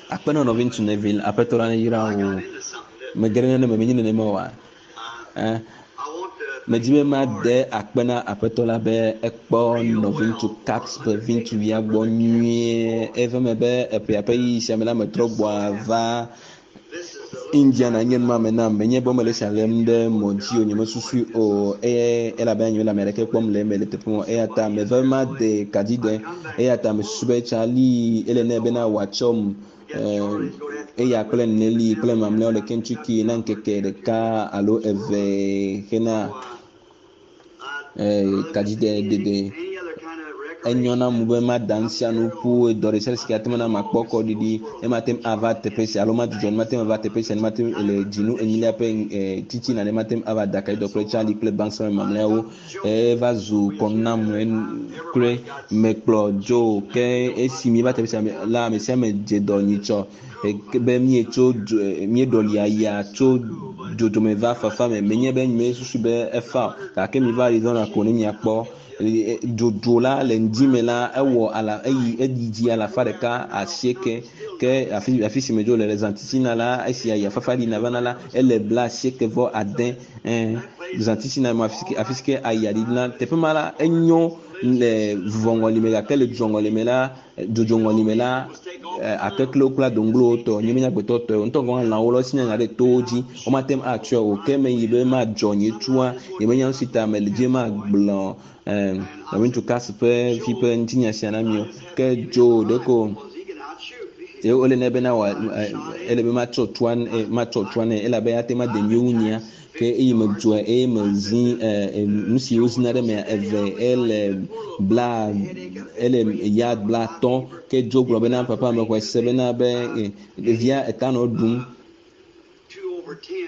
Akpe na nɔviŋutsu Neville, Aƒetɔ la neyra wò. Mege ɖe nane me, menye nenema oa? Eh, medi be made akpe na Aƒetɔ la be ekpɔ nɔviŋutsu Capps ƒe viŋutsuvia gbɔ nyuie. Eva eme be eƒea ƒe ɣeyiɣi sia me la, metrɔ gbɔa va Indiana nye numame nam. Menye be womele esia lém ɖe mɔ dzi o, nyemesusui o. Eye elabena nyemele ame aɖeke kpɔm le eme le teƒe ma o. Eya ta meva be made ka dzi de. Eya ta mesusu be Charlie ele nɛ bena wòatsɔm eh, eya kple Nelly kple mamlɛawo le Kentucky na ŋkeke ɖeka alo eve hena eh, kadzide dede. Enyo nam be mada nu sia nu ƒu dɔ ɖe sia ɖe si ke ate ŋu ana makpɔ kɔɖiɖi ne mate ŋu ava teƒe sia alo madzudzɔ ne mate ŋu ava teƒe sia ne mate ŋu le dzinu enyilia ƒe eh, titina ne mate ŋu ava da kaɖi kple Charlie kple Banks mamlɛawo. Eva zu kɔnu nam kloe. Mekplɔ Joe ke esi míeva teƒe sia la, ame sia ame dze dɔ nyitsɔ be míetso míeɖɔli aya tso dzodzome va fafa me. Menye be mesusu be efa o gake miva Arizona ko ne miakpɔ dzodzo la le ŋdi me la ewɔ ala eyi eyi dzi alafa ɖeka asieke ke afi afi si me dzo le le zã titina la esi aya fafa ɖina vana la ele bla asieke vɔ ade ɛɛ zã titina me afi si ke afi si ke aya ɖina teƒe ma la enyo le vuvɔŋɔli me gake le dzoŋɔli me la dzodzɔŋɔli me la akeklewo kple adoŋglowo tɔ nye menye agbetɔ tɔe o ŋutɔ gɔ̃ hã lãwo le wosi nya ɖe towo dzi womate ŋu atsɔe o ke meyi be madzɔ nye tua nyemenya nu si ta mele dzi magblɔ nɔviŋutsu Cass ƒe vi ƒe ŋutinya sia na mi o ke dzo ɖeko ye wole nɛ bena wòa ele be matsɔ tua matsɔ tua nɛ elabe ate ŋu ade nyuie wu nyea Ke eyi medzɔe eye mezi nu si wozina ɖe mea eve ele bla ele yard blatɔ̃. Ke Joe gblɔ bena, Papa mexɔe se bena be ɖevia eta nɔ ɖum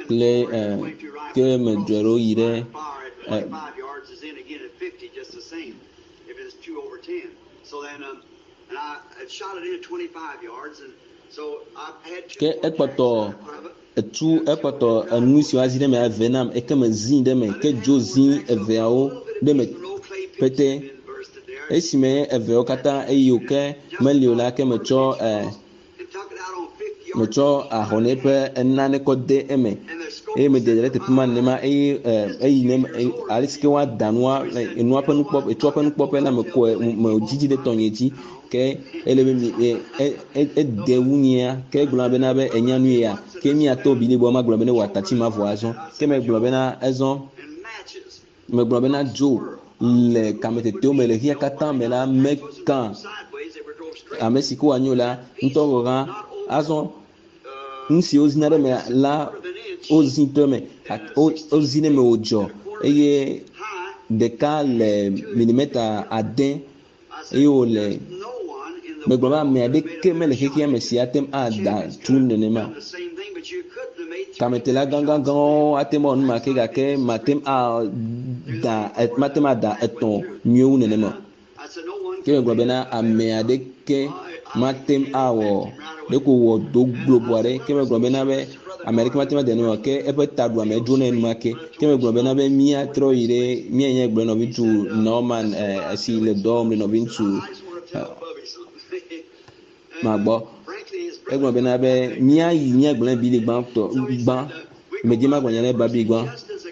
kple ke medzɔe ɖo yi ɖe Ke ekpɔtɔ etu ekpɔtɔ enu si woazi ɖe eme eve nam eke mezii ɖe eme ke dzo zi eveawo ɖe eme pete. Esime eveawo katã eyi o ke meli o la ke metsɔ e metsɔ ahɔnɛ ƒe nane kɔ de eme eye mede ɖe teƒe ma nenema eye eyi ne ale si ke woada nua enua ƒe nukpɔ etsɔ ƒe nukpɔƒe la mekɔe medzidzi ɖe tɔnye dzi ke ele be mi ede wu nyea ke egblɔ bena be enya nu ya ke miatɔ bili gbɔ magblɔ be ne wɔ atati ma vɔ azɔ ke megblɔ bena ezɔ Megblɔ bena dzo le kametetewo me le xexea katã me la mekã ame si ke wòanyo la ŋutɔ gɔ̃ hã. Azɔ nu si wozina ɖe eme la wozi to eme wozi ɖe eme wòdzɔ eye ɖeka le milimeta ade eye wòle megblɔ be ame aɖeke mele xexea me si ate ŋu ada tu nenema. Kametela gãgãgãwo ate ŋu awɔ nu ma ke gake mate ŋu ada mate ŋu ada etɔ̃ nyuie wu nenema o. Ke megblɔ bena ame aɖeke mate ŋu awɔ ɖeko wɔ do globo aɖe. Ke megblɔ bena be ame aɖeke mate ŋu ade nenema o. Ke eƒe taɖuame dzo nɛ enumake. Ke megblɔ bena be míatrɔ yi ɖe míayi nye gblɔ nɔviŋutsu Norman eh, si le dɔ wɔm le nɔviŋutsu eh, ma gbɔ. Egblɔ bena be míayi míagblɔ Bili gbãtɔ gbã. Medzi magblɔ nya na Babi gbã.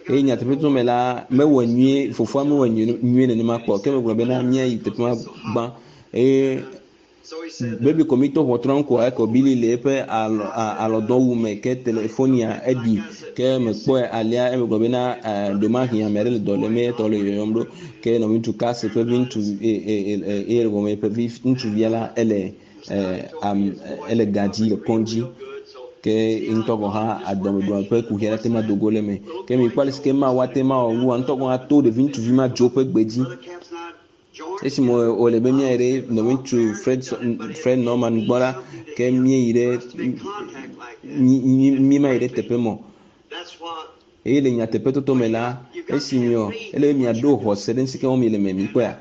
Eye nyateƒe to me la, mewɔ nyuie, fofoa mewɔ nyuie nenema kpɔ. Ke megblɔ bena míayi teƒe ma gbã. Eye Baby ko mi to ʋɔtrua ŋu koa ekɔ Billy le eƒe alɔ alɔdɔwu me ke telefonia eɖi ke mekpɔe alea eme gblɔ bena ɖomahi ame aɖe le dɔ lém etɔ le yɔyɔm ɖo ke nɔviŋutsu Cassie ƒe vi ŋutsu eye gɔme ƒe vi ŋutsuvia la ele ele gadzi le kɔdzi ke ŋutɔ gɔ̃ hã adɔmeɖua ƒe kuxi aɖe te ma do go le eme ke mi kpɔ ale si ke Mawu ate ma wɔ nua ŋutɔ gɔ̃ hã to ɖevi ŋutsuvi ma dzo ƒe gbe dzi. Esime wòle be míayi ɖe nɔviŋutsu Fred, Fred Norman gbɔ la, ke míeyi ɖe, míemayi ɖe teƒe mɔ. Eye le nyateƒetoto me la, esi miɔ, ele be miaɖo xɔse ɖe nusi ke wɔm miele me, mikpɔea?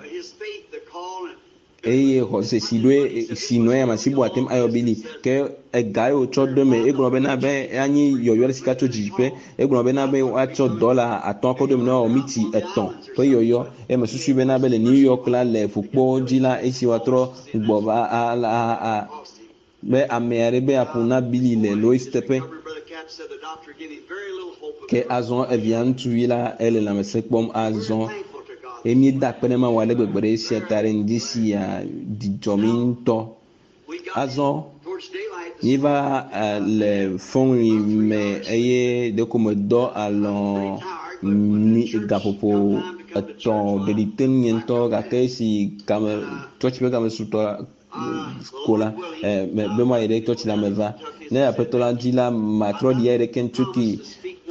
Eye xɔse si ɖoe, si nɔ eya me si bu ate ŋu ayɔ Billy. Ke ega ye wòtsɔ ɖo eme, egblɔ bena be anyi yɔyɔ ɖe sika tso dzidziƒe. Egblɔ bena be woatsɔ dɔla atɔ̃ akɔ ɖo eme ne woawɔ miti etɔ̃ ƒe yɔyɔ. Eye mesusui bena be le New York la, le ƒukpowo dzi la, esi woatrɔ gbɔ va a, a, a, a. Be ame aɖe be aƒo na Billy le Lois teƒe. Ke azɔ evia ŋutsuvi la ele lãmesẽ kpɔm azɔ. Eye míeda akpe ne Mawu ale gbegbe ɖe esia ta ɖe ŋdi sia dzidzɔ mí ŋutɔ. Azɔ míeva le fɔŋli me eye ɖeko medɔ alɔ mi gaƒoƒo etɔ̃ ɖeɖi te ŋunye ŋutɔ gake esi game tsɔtsi ƒe game su tɔ ko la be mayi ɖe tsɔtsi la me va. Ne aƒetɔ la dzi la matrɔ ɖi ayi ɖe Kentucky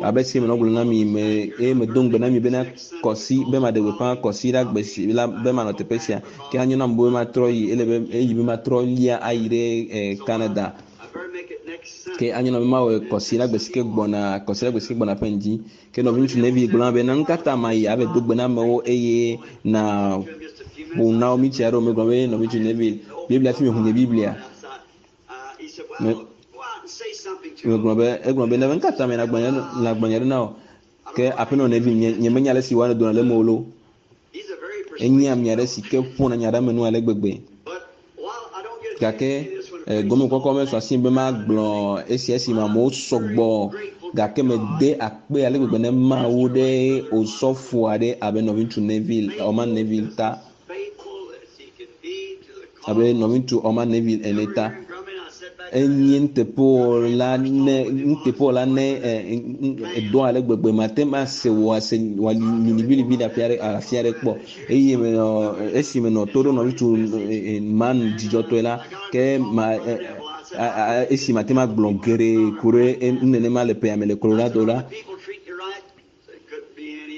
abe si menɔ gblɔm na mi me eye medo ŋugbe na mi bena kɔsi be maɖe gbeƒã kɔsi la gbe si la be manɔ teƒe sia ke anyo nam be matrɔ yi ele be eyi be matrɔ lia ayi ɖe Canada ke anyo nam be mawɔ kɔsi la gbe si ke gbɔna kɔsi la gbe si ke gbɔna ƒe ŋdi ke nɔviŋutsu Nevi gblɔ na be na nu ka ta mayi ave do gbe na amewo eye na ƒo na wo mitsi aɖewo megblɔ be nɔviŋutsu Nevi Biblia fi mehu nye Biblia me megblɔ be egblɔ be ne ka ta me nagblɔ nya ɖe na wò ke aƒenɔ Nevi nye nye menya ale si woanɔ dona le eme o lo enye ame aɖe si ke ƒona nya ɖe ame nu ale gbegbe gake gɔmekɔkɔ mesɔ asi be magblɔ esia esi me amewo sɔgbɔ gake mede akpe ale gbegbe ne Mawu ɖe osɔfo aɖe abe nɔviŋutsu Neville Orman Neville ta abe nɔviŋutsu Orman Neville ene ta enye nuteƒewɔla ne nuteƒewɔla ne edɔ ale gbegbe mate ŋu ase wò ase wòaliliʋiliʋi le afi aɖe afi aɖe kpɔ eye menɔ esi menɔ to ɖo nɔviŋutsu man dzidzɔtɔe la ke ma esi mate ŋu agblɔ geɖe ku ɖe nu nenema le ƒea me le Colorado la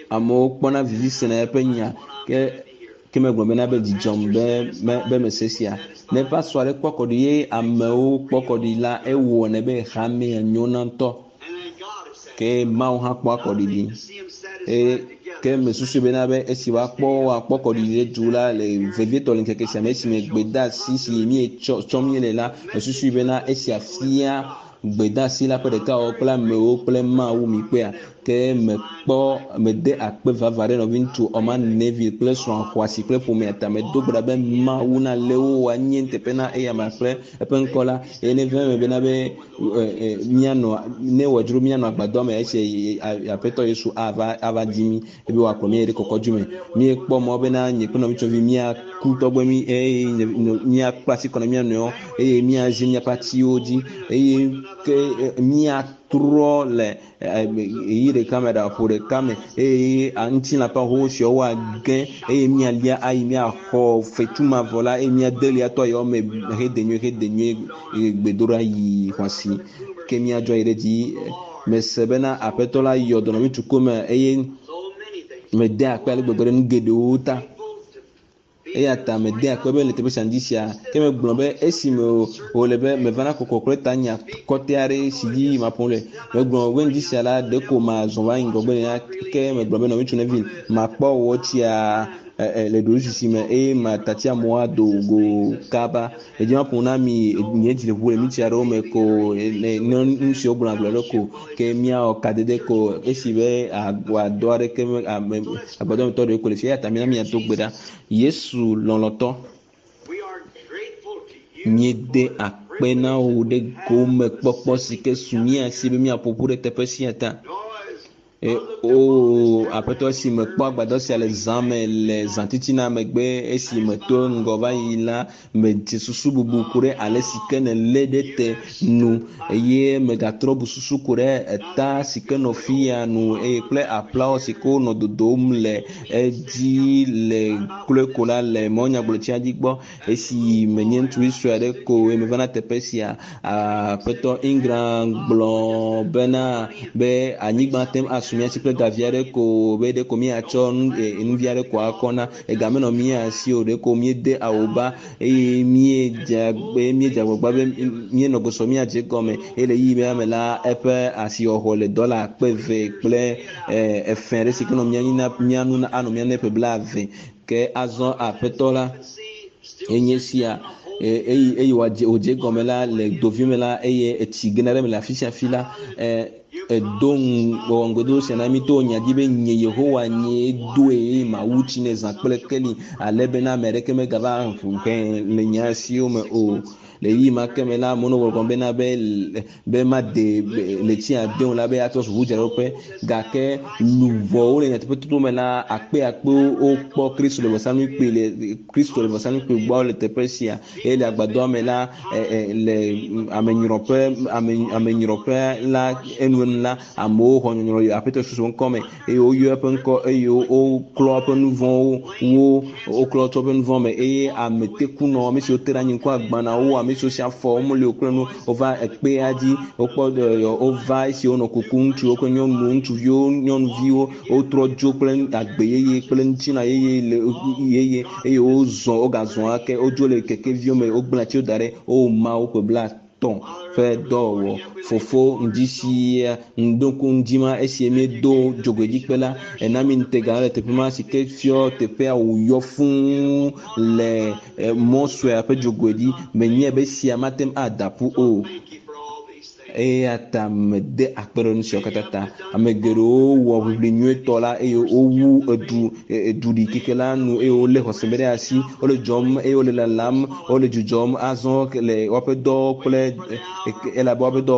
amewo kpɔna vivi sena eƒe nya ke ke megblɔ bena be dzidzɔm be me be mese sia ne eƒe asɔ aɖe kpɔ kɔ ɖi ye amewo kpɔ kɔ ɖi la ewɔnɛ be hamea nyona ŋutɔ ke Mawu hã kpɔa kɔɖiɖi eye ke mesusu bena be esi woakpɔ woakpɔ kɔɖiɖi ɖe du la le vevietɔ le ŋkeke sia me esime gbedeasi si míetsɔ tsɔm míele la mesusu bena esia fia gbedeasi la ƒe ɖekawɔwɔ kple amewo kple Mawu mi kpɔea ke mekpɔ mede akpe vava ɖe nɔviŋutsu Orman Neville kple srɔ̃a xɔasi kple ƒomea ta medo gbe ɖa be Mawu nalé wo woanye nuteƒe na eyama kple eƒe ŋkɔ la eye neva eme bena be míanɔ ne wòdzro míanɔ agbadɔ me esi aƒetɔ Yesu ava ava di mí ebe wòakplɔ mí yi ɖe kɔkɔdzu me. Míekpɔ mɔ bena nye kple nɔvitsɔvi míaku tɔgbe mí eye míakpla asi kɔ na mía nɔewo eye míazi míaƒe atiwo dzi eye ke míatrɔ le ɣeyiɣi ɖeka me ɖaƒo ɖeka me eye ŋutilã ƒe ahowo woage eye míalia ayi míaxɔ fetu mavɔ la eye míade liatɔ yawo me hede nyuie hede nyuie gbedoɖa yi xɔasi ke míadzɔ yi ɖe dzi mese bena aƒetɔ la yɔ dɔ nɔviŋutsu kome eye mede akpe ale gbegbe ɖe nu geɖewo ta eya ta mede akpe be le teƒe sia ŋdi sia ke megblɔ be esime wòle be mevana kɔkɔ kple tanya kɔtɛ aɖe si dzi maƒo le megblɔ be ŋdi sia la ɖeko mazɔ va yi ŋgɔgbe nena ke megblɔ be nɔviŋutsu Neville makpɔ wò tsia le ɖoɖoezizi me eye matati amewo ado go kaba edzi maƒo na mi nye dzi le ʋu le mitsi aɖewo me ko ne nu siwo gblɔ agblɔ ɖe ko ke míawɔ kadede ko esi be agbadɔ aɖeke me ame agbadɔmetɔ ɖewo ko le fi eya ta mina míado gbe ɖa Yesu lɔlɔ̃tɔ míede akpe na wò ɖe gomekpɔkpɔ si ke su mía si be míaƒo ƒu ɖe teƒe sia ta. O aƒetɔ esi mekpɔ agbadɔ sia le zã me le zãtitina megbe esi meto ŋgɔ va yi la medze susu bubu ku ɖe ale si ke nèlé ɖe te nu eye megatrɔ bu susu ku ɖe eta si ke nɔ fi ya nu eye kple aƒlawo si ke wonɔ dodom le edzi le kloe ko la le mɔnyagblɔtsia dzi gbɔ esi menye ŋutsuvi sue aɖe ko eye meva na teƒe sia aƒetɔ Ingram gblɔ bena be anyigba te ŋu asu mía si kple gavi aɖe ko be ɖeko míatsɔ nuvi aɖe ko akɔ na ega menɔ mía si o ɖeko míede awoba eye míedze míedze agbagba be míenɔ gbɔsɔ míadze egɔme eye le ɣeyiɣi ma me la eƒe asixɔxɔ le dɔla akpe eve kple efe aɖe si ke nɔ mía nyi na mía nu anɔ mía nu ƒe blaeve ke azɔ aƒetɔ la enye sia eye eye wòadze wòdze egɔme la le dovi me la eye etsi gena ɖe eme le afi sia afi la edo wɔ ŋugbedodo sia na mí to nya dzi be nye Yehowa nyee doe eye mawu tsi ne zã kple keli ale bena ame aɖeke megava ʋu hɛ le nye asiwo me o. Le ɣeyiɣi ma ke me la, amewo nɔ gbɔgblɔm bena be be made ɣleti ade o la be atrɔ zu ʋudzraɖoƒe gake luʋɔwo le nyateƒetoto me la akpe akpewo wokpɔ Kristo le vɔsamlekpui le Kristo le vɔsamlekpui gbɔ le teƒe sia eye le agbadɔa me la le amenyrɔƒe ame amenyrɔƒe la enuenu la amewo xɔ nyɔnyrɔ le Aƒetɔ Yesu ƒe ŋkɔ me eye woyɔ eƒe ŋkɔ eye woklɔ eƒe nu vɔ̃wo wo woklɔ tso eƒe nu vɔ̃ me eye ame tekunɔ ame siwo te ɖe anyi ŋku agbanawo ame siwo si afɔ womeli o kple nu wova ekpea dzi wokpɔ wova esi wonɔ kukum ŋutsuwo kple nyɔnuwo ŋutsuviwo nyɔnuviwo wotrɔ dzo kple agbe yeye kple ŋutilã yeye le yeye eye wozɔ wogazɔ ake wodzo le kekeviwo me wogblẽ atiwo da ɖe wo Mawu ƒe blatɔ̃ ƒe dɔwɔwɔ. Fofo ŋdi sia ŋdɔku ŋdi ma esi míedo dzogoedzikpe la ena mi ŋutega le teƒe ma si ke fiɔ teƒea wòyɔ fũu le mɔ suea ƒe dzogoe dzi. Menyae be esia mate ŋu ada ƒu o. Eya ta mede akpe ɖe nu siawo katã ta. Ame geɖewo wɔ ʋiʋli nyuietɔ la eye wowu edu eduɖikeke la nu eye wolé xɔse me ɖe asi. Wole dzɔm eye wole lalam, wole dzudzɔm azɔ le woƒe dɔwo kple elabe woƒe dɔ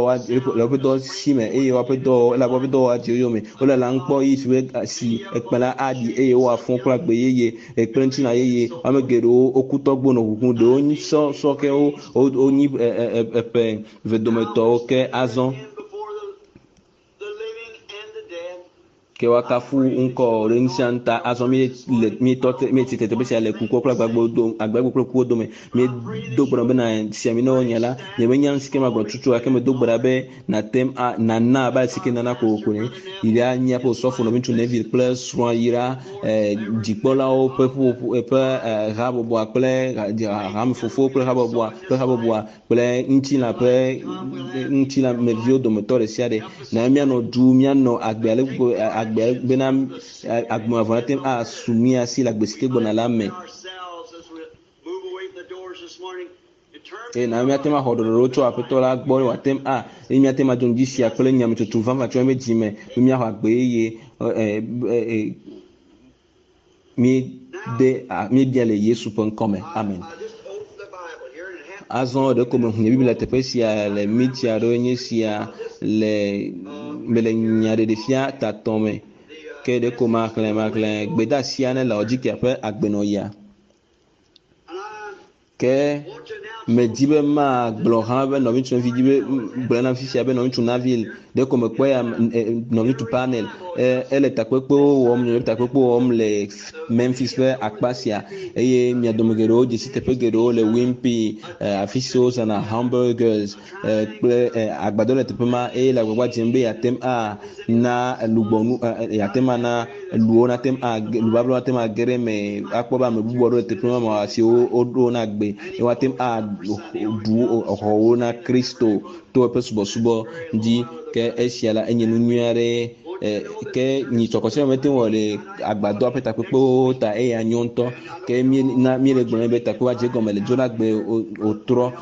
le woƒe dɔ si me eye woƒe dɔ elabe woƒe dɔwɔwɔ adze wo yome. Wole lalam kpɔ ɣeyiɣi si be si ekpẽ la aɖi eye woafɔ kple agbe yeye kple ŋutilã yeye. Ame geɖewo woku tɔgbo nɔ ʋuʋum, ɖewo nyi sɔ sɔkewo wonyi eƒe vedometɔwo ke azɔ. Ke woakafu ŋkɔ ɖe ŋusia ta azɔ míele míetɔ te míetsi te teƒe sia le kukuwo kple agbagbewo dome agbagbe kple kuwo dome. Míedo gbe ɖa bena si ami ne wonye la nyemenya nu si ke magblɔ tutu gake medo gbe ɖa be nàte ŋu a nàna abe ale si ke nana kokoko ne yi ɖa míaƒe osɔfo nɔviŋutsu Neville kple srɔ̃a yi ɖa dzikpɔlawo ƒe ƒuƒoƒo ƒe habɔbɔa kple hamefofowo kple habɔbɔa ƒe habɔbɔa kple ŋutilã ƒe ŋutilãmeviwo dometɔ ɖe sia ɖe. Na míanɔ du míanɔ agbe ale gbegbe agbe bena agbe mavɔ nate ŋu asu mía si le agbe si ke gbɔna la me. Eye na míate ŋu axɔ ɖɔɖɔɖo tso Aƒetɔ la gbɔ wòate ŋu a eye míate ŋu adzo ŋdi sia kple nyametsotso vavã tso míaƒe dzi me be míaxɔ agbe yeye míede míebia le Yesu ƒe ŋkɔ me. Amen. Azɔ ɖeko mehu nye Biblia teƒe sia le minti aɖewo nye sia le mele nyaɖeɖefia tatɔ me. Ke ɖeko maxlẽ maxlẽ gbedeasia ne Laodikea ƒe agbenɔɣia. Ke medi be magblɔ hã be nɔviŋutsu nɔvi di be gblɔ na fifia be nɔviŋutsu Neville ɖeko mekpɔ ya nɔviŋutsu Parnell ele takpekpewo wɔm le takpekpewo wɔm le Memphis ƒe akpa sia eye mia dome geɖewo dzesi teƒe geɖewo le Wimpy afi si wozãna hamburgers kple agbadɔ le teƒe ma eye le agbagba dzem be yeate ŋu ana lugbɔnu yeate ŋu ana luwo nate ŋu age lubablawo nate ŋu age ɖe eme akpɔ be ame bubu aɖewo le teƒe ma me siwo woɖo na gbe eye woate ŋu aɖu xɔwo na Kristo to eƒe subɔsubɔ dzi ke esia la enye nu nyui aɖe ke nyitsɔkɔsɛ mete ŋu wɔ le agbadɔa ƒe takpekpewo ta eye anyo ŋutɔ ke míena míele gblɔm be takpekpe dze gɔme le dzoɖagbe wòtrɔ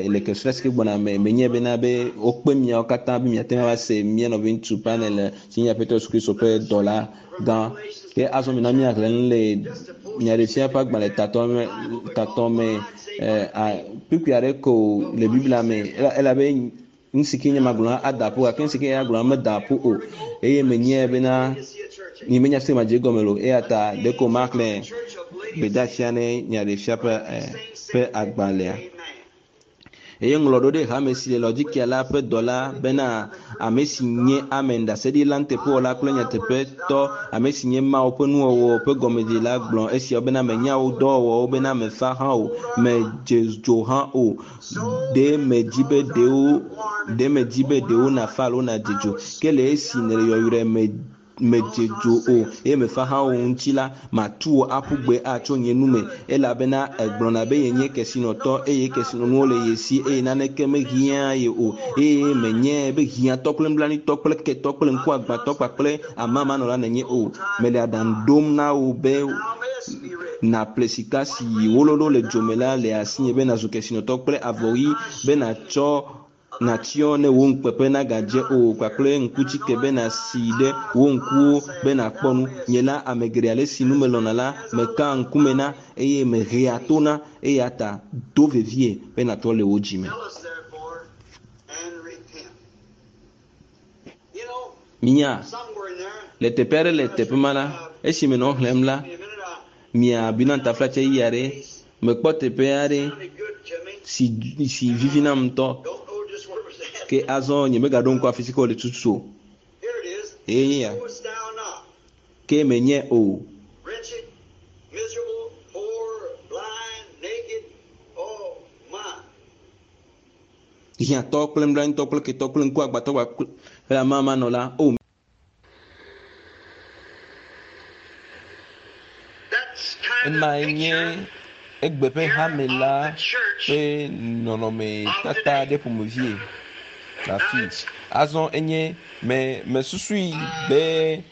le kesrɔ̃ si ke gbɔna me menye bena be wokpe miawo katã be miate ŋu ava se mía nɔviŋutsu panel si nye Aƒetɔ Yesu Kristo ƒe dɔla gã. Ke azɔ mina míaxlẽ nu le nyaɖeɖefia ƒe agbalẽ tatɔ me kpukpui aɖe ko le Biblia me elabe nu si ke nye magblɔ ada ƒu gake nu si ke nye agblɔ meda ƒu o eye menyae bena nyemenya fi madze gɔme lo eya ta ɖeko maxlẽ gbedeasia ne nyaɖeɖefia ƒe agbalẽa. Eye ŋlɔ ɖo ɖe hame si le Laodikea la ƒe dɔla bena ame si nye amen ɖaseɖila nuteƒewɔla kple nyateƒetɔ ame si nye Mawu ƒe nuwɔwɔ ƒe gɔmedzela gblɔ esiawo bena menya wo dɔwɔwɔwo bena mefa hã o medze dzo hã o ɖe medzi be ɖewo ɖe medzi be ɖewo nafa alo nadze dzo ke le esi nèle yɔyrɔe me medze dzo o eye mefa hã o ŋuti la matu wò aƒu gbe atso nye nu me elabena egblɔna be yenye kesinɔtɔ eye kesinɔnuwo le ye si eye naneke mehiã ye o eye menye be hiãtɔ kple nublanuitɔ kple ketɔ kple ŋkuagbãtɔ kpakple amamanɔla nènye o. Mele aɖaŋu ɖom na wò be nàƒle sika si wololo le dzome la le asinye be nàzu kesinɔtɔ kple avɔ ɣi be nàtsɔ Natsyɔ ne wò ŋukpeƒe nagadze o kpakple ŋkutsike be nàsi ɖe wò ŋkuwo be nàkpɔ nu. Nye la, ame geɖe ale si nu melɔ̃na la, mekaa ŋkume na eye mehea to na eya ta do vevie be nàtrɔ le wò dzi me. Minya, le teƒe aɖe le teƒe ma la, esi menɔ xlẽm la, mia binantaflatse ɣi aɖe, mekpɔ teƒe aɖe si si vivi nam ŋutɔ. Ke azɔ nyemegaɖo ŋku afi si ke wòle tutu o. Eye nye ya. Ke menye o. Hiãtɔ kple nublanuitɔ kple ketɔ kple ŋkuagbãtɔ kpakple amamanɔla. O. Emae nye egbe ƒe hame la ƒe nɔnɔmetata ɖe ƒomevie le afii. Azɔ enye me mesusui be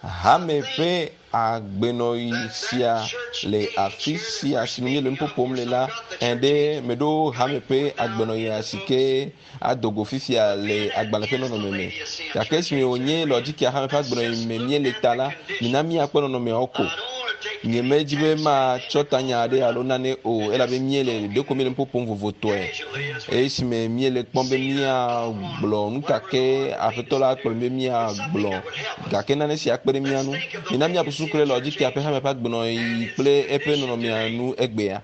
hame ƒe agbenɔɣi sia le afi sia si me míele nuƒo ƒom le la, ẽ ɖe meɖo hame ƒe agbenɔɣia si ke ado go fifia le agbalẽ ƒe nɔnɔme me. Gake esime wònye Laodikea hame ƒe agbenɔɣi me míele ta la, mina míakpɔ nɔnɔmeawo ko. Nyemedi be matsɔ tanya aɖe alo nane o, elabe míele ɖeko míele nuƒo ƒom vovotɔe. Esime míele kpɔm be míagblɔ nu ka ke Aƒetɔ la kplɔ mí be míagblɔ, gake nane si akpe ɖe mía ŋu. Mina míaƒo susu ku ɖe Laodikea ƒe hame ƒe agbenɔɣi kple eƒe nɔnɔmea nu egbea.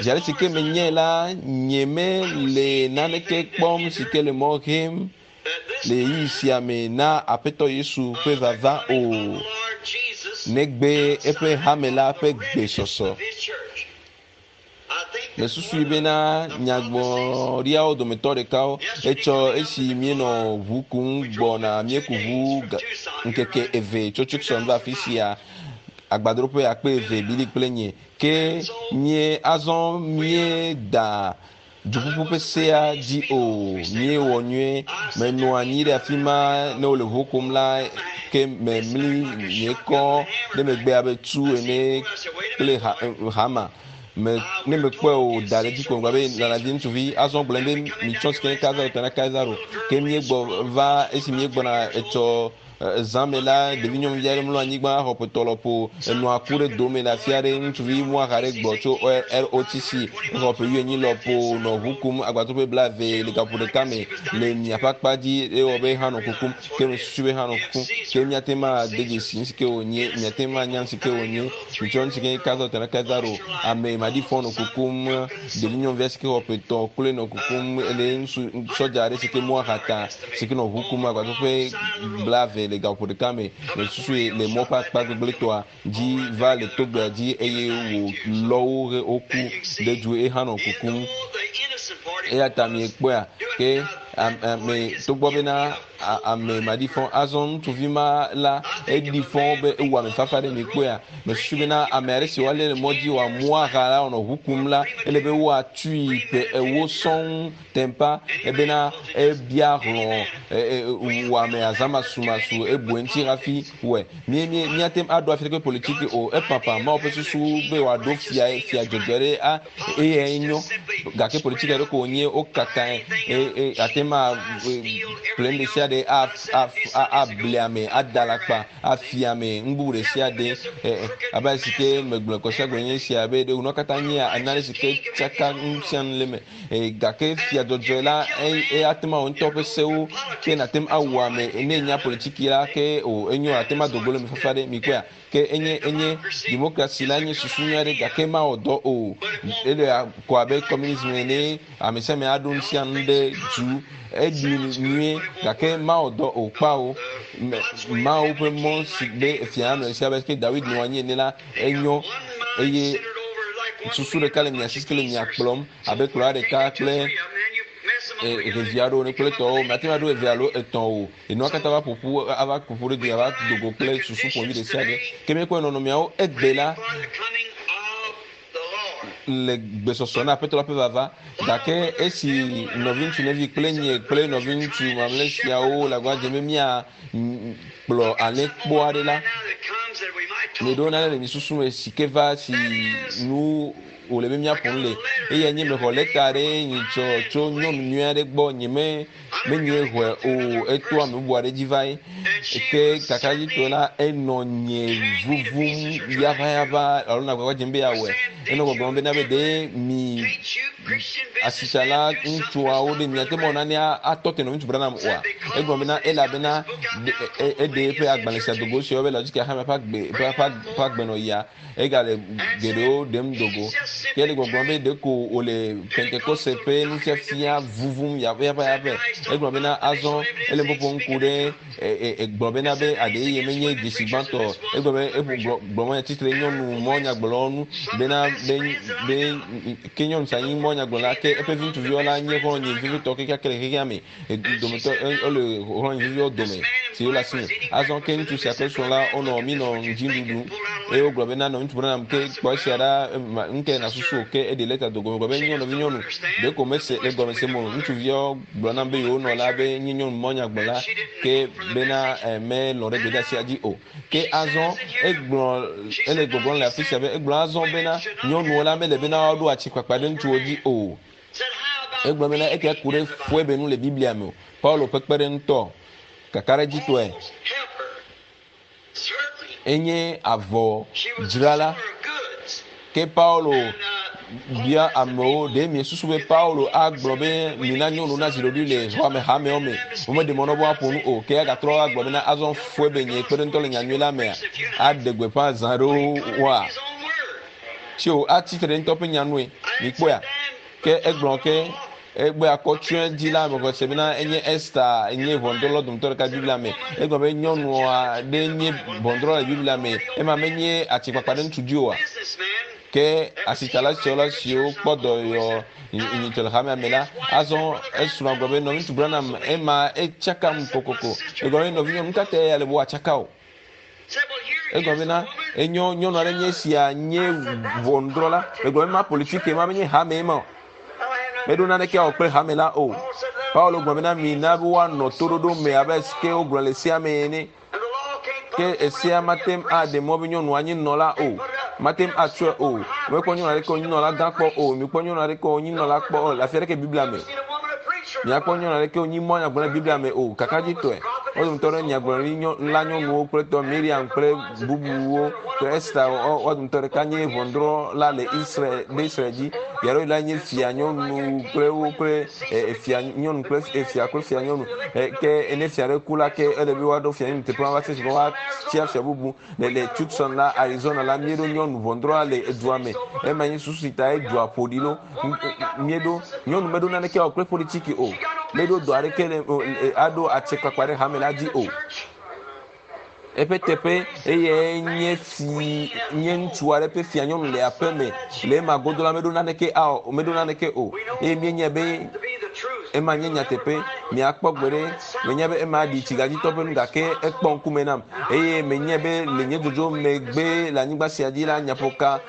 Zi ale si ke menyae la, nyemele naneke kpɔm si ke le mɔ hem le ɣeyiɣi sia me na Aƒetɔ Yesu ƒe vava o, negbe eƒe hame la ƒe gbesɔsɔ. Mesusui bena nyagblɔɖiawo dometɔ ɖekawo etsɔ esi míenɔ ʋu kum gbɔna míeku ʋu ŋkeke eve tso Tucson va afi sia agbadroƒe akpe eve Billy kple nye. Ke mie azɔ míeda duƒuƒu ƒe sea dzi o. Míewɔ nyuie. Menɔ anyi ɖe afi ma ne wole ʋu kum la ke memli nye kɔ ɖe megbe abe tu ene kple hama. Me, ne mekpɔe o da ɖe dzi ko gblɔ be lalavi ŋutsuvi azɔ gblɔ be mitsɔ sike ne Kaisaro tɔ na Kaisaro. Ke míegbɔ va esi míegbɔna etsɔ Zã me la, ɖevi nyɔnuvi aɖe mlɔ anyigba xɔ ƒe lɔƒo. Enɔa ku ɖe dome le afi aɖe. Ŋutsuvi muaxa aɖe gbɔ tso ROTC. Exɔ ƒe wuienyi lɔƒo nɔ ʋu kum agbadroƒe blaeve le gaƒoƒo ɖeka me le miaƒe akpa dzi. Ewɔ be hã nɔ kukum. Ke mesusu be hã nɔ kukum. Ke míate ŋu ade dzesi nu si ke wònye. Miate ŋu anya nu si ke wònye. Mitsɔ nu si ke nye Kaisaro tɔ na Kaisaro. Ame maɖifɔ nɔ kukum. Ɖevi nyɔnuvia si ke xɔ ƒe etɔ̃ kloe nɔ kukum le ŋutsu sɔdza aɖe si ke muaxa ta. Si ke nɔ ʋu kum agbadroƒe blaeve le gaƒoƒo ɖeka me le susue le mɔ ƒe akpa gbegblẽtɔa dzi va le togbea dzi eye wòlɔ wo he woku ɖe du eye hã nɔ kukum. Eya ta miekpɔea ke ame togbɔ bena ame maɖifɔ azɔ ŋutsuvi ma la eɖi fɔ be ewu ame fafa ɖe miekpɔea mesusu bena ame aɖe si woalé le mɔ dzi wòamu aha la wònɔ ʋu kum la ele be woatui ƒe ewo sɔŋ Tempa ebena ebia hlɔ̃ wɔame azãmasumasu ebue ŋuti hafi wɔe. Mí mí míate ŋu aɖo afi ɖeke politiki o. Epapa Mawu ƒe susu be wòaɖo fia fia dzɔdzɔe ɖe a eyae nyo. Gake politiki aɖe ko wònye wokakae e e ate ŋu a ƒle nu ɖe sia ɖe a a a able ame ada alakpa afia ame nu bubu ɖe sia ɖe. Abe ale si ke megblɔe kɔsiagbe nye esia be ɖe nua katã nyea nane si ke tsaka nu sia nu le eme. Eye gake fia dzɔdzɔe la, ate ŋu awɔ ŋutɔ ƒe sewo ke nàte ŋu awu ame ne enya politiki la ke o enyo ate ŋu ado go le eme fafa ɖe mikpɔea ke enye enye demokrasi la nye susu nyui aɖe gake mawɔ dɔ o ele ko abe communism ene ame sia ame aɖo nu sia nu ɖe du eɖi nyuie gake mawɔ dɔ o kpawo Mawu ƒe mɔ si be fia nɔ esi abe ke Dawid nɔ anyi ene la enyo eye susu ɖeka le mia si ke le mia kplɔm abe kplɔla ɖeka kple ɖevi aɖewo ne kple tɔwo mate ŋu aɖo eve alo etɔ̃ o enua katã va ƒoƒu ava ƒoƒu ɖe dzi ava do go kple susu ƒomevi ɖe sia ɖe ke míekpɔ nɔnɔmeawo egbe la le gbesɔsɔ na aƒetɔ la ƒe vava gake esi nɔviŋutsu nɔvi kple nye kple nɔviŋutsu mamlɛ siawo le agbagba dzem be mía kplɔ alẽkpo aɖe la, mieɖo nane le mi susu me si ke va si nu wòle be míaƒo nu le. Eyae nye mexɔ lɛta aɖe nyitsɔ tso nyɔnu nyui aɖe gbɔ nye me menye xɔe o eto ame bubu aɖe dzi va ye. Ke kakaɖedzitɔe la enɔ nye vuvum yaʋayaʋa alo nɔ agbagba dzem be yeawɔe. Enɔ gbɔgblɔm bena be ɖe mi asitsala ŋutsuawo ɖe miate ŋu awɔ nane atɔ te nɔ ŋutsu Branham oa? Egblɔ bena elabena eɖe eƒe agbalẽ sia dogo si woyɔ be Laodikea hame ƒe agbe ƒe ƒe agbenɔɣia. Egale geɖewo ɖem dogo. Ke ele gbɔgblɔm be ɖeko wòle Pentekoste ƒe nufiafia vuvum yaƒeyaƒeyaƒe. Egblɔ bena azɔ ele ƒoƒom ku ɖe egblɔ bena be aɖe ye menye dzesi gbãtɔ. Egblɔ be eƒo gblɔ gblɔ mɔ tsitre nyɔnu mɔ nyagblɔlawo nu bena be be ke nyɔnu sia nyi mɔ nyagblɔla ke eƒe viŋutsuviwo la nye xɔlɔ̃nye vevitɔ kekeake le xexea me. Dometɔ ele xɔlɔ̃nye veviwo dome si wole asi me. Azɔ ke ŋutsu sia kple srɔ̃ la wonɔ minɔ ŋdziɖuɖu eye wogblɔ bena nɔ ŋutsu Branham ke kpɔ esia ɖa ŋke nasusu o ke eɖe lɛta do gɔme gblɔ be nyɔnu nɔvinyɔnu ɖeko mese le gɔme sem o. Ŋutsuviawo gblɔ nam be yewo nɔ la be nye nyɔnu mɔnyagblɔla ke bena melɔ̃ ɖe gbedeasia dzi o. Ke azɔ egblɔ ele gbɔgblɔm le afi sia be egblɔ azɔ bena nyɔnuwo la mele bena woaɖo atsikpakpa ɖe ŋutsuwo dzi o. Egblɔ bena esia ku ɖe Foebe nu le Biblia me o. Paulo ƒe kpeɖeŋutɔ kakaɖedzitɔe enye avɔdzrala. Ke Paulo bia amewo, ɖe miesusu be Paulo agblɔ be mina nyɔnu nazi ɖoɖoe le xɔame hamewo me, womeɖe mɔ na wo be woaƒo nu o. Ke agatrɔ agblɔ bena azɔ Foebe nye kpeɖeŋutɔ le nyanyui la mea, aɖe gbeƒã zã ɖewo woa? Tsi o, atsi tre ɖe ŋutɔ ƒe nya nue. Mikpɔea? Ke egblɔ ke egbe akɔ tsɔe dzi la mexɔ se bena enye Esta nye ʋɔnudrɔ̃la dometɔ ɖeka Biblia me. Egblɔ be nyɔnua ɖe nye ʋɔnudrɔ̃la le Biblia me. Ema menye atsikpakpa ɖe ŋutsu dzi oa? Ke asitsala siwo siwo kpɔ dɔyɔ nyitsɔ le hamea me la, azɔ esrɔ̃a gblɔ be nɔviŋutsu Branham ema etsakam kokoko. Egblɔ be nɔvinyɔnu, nu ka tae ale be woatsaka o? Egblɔ bena, Enyo, nyɔnu aɖe nye esia nye ʋɔnudrɔ̃la. Egblɔ be, Ma politike ma menye hame ma o. Meɖo naneke awɔ kple hame la o. Paulo gblɔ bena, Mina be woanɔ toɖoɖo me abe ke wogblɔ le sea me ene. Ke esea mate ŋu aɖe mɔ be nyɔnua nye nunɔla o. Mate ŋu atsɔe o. Mekpɔ nyɔnu aɖeke wònye nunɔla gã kpɔ o. Mikpɔ nyɔnu aɖeke wònye nunɔla kpɔ o le afi aɖeke Biblia me. Miakpɔ nyɔnu aɖeke wònye mɔ nyagblɔ le Biblia me o. Kakadzitɔe, wo dometɔ ɖe nyagblɔɖi la nyɔnuwo kple tɔ Miriam kple bubuwo kple Esta wo dometɔ ɖeka nye ʋɔnudrɔ̃la le Israel ɖe Israel dzi. Yaɖewo la nye fia nyɔnu kple wo kple fia nyɔnu kple fia kple fia nyɔnu. Ke ne fia ɖe ku la ke ele be woaɖo fia nyɔnu teƒe ma va se esime woatia fia bubu. Le le Tucson la, Arizona la, míeɖo nyɔnu ʋɔnudrɔ̃la le edua me. Ema nye susu si ta edua ƒo ɖi ɖo. Míeɖo nyɔnu meɖo naneke awɔ kple politiki o. Meɖo dɔ aɖeke le aɖo atsekpakpa ɖe hame la dzi o. Eƒe teƒe eye nye fi nye ŋutsu aɖe ƒe fia nyɔnu le aƒe me. Le ema godo la meɖo naneke awɔ meɖo naneke o. Eye míenyae be ema nye nyateƒe. Miakpɔ gbeɖe. Menya be ema ɖi tsigadzitɔ ƒe nu gake ekpɔ ŋkume nam. Eye menyae be le nye dzodzo megbe le anyigba sia dzi la, nyaƒoka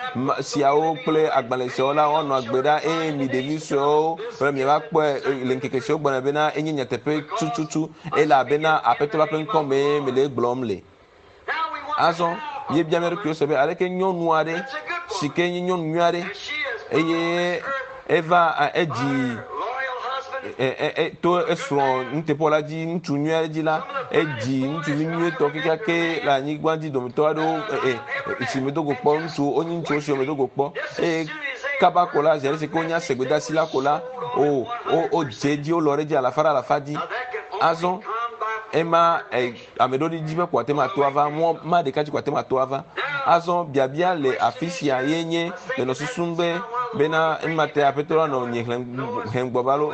siawo kple agbalẽ siawo la woanɔ agbe ɖa eye mi ɖevi suewo kple miava kpɔe le ŋkeke siwo gbɔna bena enye nyateƒe tututu elabena Aƒetɔ la ƒe ŋkɔ mee mele egblɔm le. Azɔ míebia mía ɖokuiwo se be aleke nyɔnu aɖe si ke nye nyɔnu nyui aɖe eye eva edzi to esrɔ̃ nuteƒewɔla dzi ŋutsu nyui aɖe dzi la edzi ŋutsuvi nyuietɔ kekeake le anyigba dzi dometɔ aɖewo si medo go kpɔ ŋutsuwo wonye ŋutsuwo siwo medo go kpɔ eye kaba ko la zi ale si ke wonya se gbedeasi la ko la o wodze edzi wolɔ ɖe edzi alafa ɖe alafa dzi azɔ ema Ame ɖewo dzi be ko ate ŋu ato ava, mɔ ma ɖeka dzi ko ate ŋu ato ava. Azɔ biabia le afi sia ye nye menɔ susum be bena ema te aƒetɔ la nɔ nye hlẽ hem gbɔ va lo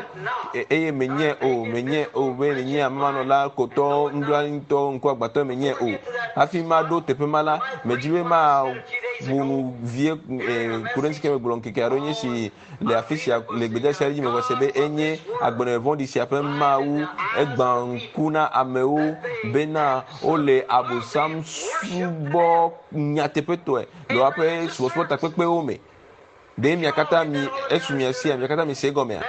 eye menye o menye o be menye amemanɔla kotɔ nublanuitɔ ŋkuagbãtɔ menye o. Hafi maɖo teƒe ma la, medzi be maƒo nu vie ku ɖe ŋuti ke megblɔ ŋkeke aɖewo nye si Le afi sia, le gbedeasi aɖe dzi mexɔ se be enye agbenɔnɔ vɔ̃ɖi sia ƒe Mawu. Egbã ŋku na amewo bena wole Abosam subɔ nyateƒetɔe le woƒe subɔsubɔ takpekpewo me. Ɖe mia katã mi esu mia sia? Mia katã mi se egɔmea?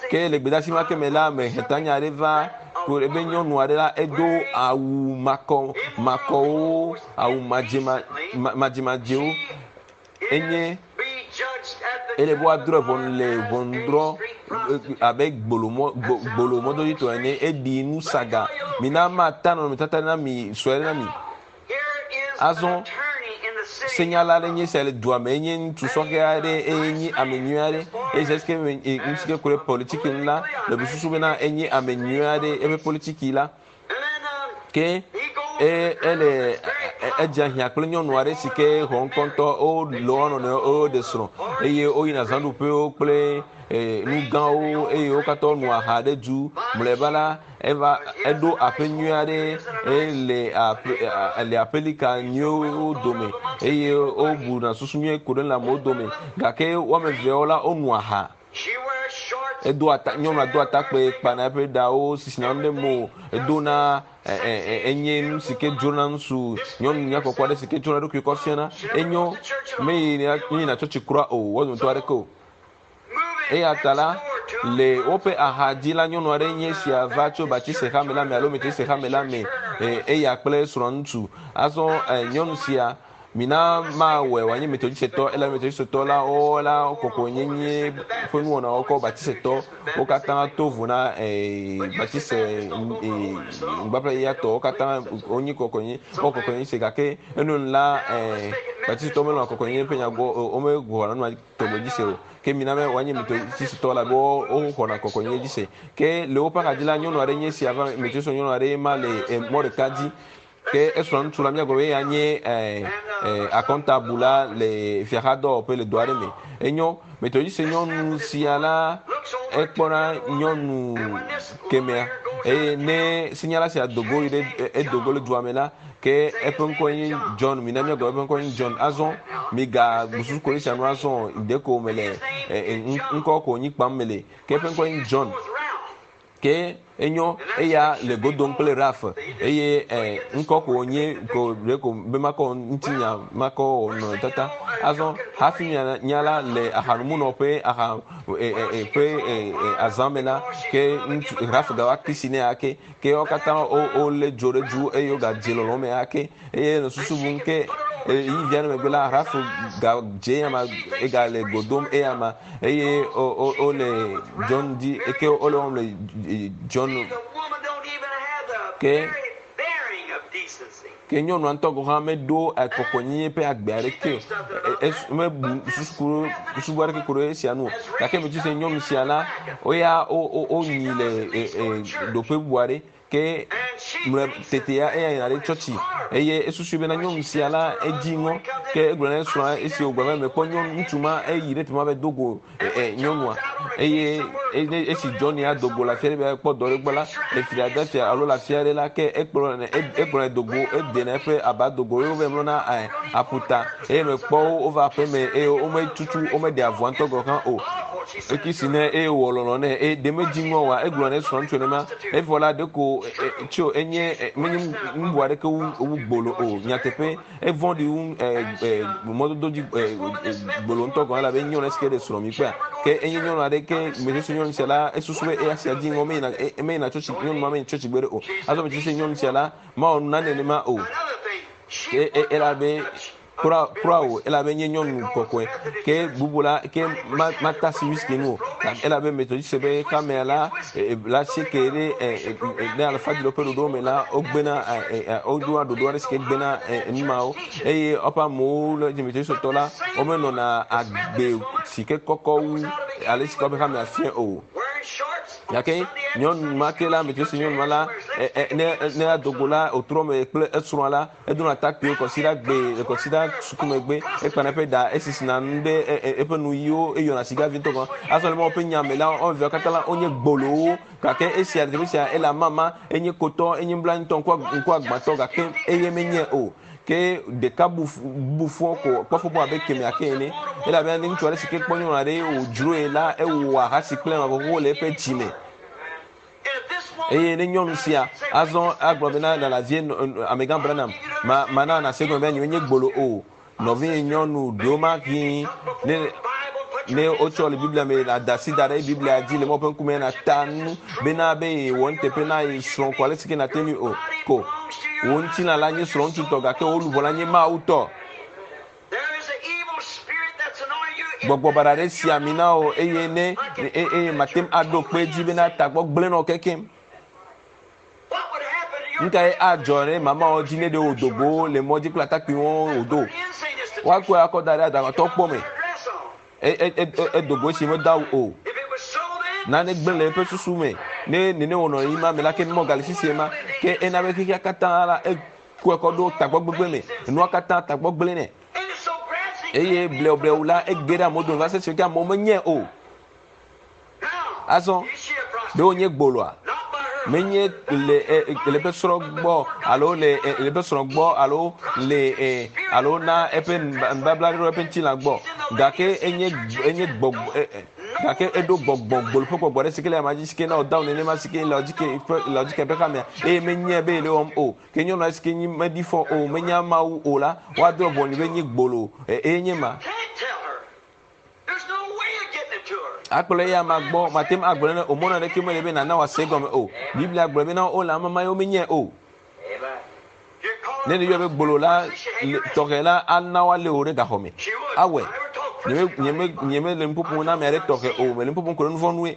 Ke le gbedeasi ma ke me la, mehe tanya aɖe va ku ɖe be nyɔnu aɖe la edo awu makɔ makɔwo, awu madzema madzemadzewo. Enye. Ele be woadrɔ̃ ʋɔnu le ʋɔnudrɔ̃ abe gbolomɔ gbolomɔdɔdzitɔ ene. Eɖi nu saga. Mina mata nɔnɔmetata na mi sue aɖe na mi. Azɔ senyala aɖe nye sia le dua me. Enye ŋutsu sɔhɛ aɖe eye nye ame nyui aɖe. Eye zi ke ŋutsu ke ku ɖe politiki ŋu la, le susu bena enye ame nyui aɖe eƒe politiki la. Ke e ele edze ahiã kple nyɔnu aɖe si ke xɔ ŋkɔ ŋutɔ. Wolɔ̃ wo nɔnɔewo eye woɖe srɔ̃ eye woyina zãɖuƒewo kple e nu gãwo eye wo katã wonɔ aha ɖe du. Mlɔeba la eva eɖo aƒe nyui aɖe ele aƒe le aƒelika nyuiwo dome eye wobuna susu nyui ku ɖe le amewo dome gake woame eveawo la wono aha. Edo ata nyɔnua do atakpui kpana eƒe ɖawo sisina nu ɖe mo edona enye nu si ke dzrona ŋutsu nyɔnu nyakpɔkpɔ aɖe si ke tsɔna eɖokui kɔ fiana. Enyo meyina meyina tsɔtsi kura o wo dometɔ aɖeke o. Eya ta la le woƒe axa dzi la nyɔnu aɖe nye esia va tso Batise hame la me alo Metodiste hame la me eya kple srɔ̃ ŋutsu. Azɔ nyɔnu sia Mina mawɔe wòanye Metodistetɔ, elabe Metodistetɔ la wo la kɔkɔenyenye ƒe nuwɔnawo kɔ Baptistetɔ wo katã to vo na ee Baptiste ee nubabla yeyea tɔ wo katã wonye kɔkɔenyenye wowɔ kɔkɔenyenye se gake enuenu la ee Baptistetɔ melɔ̃a kɔkɔenyenye ƒe nya gbɔ o womexɔna nu ma tɔgbe dzi se o. Ke mina be wòanye Metodistetɔ elabe woxɔna kɔkɔenyenye dzi se. Ke le woƒe axadzi la nyɔnu aɖe nye esia va Metodistetɔ nyɔnu aɖee ma le mɔ ɖeka dzi. Ke esrɔ̃ ŋutsu la, míagblɔ be eya nye akɔntabula le fiaxadɔwɔƒe le dɔ aɖe me. Enyo, Metodiste nyɔnu sia la, ekpɔna nyɔnu kemɛa eye ne senyala sia do go yi ɖe edo go le dua me la, ke eƒe ŋkɔe nye John. Mina míagblɔ eƒe ŋkɔe nye John. Azɔ migabu susu ko ɖe esia nu azɔ o, ɖeko mele ŋkɔ ko nyi kpam mele. Ke eƒe ŋkɔe nye John. Ke enyo eya le go dom kple Ralph eye e, ŋkɔ ko wònye ko ɖe ko be makɔ ŋutinya makɔ wɔ nɔnɔmetata. Azɔ hafi nya, nya la le ahanumunɔƒe aha e, e, e, ƒe e, e, azã me la, ke ŋutsu Ralph gava kisi nɛ ake. Ke wo katã wo wolé dzo ɖe du eye wogadze lɔlɔ̃ me ake. Eye nɔ susu bum ke ɣeyiɣi vi aɖe megbe la, Ralph gadze eyama egale go dom eyama. Eye wole John dzi eke wole wɔm le John ke ke nyɔnua ŋutɔ gɔ̃ hã meɖo kɔkɔenyenye ƒe agbe aɖeke o. Mebu susu bu aɖeke ku ɖe esia ŋu o. Gake metsi se nyɔnu sia la, woya wonyi le ɖoƒe bubu aɖe. Ke mlɔe tetea eya yina ɖe tsɔtsi eye esusui bena nyɔnu sia la edzi ŋɔ. Ke egblɔ na esrɔ̃a esi wògblɔ be mekpɔ nyɔnu ŋutsu ma eyi ɖe teƒe ma be do go e, e, nyɔnua eye esi Johnny ado go le afi aɖe be ekpɔ dɔ ɖe gbɔ la le Philadelphia alo le afi aɖe la ke ekplɔ ekplɔ do go edena eƒe aba do go eye wova mlɔna e, aƒuta eye mekpɔ wo wova aƒe me eye wometutu womeɖe avɔa ŋutɔ gɔ̃ hã o. Ekisi nɛ eye wòwɔ lɔlɔ̃ nɛ eye ɖe medzi ŋɔ oa? Egblɔ na esrɔ̃ ŋutsu nenema. Evɔ la, ɖeko tso enye menye nu bubu aɖeke wu wu gbolo o. Nyateƒe, evɔ̃ɖi wu mɔdodo dzi gbolo ŋutɔ gɔ̃ elabe nyɔnu esi ke ɖe srɔ̃ mi kpɔea. Ke enye nyɔnu aɖe ke mesusu nyɔnu sia la, esusu be eya sia dzi ŋɔ meyina meyina tsɔtsi nyɔnu ma meyina tsɔtsi gbeɖe o. Azɔ mesusu se nyɔnu sia la mawɔ nu nane nenema o. Ke elabe Kura, kura o, elabe nye nyɔnu kɔkɔe. Ke bubu la, ke ma, matasi whisky nu o. Elabe Methodiste be kamea la, e, la sieke ɖe, e, e, ɖe alafa dzilo ƒe ɖoɖo me la, wogbena, e, e, woɖoa ɖoɖo aɖe si ke gbena e, nu mawo. Eye woƒe amewo le Methodiste tɔ la, womenɔna agbe si ke kɔkɔ wu ale si ke woƒe hamea fia o. Gake nyɔnu ma ke la, Methodiste nyɔnu ma la, e, e, ne, ne ado go la, wòtrɔ me kple esrɔ̃a la, Edona atakpuiwo kɔsiɖagbe le kɔsiɖa suku megbe, ekpana eƒe ɖa, esisina nu ɖe eƒe nuyiwo, eyɔna sigavi ŋutɔ gɔ̃. Azɔ le Mawu ƒe nya me la, woame eveawo katã la, wonye gbolowo. Gake esia, teƒe sia, ele amama, enye kotɔ, enye nublanuitɔ, ŋkuagbãtɔ, gake eye menye o. Ke ɖeka bu, bu fɔ ko, kpɔ fɔ bu abe kemɛa ke ene. Elabena ne ŋutsu aɖe si ke kpɔ nyɔnu aɖe wòdzroe la, ewɔa ahasi kple ame xoxo le eƒe dzi me. Eye ne nyɔnu sia azɔ agblɔ bena Lalazien amegã Branham, ma mana nàse egɔme be nyemenye gbolo o. Nɔvinye nyɔnu ɖewomahi ne ne wotsɔ le Biblia me la da asi da ɖe Biblia dzi le Mawu ƒe ŋkume nàta nu bena be yewɔ nuteƒe na ye srɔ̃ ko ale si ke nàte ŋui o ko. Wò ŋutilã la nye srɔ̃ŋutsu tɔ gake wò luʋɔ la nye Mawu tɔ. Gbɔgbɔ baɖa ɖe si ami na wò eye ne eye mate ŋu aɖo kpe edzi bena tagbɔ gblẽ nɔ kekem. Nu kae adzɔ ɖe mamawo dzi ne ɖe wòdo go le mɔ dzi kple atakpuiwo wòdo? Woakɔe akɔ da ɖe adaŋutɔ kpɔ me. Edo go esi medo awu o. Nane gblẽ le eƒe susu me. Ne nene wònɔ yi ma me la, ke mɔ gale sisi ma. Ke ena be xexea katã la, ekɔe kɔ ɖo tagbɔ gbegblẽ me. Enua katã tagbɔ gblẽ nɛ. Eye blewublewu la, ege ɖe amewo dome va se ɖe ke amewo menyae o. Azɔ, ɖe wònye gboloa? Menye le e, le eƒe srɔ̃ gbɔ alo le e, le eƒe srɔ̃ gbɔ alo le e, alo na eƒe nubabla ɖe eƒe ŋutilã gbɔ. Gake enye enye gbɔgbɔ e, e, gake eɖo gbɔgbɔ gbolo ƒe gbɔgbɔ ɖe si ke le ama dzi si ke na wòda nenema si ke Laodike ƒe Laodike ƒe hamea eye menyae be yele wɔm o. Ke nyɔnua si ke nyi meɖi fɔ o, menya Mawu o la, woadrɔ̃ ʋɔnui be nye gbolo eye nye ma. Akplɔ eya ma gbɔ, mate ŋu agblɔ ne o, mɔnu aɖeke mele be nàna wòase egɔme o. Biblia gblɔ bena wole ame ma yewo menyae o. Ne nèyɔe be gbolo la, tɔxɛ la ana woalé wò ɖe gaxɔ me. Awɔe. Nyeme, nyeme, nyemele nu ƒoƒom na ame aɖe tɔxɛ o, mele nu ƒoƒom ku ɖe nu vɔ̃ nue.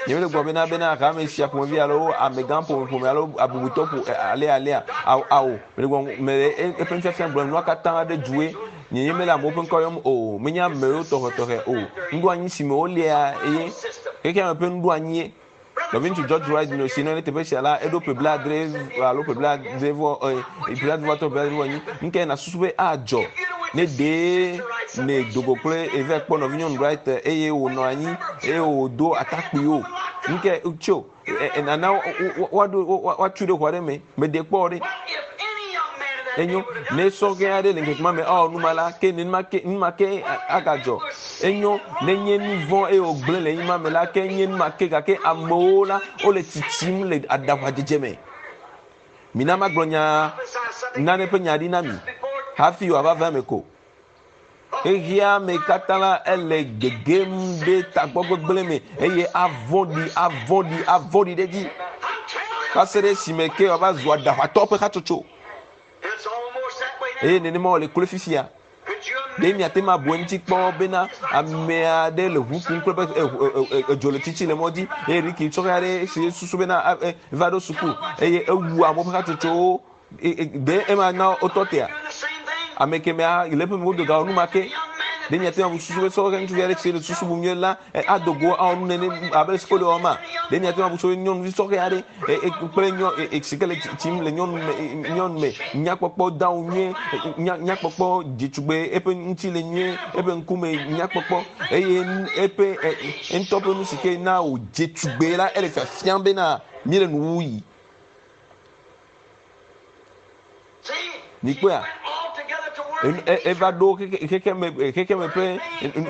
Nyemele gblɔ bena bena hame sia ƒomevi alo amegã ƒome alo abubutɔ ƒo alea alea ao ao mele gblɔ mele eƒe nufiafia gblɔm nua katã ɖe due nye nye mele amewo ƒe ŋkɔ yɔm o menye amewo tɔxɛtɔxɛ o nuɖoanyi si me wolia eye xexea me ƒe nuɖoanyie nɔviŋutsu George Wright nɔ si nɔ ɖe teƒe sia la eɖo ƒe blaadre alo ƒe blaadre vɔ ƒe blaadre vɔ atɔ ƒe blaadre vɔ enyi nukae nàsusu be adzɔ ne ɖee ne dogo kple eve kpɔ nɔvinyɔnu Wright eye wònɔ anyi eye wòdo atakpuiwo nukae tso nana woaɖo woatui ɖe xɔ aɖe me meɖe kpɔ ɖe enyo ne sɔhɛ aɖe le ŋkeke ma me awɔ nu ma la ke nenema ke nu ma ke agadzɔ enyo nenye nu vɔ̃ eye wògblẽ le ma me la ke nye nu ma ke gake amewo la wole tsitsim le aɖaʋadzedze me mina magblɔ nya nane ƒe nya ɖi na mi hafi wòava va eme ko xexea me katã la ele gegem ɖe tagbɔ gbegblẽ me eye avɔ̃ɖi avɔ̃ɖi avɔ̃ɖi ɖe edzi va se ɖe esime ke wòava zu aɖaʋatɔ ƒe hatsotso eye nenema wòle kloe fifia. Ɖe miate ŋu abu eŋuti kpɔ bena ame aɖe le ʋu kum kple edzo le tsitsi le mɔ dzi eye Ricky sɔhɛ aɖe si susu bena va ɖo suku eye ewu amewo ƒe hatsotsowo ɖe ema na wotɔ tea? Ame kemɛa le eƒe me wodo ga wɔ nu ma ke. Ɖe miate ŋu abu susu be sɔhɛ ŋutsuvi aɖe si le susu bum nyuie la ado go awɔ nu nene abe le sukulu wɔma? Ɖe miate ŋu abu susu be nyɔnuvi sɔhɛ aɖe kple nyɔ si ke le tsitsim le nyɔnu me nyɔnu me nyakpɔkpɔ dawo nyuie nya nyakpɔkpɔ dzetugbe eƒe ŋuti le nyuie eƒe ŋkume nyakpɔkpɔ eye eƒe ŋutɔ ƒe nu si ke na wòdze tugbe la ele fiafiam bena míele nuwuɣi. Mikpɔea? Eva ɖo xexeme xexeme ƒe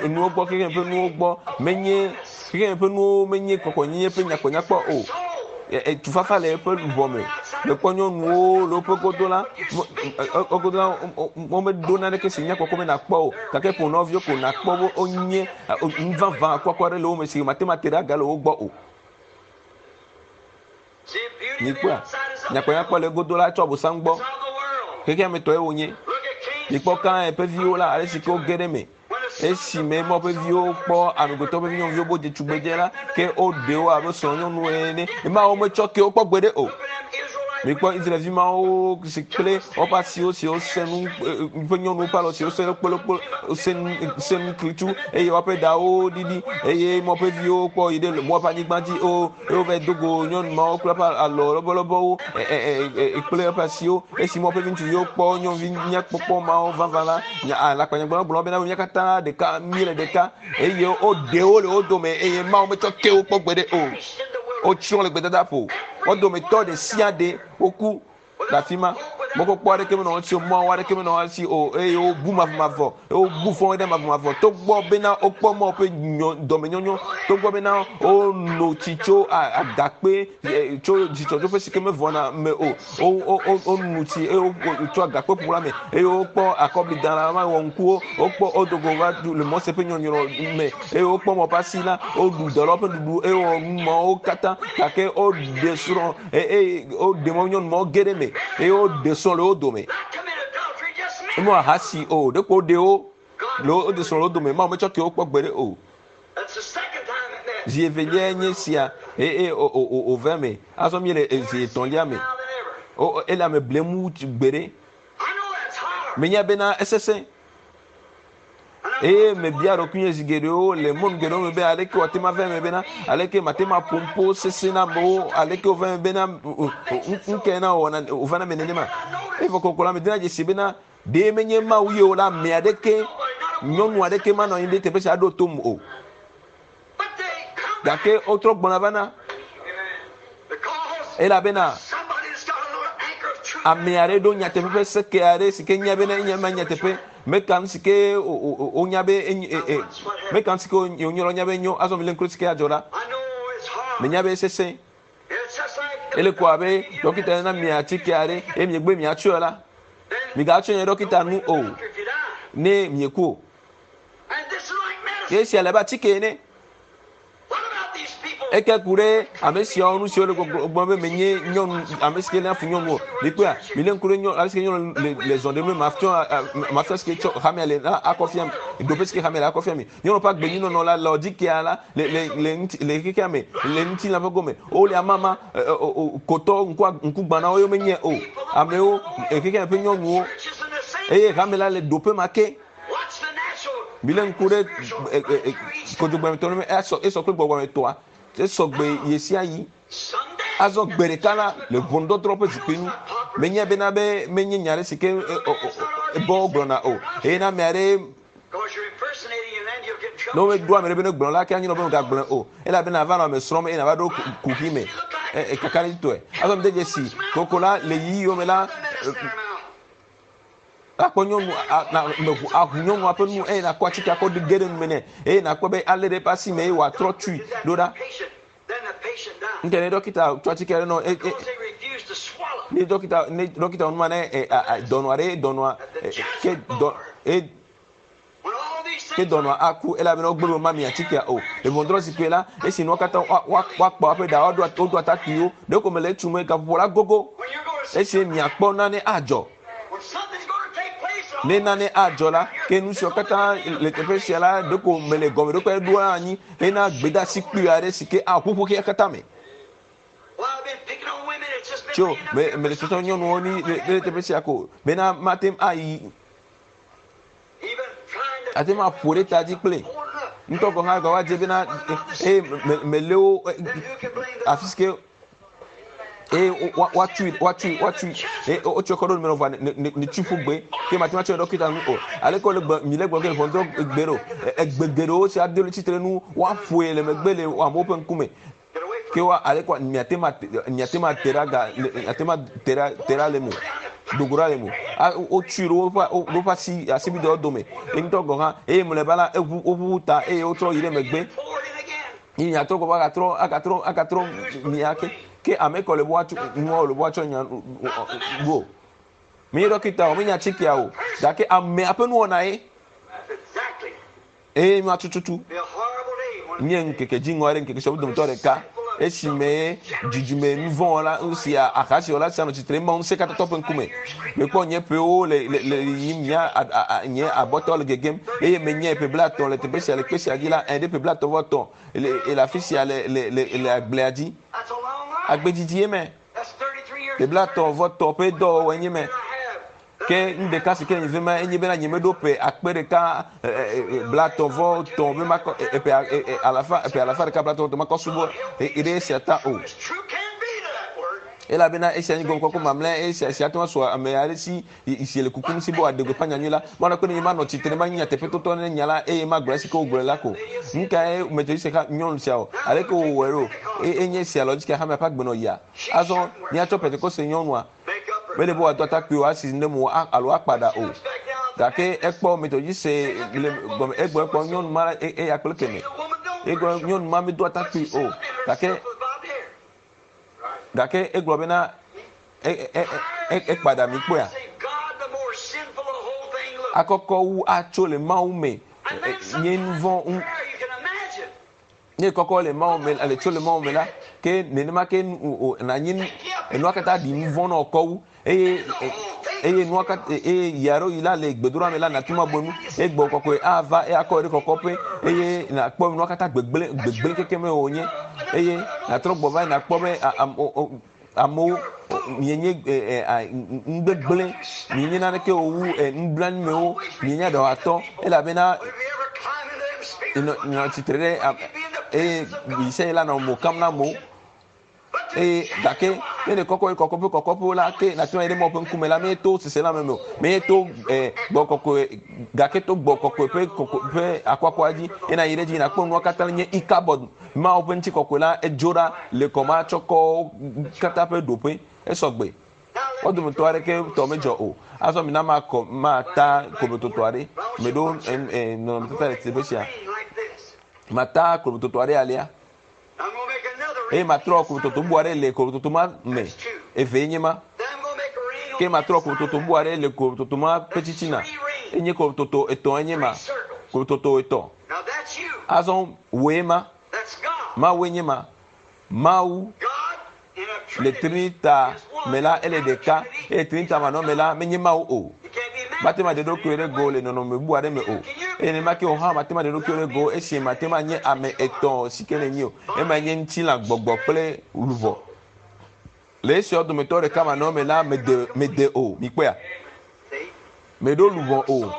nuwo gbɔ xexeme ƒe nuwo gbɔ menye xexeme ƒe nuwo menye kɔkɔnyenye ƒe nyakpɔnyakpɔ o. Tufafa le eƒe luʋɔ me. Mekpɔ nyɔnuwo le woƒe godo la, wogodo la womeɖo naneke si nyakpɔkpɔ be nakpɔ o. Gake ƒo nɔviwo ko nakpɔ be wonye nu vavã akuakua aɖe le wo me si mate ŋu ate ɖe aga le wo gbɔ o. Mikpɔa? Nyakpɔnyakpɔ le egodo la tsɔ abosam gbɔ. Xexea me tɔe wònye. Mikpɔ Kain ƒe viwo la, ale si ke woge ɖe eme. Esime Mawu ƒe viwo kpɔ amegbetɔ ƒe vinyɔnuviwo bo dze tugbedze la, ke woɖe wo abe srɔ̃nyɔnuwo ene. Mawu metsɔ ke wo kpɔ gbeɖe o. Mikpɔ Israelvi mawo si kple woƒe asiwo siwo sẽ nu, ƒe nyɔnuwo ƒe alɔ siwo sẽ kpolokpolo, sẽ nu, sẽ nu klitsu eye woƒe ɖawo ɖiɖi eye Mawu ƒe viwo kpɔ yi ɖe Moab ƒe anyigba dzi o. Eye wova do go nyɔnu mawo kple eƒe alɔ lɔbɔlɔbɔwo kple eƒe asiwo. Esi Mawu ƒe viŋutsuviwo kpɔ nyɔnuvi nyakpɔkpɔ mawo vavã la, alakpanyagblɔlawo gblɔ bena mía katã ɖeka míele ɖeka eye woɖe wo le wo dome eye Mawu metsɔ ke wo kpɔ gbeɖe o. Wotsrɔ̃ le gbedadaƒo. Wo dometɔ ɖe sia ɖe woku le afi ma. Mɔkpɔkpɔ aɖeke menɔ wo si o, mɔwo aɖeke menɔ wo si o eye wobu mavɔmavɔ, eye wobu fɔ ɖe mavɔmavɔ. Togbɔ bena wokpɔ Mawu ƒe dɔmenyonyo, togbɔ bena wono tsi tso agakpe tso dzidzɔdzoƒe si ke mevɔna me o, wonu tsi eye wotso agakpe ƒu la me eye wokpɔ akɔbli da la wɔ ŋkuwo, wokpɔ wodo go va le Mose ƒe nyɔnyrɔ me eye wokpɔ Mawu ƒe asi la, woɖu dɔlawo ƒe nuɖuɖu eye wowɔ nu mawo katã gake woɖe srɔ̃ eye woɖe mɔ nyɔnu mawo ge ɖe eme eye woɖe srɔ̃ le wo dome. Womewɔ ahasi o, ɖeko woɖe wo. Le wo de srɔ̃ le wo dome. Mawu metsɔ ke wo kpɔ gbeɖe o. Zi eveliae nye sia eye wòva eme. Azɔ míele zi etɔ̃lia me. Ele ame blem wu gbeɖe. Menya bena esesẽ. Eye mebia ɖokuinye zi geɖewo le mɔnu geɖewo me be aleke wòate ŋu ava eme bena aleke mate ŋu aƒo nuƒo sesẽ na amewo aleke wòva eme bena nu kae na wòwɔna wòva na ame nenema. Evɔ kokoko la medena dzesi bena ɖe menye Mawu ye o la ame aɖeke nyɔnu aɖeke manɔ anyi ɖe teƒe sia aɖo tom o. Gake wotrɔ gbɔna va na elabena ame aɖe ɖo nyateƒe ƒe seke aɖe si ke nya bena enye ma nyateƒe meka nu si ke wonya be meka nu si ke wonye la nya be enyo azɔ mi le ŋku si ke adzɔ la menya be esesẽ ele ko abe dɔkita na mi atike aɖe eye miegbe miatsɔe la migatsɔe nye dɔkita nu o ne mieku o ye esia le abe atike ene Eke ku ɖe ame siawo nu siwo le gbɔgblɔm be menye nyɔnu ame si ke léa fu nyɔnu o. Mikpɔea, milé ŋku ɖe nyɔnu ale si ke nyɔnu le le zɔ ɖem mafia mafia si ke tsɔ hamea le la akɔ fia mi. Ɖoƒe si ke hamea le akɔ fia mi. Nyɔnu ƒe agbenyuinɔnɔ la Laodikea la le le le ŋuti le xexea me le ŋutilã ƒe gome. Wole amama kotɔ ŋku ŋkugbãnawo ye womenye o. Amewo xexea me ƒe nyɔnuwo eye hame la le ɖoƒe ma ke. Milé ŋku ɖe kodzogbɛmetɔ me esɔ esɔ kple gbɔgbɔmetɔa esɔ gbe ɣesiaɣi. Azɔ gbe ɖeka la le ʋɔnudɔdrɔ̃ ƒe zikpui nu. Menye bena be menye nya ɖe si ke bɔ wogblɔna o. Eye ne ame aɖe ne womeɖo ame ɖe be negblɔ la ke anyi nɔ be megagblɔe o. Elabena ava nɔ ame srɔ̃m eye nàva ɖo kuxi me kakaɖedzitɔe. Azɔ mede dzesi koko la le yiyiwo me la Akpɔ nyɔnu na meʋu aʋu nyɔnua ƒe nu eye nakɔ atike akɔ ge ɖe nume nɛ eye nakpɔ be alé ɖe eƒe asi me eye wòatrɔ tui ɖo ɖa. Ŋke ne dɔkita tsɔ atike ɖe nɔ e, e, ne dɔkita ne dɔkita wɔ numa ne e, a, a, dɔnɔ aɖe dɔnɔa e, ke dɔ e, ke dɔnɔa aku elabena wogbe be womami atikea o. Le ʋɔnudrɔ̃zikpui la, esi nuwo katã woakpɔ woƒe ɖa, wodo atakpuiwo, ɖeko mele etum gaƒoƒo la gogo. Esi miakpɔ nane adzɔ. Ne nane adzɔ la, ke nu siwo katã le teƒe sia la, ɖeko mele gɔmeɖokpe ɖoa anyi hena gbedeasi kpui aɖe si ke aʋuʋu xexea katã me. Tso me mele tsɔtsɔ nyɔnuwo ni le teƒe sia ko bena mate ŋu ayi ate ŋu aƒo ɖe ta dzi kple ŋutɔ gɔ̃ hã gava dze bena eye melé wo afi si ke eye woatui woatui woatui eye wotsɔ kɔ ɖo nume vɔa ne ne tui ƒu gbe ke mate ŋu atsɔ ɖɔkita nu o aleke wole gbe mi le gblɔ ke ʋɔnudrɔ̃ gbe ɖo egbe geɖewo si ado le tsitre nu woaƒoe le megbe le amewo ƒe ŋkume Ke wa ale kwa miate ma miate ma te ɖe aga miate ma te ɖe te ɖa le mo dogo ɖa le mo a wotsui ɖe woƒe woƒe asi asibidɛwo dome ye ŋutɔ gɔ̃ hã eye mlɔeba la eʋu woʋuʋu ta eye wotrɔ yi ɖe megbe yi miatrɔ gbɔ agatrɔ agatrɔ agatrɔ mia ke ke ame kɔ le be woatsɔ nuawo le be woatsɔ nya go mi ɖɔkita o mi nya atikea o gake amea ƒe nuwɔna ye. Eye nua tututu nye ŋkeke dziŋɔ aɖe, ŋkeke siawo dometɔ ɖeka, esime dzidzime nuvɔ̃wɔla sia, ahasiwɔla sia nɔ tsitre Mawu Ŋusẽkatãtɔ ƒe ŋkume. Mekpɔ nye ƒewo le le le yiyim, nye nye abɔtawo le gegem, eye menye ƒe blaetɔ̃ le teƒe sia le kpe sia dzi la, ẽ, ɖe ƒe blaetɔ̃ vɔ etɔ̃ le le afi sia le le le le agblea dzi. Agbe didi ye me. Ƒe blaetɔ̃ vɔ etɔ̃ ƒe dɔwɔwɔe nye me. Ke nu ɖeka si ke nye vema enye bena nyemeɖo ƒe akpe ɖeka blatɔ̃ vɔ tɔ̃ be makɔ eƒe alafa eƒe alafa ɖeka blatɔ̃ vɔ tɔ̃ makɔ subɔ ɖe esia ta o. Elabena esia nye gɔmekɔkɔ mamlɛ esia sia ate ŋu asu ame aɖe si si le kukum si be wòaɖe gbeƒã nyanyui la. Mawu nakpe ɖe nye manɔ tsitre manyi nyateƒetotɔ ne nya la eye magblɔ esi ke wogblɔe la ko. Nu kae Methodist ha nyɔnu sia wɔ? Aleke wòwɔe ɖo? Enye esia Laodikea hamea ƒe agbenɔɣia. Azɔ míatsɔ Pentekoste nyɔnua Mele be wòado atakpui o, asi ne mo alo akpa ɖa o. Gake ekpɔ Methodiste le gɔme egblɔ ekpɔ nyɔnu ma eya kple keme. Egblɔ nyɔnu ma medo atakpui o. Gake gake egblɔ bena ekpa ɖa mi kpɔea. Akɔkɔ wu atso le Mawu me nye nuvɔ̃ Ne kɔkɔ le Mawu me le tso le Mawu me la, ke nenema ke nanyi enua katã ɖi nu vɔ̃ na wò kɔ wu eye. Eye nua katã eye yi aɖewo yi la le gbedoɖa me la nàte ŋu abu enu eye gbɔgbɔ kɔkɔe ava eye akɔ ɖe kɔkɔƒe eye nàkpɔ nua katã gbegblẽ gbegblẽ kekem wònye eye nàtrɔ gbɔ va nàkpɔ be amewo mienye nugbegblẽ mienye naneke o wu nublanuimewo mienye aɖɔhatɔ elabena nɔ tsitre ɖe eye yi sia yi la nɔ mo kam na amewo. Eye gake ne le kɔkɔ kɔkɔƒe kɔkɔƒewo la ke nàte ŋu ayi ɖe Mawu ƒe ŋkume la menye to seselãme me o, menye to eh, gbɔ kɔkɔe gake to gbɔ kɔkɔe ƒe kɔkɔe ƒe akuakua dzi ye nàyi ɖe edzi nàkpɔ nua katã nye ikabɔd Mawu ƒe ŋutikɔkɔe la edzo ɖa le kɔmatsɔkɔwo katã ƒe ɖoƒe esɔgbe. Wo dometɔ aɖeke tɔ medzɔ o. Azɔ mina makɔ mata koblototo aɖe. Meɖo eh, nɔnɔmetata le teƒe sia. Mata koblototo aɖe alea. Eye matrɔ kolototo bu aɖe le kolototo ma me. Evee nye ma. Ke matrɔ kolototo bu aɖe le kolototo ma ƒe titina. Enye kolototo etɔ̃ enye ma. Kolototo etɔ̃. Azɔ wòe ma. Mawue nye ma. Mawu Le Trinita me la, ele ɖeka, eye Trinita manɔme la, menye Mawu o. Mate ŋu aɖe eɖokui ɖe go le nɔnɔme bubu aɖe me o. Eye nenema ke wò hã mate ŋu aɖe eɖokui ɖe go esi mate ŋu anye ame etɔ̃ si ke nènye o. Emae nye ŋutilã, gbɔgbɔ kple luʋɔ. Le esiawo dometɔ ɖeka manɔme la, mede, mede o. Mikpɔea? Meɖo luʋɔ o.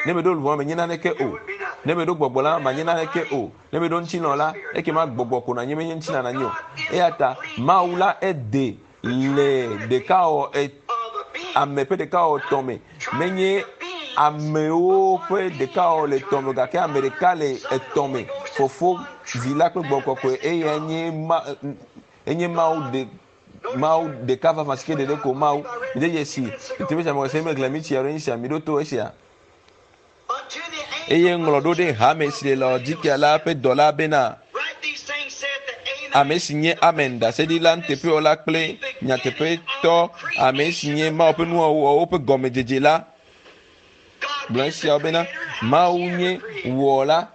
Ne meɖo luʋɔ, menye naneke o. Ne meɖo gbɔgbɔ la, manye naneke o. Ne meɖo ŋutilã la, ekema gbɔgbɔ ko nanye, menye ŋutilã nanye o. Eya ta Mawu la ede le ɖekawɔ e, ame ƒe ɖekawɔ tɔ̃ me. Menye amewo ƒe ɖekawɔ le tɔ̃ me gake ame ɖeka le etɔ̃ me. Fofo, Vi la kple Gbɔgbɔ Kɔkɔe eyae nye ma, enye Mawu ɖe Mawu ɖeka vavã si ke ɖeɖe ko Mawu. Mide dzesi teƒe sia mexɔse meglẽ mi tsi alo esia mi ɖo to esia. Eye ŋlɔ ɖo ɖe hame si le Laodikea la ƒe dɔla bena, ame si nye Amen, ɖaseɖila nuteƒewɔla kple nyateƒetɔ, ame si nye Mawu ƒe nuwɔwɔwo ƒe gɔmedzedze la, gblɔ esiawo bena, Mawu nye wɔla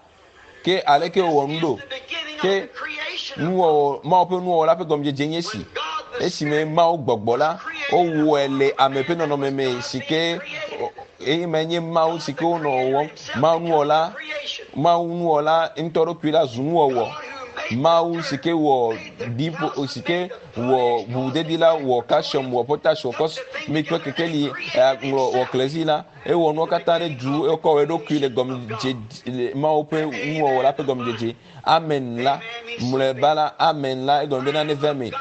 Ke aleke wòwɔ nu ɖo? Ke nuwɔwɔ, Mawu ƒe nuwɔwɔ la ƒe gɔmedzedze nye esi. Esime Mawu gbɔgbɔ la, wowɔe le ame ƒe nɔnɔme me si ke eye ma nye Mawu si ke wonɔ wɔwɔm. Mawu nuwɔla, Mawu nuwɔla ŋutɔ ɖokui la zu nuwɔwɔ. Mawu si ke wɔ ɖiƒo, si ke wɔ ʋuʋudedi la, wɔ calcium, wɔ potash, wɔ cosmic ƒe kekeli, ŋlɔ, wɔ klezi la, Ewɔ nuwo katã ɖe du, ekɔ eɖokui le gɔmedzedze, Mawu ƒe nuwɔwɔ la ƒe gɔmedzedze. Amen la, mlɔeba la, amen la, egɔme bena neva eme.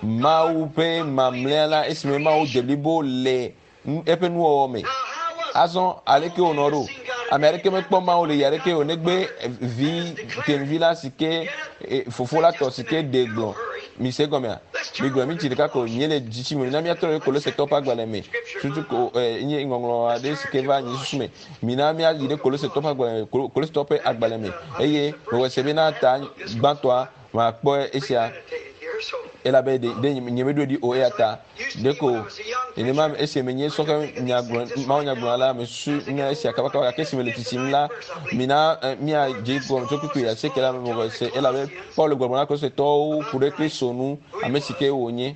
Mawu ƒe mamlɛa la, esime Mawu de blibo le eƒe nuwɔwɔ me. Azɔ, aleke wònɔ ɖo? Ame aɖeke mekpɔ Mawu le yi aɖeke o, negbe vi tenuvi la si ke e, fofo la tɔ si ke ɖe gblɔ. Mise egɔmea? Migblɔ minti ɖeka ko, míele dzitsi me. Mina míatrɔ ɖe Kolosetɔwo ƒe agbalẽ me. Tutu ko eh, nye ŋɔŋlɔ aɖe si ke va nye susu me. Mina míayi ɖe Kolosetɔwo ƒe agbalẽ me, Kolosetɔwo ƒe agbalẽ me. Eye mewɔ se bena ta gbãtɔa makpɔ esia elabe ɖe ɖe nyemeɖoe ɖi o eya ta ɖeko nenema esi menye sɔhɛ nyagblɔ mawu nyagblɔla la mesusu nya esia kabakaba gake esi mele tsitsim la mina eh, míadze gɔme tso kpukpui asieke la me se elabe Paulo gblɔ na Kristotɔwo ku ɖe Kristo ŋu, ame si ke wònye.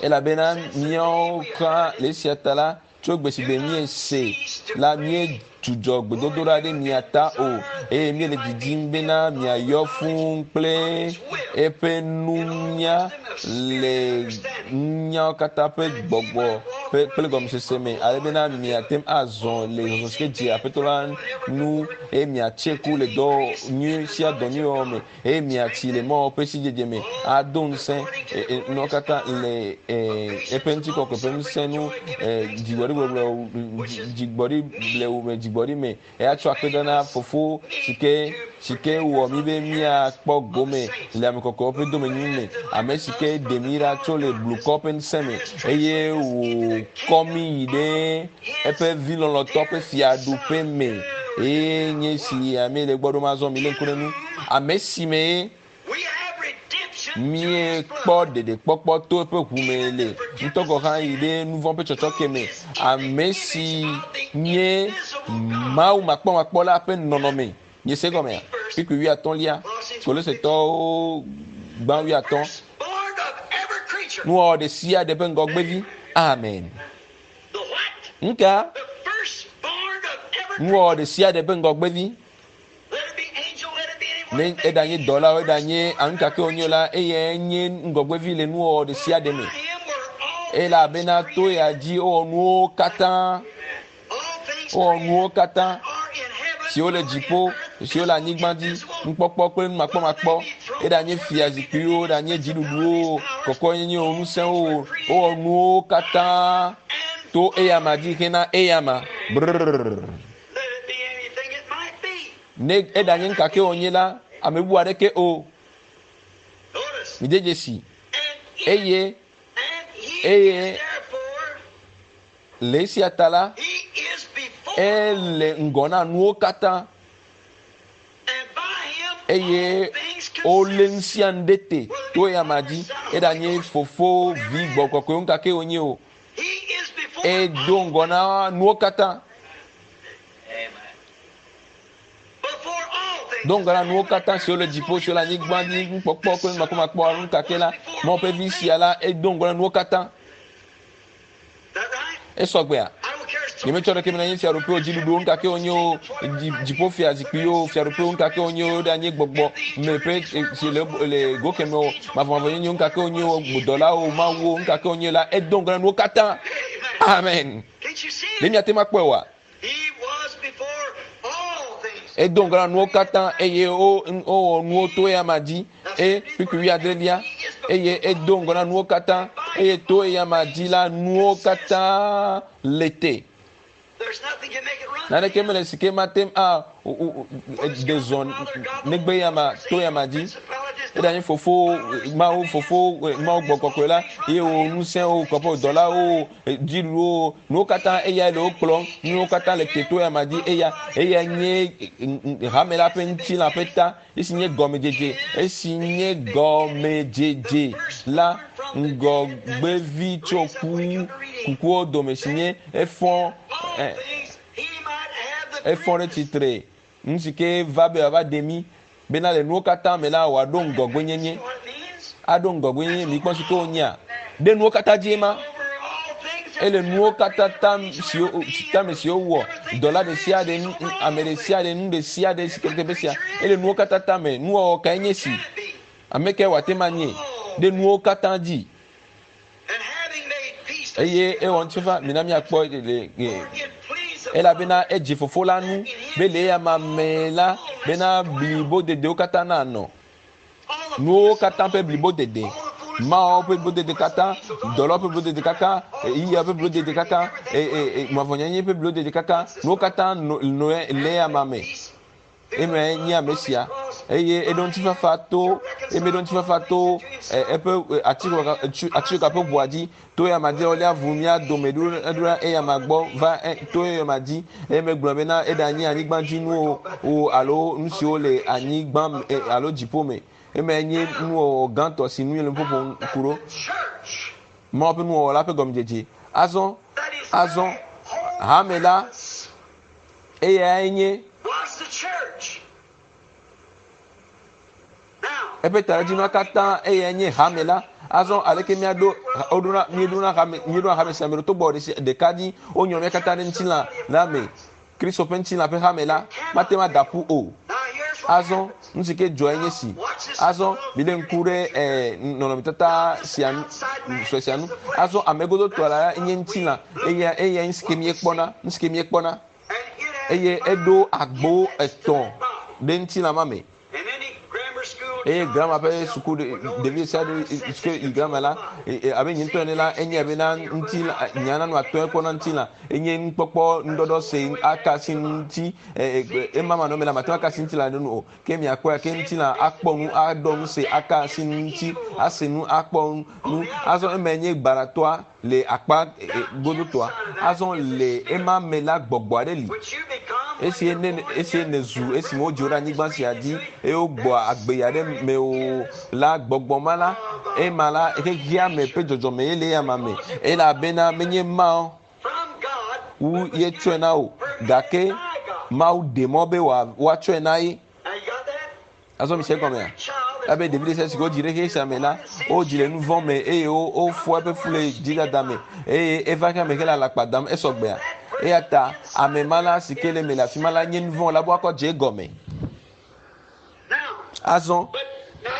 Elabena míawo hã le esia ta la, tso gbe si gbe míese la, míedzudzɔ gbedodoɖa ɖe mia ta o, eye míele didim bena miayɔ fũu kple eƒe nunya le nunyawo katã ƒe gbɔgbɔ ƒe kple gɔmesese me, ale bena miate ŋu azɔ le zɔzɔ si ke dze Aƒetɔ la nu eye miatse ku le dɔ nyui sia dɔ nyui wɔwɔ me, eye miatsi le Mawu ƒe sidzedze me, ado ŋusẽ nuwo katã le eƒe ŋutikɔkɔe ƒe ŋusẽ nu, dzigbɔɖigbɔgblɔ, dzigbɔɖi blewu me, dzigbɔɖi me, eye atsɔ akpedada na Fofo si ke si ke wɔ mí be míakpɔ gome le ame kɔkɔewo ƒe domenyinyi me, ame si ke ɖe mí ɖa tso le blukɔ ƒe ŋusẽ me, eye wòkɔ mí yi ɖe eƒe vi lɔlɔ̃tɔ ƒe fiaɖuƒe me. Eye nye si ame le gbɔ ɖom azɔ, milé ŋku ɖe nu. Ame si mee míekpɔ ɖeɖekpɔkpɔ to eƒe ʋu me le ŋutɔ gɔ̃ hã yi ɖe nu vɔ̃ ƒe tsɔtsɔke me. Ame si nye Mawu makpɔmakpɔ la ƒe nɔnɔme. Miese egɔmea? Kpukpui wuiatɔ̃lia, Kolosetɔwo gbã wuiatɔ̃. Nuwɔwɔ ɖe sia ɖe ƒe ŋgɔgbevi. Amen. Nuka? Nuwɔwɔ ɖe sia ɖe ƒe ŋgɔgbevi. Ne eɖanye dɔlawo, eɖanye anu kake wonye la, eyae nye ŋgɔgbevi le nuwɔwɔ ɖe sia ɖe me. Elabena to ya dzi wowɔ nuwo katã. Wowɔ nuwo katã siwo le dziƒo, siwo le anyigba dzi, nukpɔkpɔ kple numakpɔmakpɔ, eɖanye fia zikpuiwo, eɖanye dziɖuɖuwo, kɔkɔenyenyewo, ŋusẽwo, wowɔ nuwo katã to eyama dzi hena eyama. Brrr. Ne eɖanye nu kake wònye la, ame bubu aɖeke o. Mide dzesi. Eye eye le esia ta la, ele ŋgɔ na nuwo katã eye wolé nu sia nu ɖe te to eyama dzi. Eɖanye fofo, vi, gbɔgbɔ kɔkɔewo nu kake wònye o. Edo ŋgɔ na nuwo katã. Do ŋgɔ na nuwo katã siwo le dziƒo, siwo le anyigba dzi, nukpɔkpɔ kple numakpɔmakpɔ alo nu kake la, Mawu ƒe vi sia la, edo ŋgɔ na nuwo katã. Esɔgbea? Nyemetsɔ ɖeke me na nye fiaɖuƒewo, dziɖuɖuwo, nu kake wonye o, dziƒo fiazikpuiwo, fiaɖuƒewo, nu kake wonye o, ɖanye gbɔgbɔ me ƒe si le le go keme o, mavɔmavɔnyenye, nu kake wonye o, dɔlawo, mawuwo, nu kake wonye la, edo ŋgɔ na nuwo katã. Amen. Ɖe miate ŋu akpɔe oa? Edo ŋgɔ na nuwo katã eye wowɔ nuwo to eyama dzi eye kpukpui wuiadrelia eye edo ŋgɔ na nuwo katã eye to eyama dzi la nuwo katã le te. Naneke mele si ke mate ŋu a ɖe zɔ negbe eyama to eyama dzi. Eɖanye fofo Mawu fofo Mawu gbɔ kɔkɔe la ye wò ŋusẽ wò kɔƒe dɔlawo dziɖuɖuwo, nuwo katã eyae le wo kplɔm, nuwo katã le te to eyama dzi, eya, eya nye hame la ƒe ŋutilã ƒe ta, esi nye gɔmedzedze, esi nye gɔmedzedze la ŋgɔgbevi tso ku kukuwo dome, si nye efɔ, efɔ ɖe tsitre, nu si ke va be wòava ɖe mí bena le nuwo katã me la wòaɖo ŋgɔgbenyenye. Aɖo ŋgɔgbenyenye, mikpɔ si ke wònyea? Ɖe nuwo katã dzie ma. Ele nuwo katã tam siwo tame siwo wɔ dɔla ɖe sia ɖe, ame ɖe sia ɖe, nu ɖe sia ɖe si ke teƒe sia. Ele nuwo katã tame. Nuwɔwɔ kae nye si? Ame kae wòate ŋu anye? Ɖe nuwo katã dzi. Eye ewɔ ŋutifafa, mina míakpɔ le elabena edzi fofo la nu be le eya ma me la bena blibodedewo katã nanɔ. Nuwo katã ƒe blibodede, Mawu ƒe blibodede katã, dɔlawo ƒe blibodede katã, yiya ƒe blibodede katã, mavɔnyenye ƒe blibodede katã, nuwo katã nɔ le eya ma me. Emae nye ame sia. Eye eɖo ŋutifafa to, eye meɖo ŋutifafa to eƒe atitsoga ƒe ʋua dzi, to eyama dzi wolia ʋu mía dome ɖo ɖo eyama gbɔ va to eyama dzi. Eye megblɔ bena eɖanye anyigba dzi nuwo o alo nu siwo le anyigba alo dziƒo me. Emae nye nuwɔwɔ gãtɔ si nu míele nu ƒoƒom ku ɖo. Mawu ƒe nuwɔwɔ la ƒe gɔmedzedze. Azɔ, azɔ, hame la Eyae nye eƒe taɖodzinua katã, eyae nye hame la. Azɔ aleke míaɖo woɖona míeɖona hame míeɖona hame sia me ɖo togbɔ ɖeka dzi wonyrɔ mía katã ɖe ŋutilã la me. Kristo ƒe ŋutilã ƒe hame la mate ŋu ada ƒu o. Azɔ nu si ke dzɔe nye si. Azɔ milé ŋku ɖe eh, nɔnɔmetata sia sue sia nu. Azɔ ame godotɔ la nye ŋutilã eya eya nu si ke míekpɔna nu si ke míekpɔna eye eɖo agbo etɔ̃ ɖe ŋutilã ma me. Eye grama ƒe suku ɖevi sia ɖe si ke yi grama la abe nye ŋutɔ ene la enye bena ŋutilã nya nanu atɔe kpɔna ŋutilã enye nukpɔkpɔ nuɖɔɖɔ se aka si ŋuti ema manɔme la mate ŋu aka asi ŋutilã ɖe nu o ke miakpɔe ke ŋutilã akpɔ nu aɖɔ nu se aka asi ŋuti ase nu akpɔ nu azɔ eme nye gbaratɔa le akpa godotɔa azɔ le ema me la gbɔgbɔ aɖe li esi ne esi nezu esime wodzo ɖe anyigba sia dzi eye wogbɔ agbe ya ɖe me o la gbɔgbɔ ma la ema la xexea me ƒe dzɔdzɔme ye le eyama me elabena menye ma wu ye tsɔe na wò gake Mawu ɖe mɔ be woatsɔe na ye. Azɔ mi se egɔmea? Elabe ɖevi ɖe sia si ke wodzi ɖe xexe sia me la, wodzi le nu vɔ̃ me eye wofɔ eƒe fu le dzidada me eye eva xexea me hele alakpa dam esɔgbea. Eya ta ame ma la si ke le eme le afi ma la nye nu vɔ̃ wɔla be woakɔ dze egɔme. Azɔ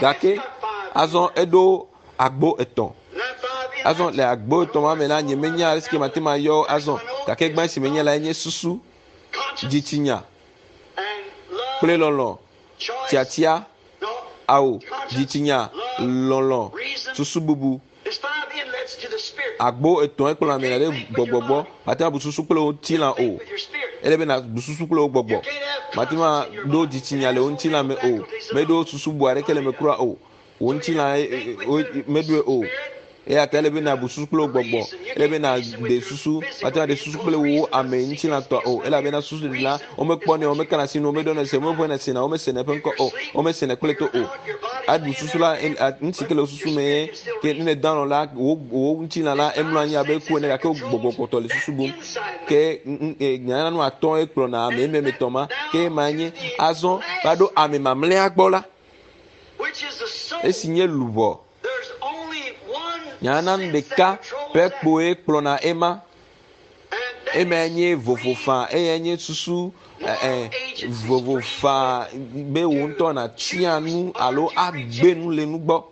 gake azɔ eɖo agbo etɔ̃. Azɔ le agbo etɔ̃ ma me la nye menya ale si ke mate ŋu ayɔ azɔ gake gbã si menye la enye susu, dzitsinya kple lɔlɔ̃, tiatia, ao, dzitsinya, lɔlɔ̃, susu bubu. Agbo etɔ̃e kplɔ ame ɖe gbɔgbɔ gbɔ. Mate ŋu abu susu kple wò ŋutilã o. Ele be nàbu susu kple wò gbɔgbɔ. Mate ŋu aɖo dzitsinya le wò ŋutilã me o. Meɖo susu bu aɖeke le eme kura o. Wò ŋutilã meɖoe o. Eya ta ele be nàbu susu kple wò gbɔgbɔ. Ele be nàɖe susu. Mate ŋu aɖe susu kple wò ame ŋutilã tɔ o. Elabena susu ɖeɖi la, womekpɔnɛ o, womekana asi nu, womeɖɔnɛ se, womeʋẽnɛ sena, womesenɛ eƒe ŋkɔ o, womesenɛ kple to o. Aɖu susu la, nu si ke le wò susu me ye ke ne nèdo alɔ̃ la, wò wò ŋutilã la emlɔ anyi abe ku ene gake wò gbɔgbɔ kpɔtɔ le susu bum. Ke nyanya nu atɔ̃ ye kplɔna ame eme etɔ̃ ma ke ema nye azɔ va ɖo ame mamlɛa gbɔ la esi nye luʋɔ. Nyanya nu ɖeka ƒe kpoe kplɔna ema. Emae nye vovo faa, eyae nye susu ɛ vovo faa be wò ŋutɔ nàtia nu alo agbe nu le nu gbɔ.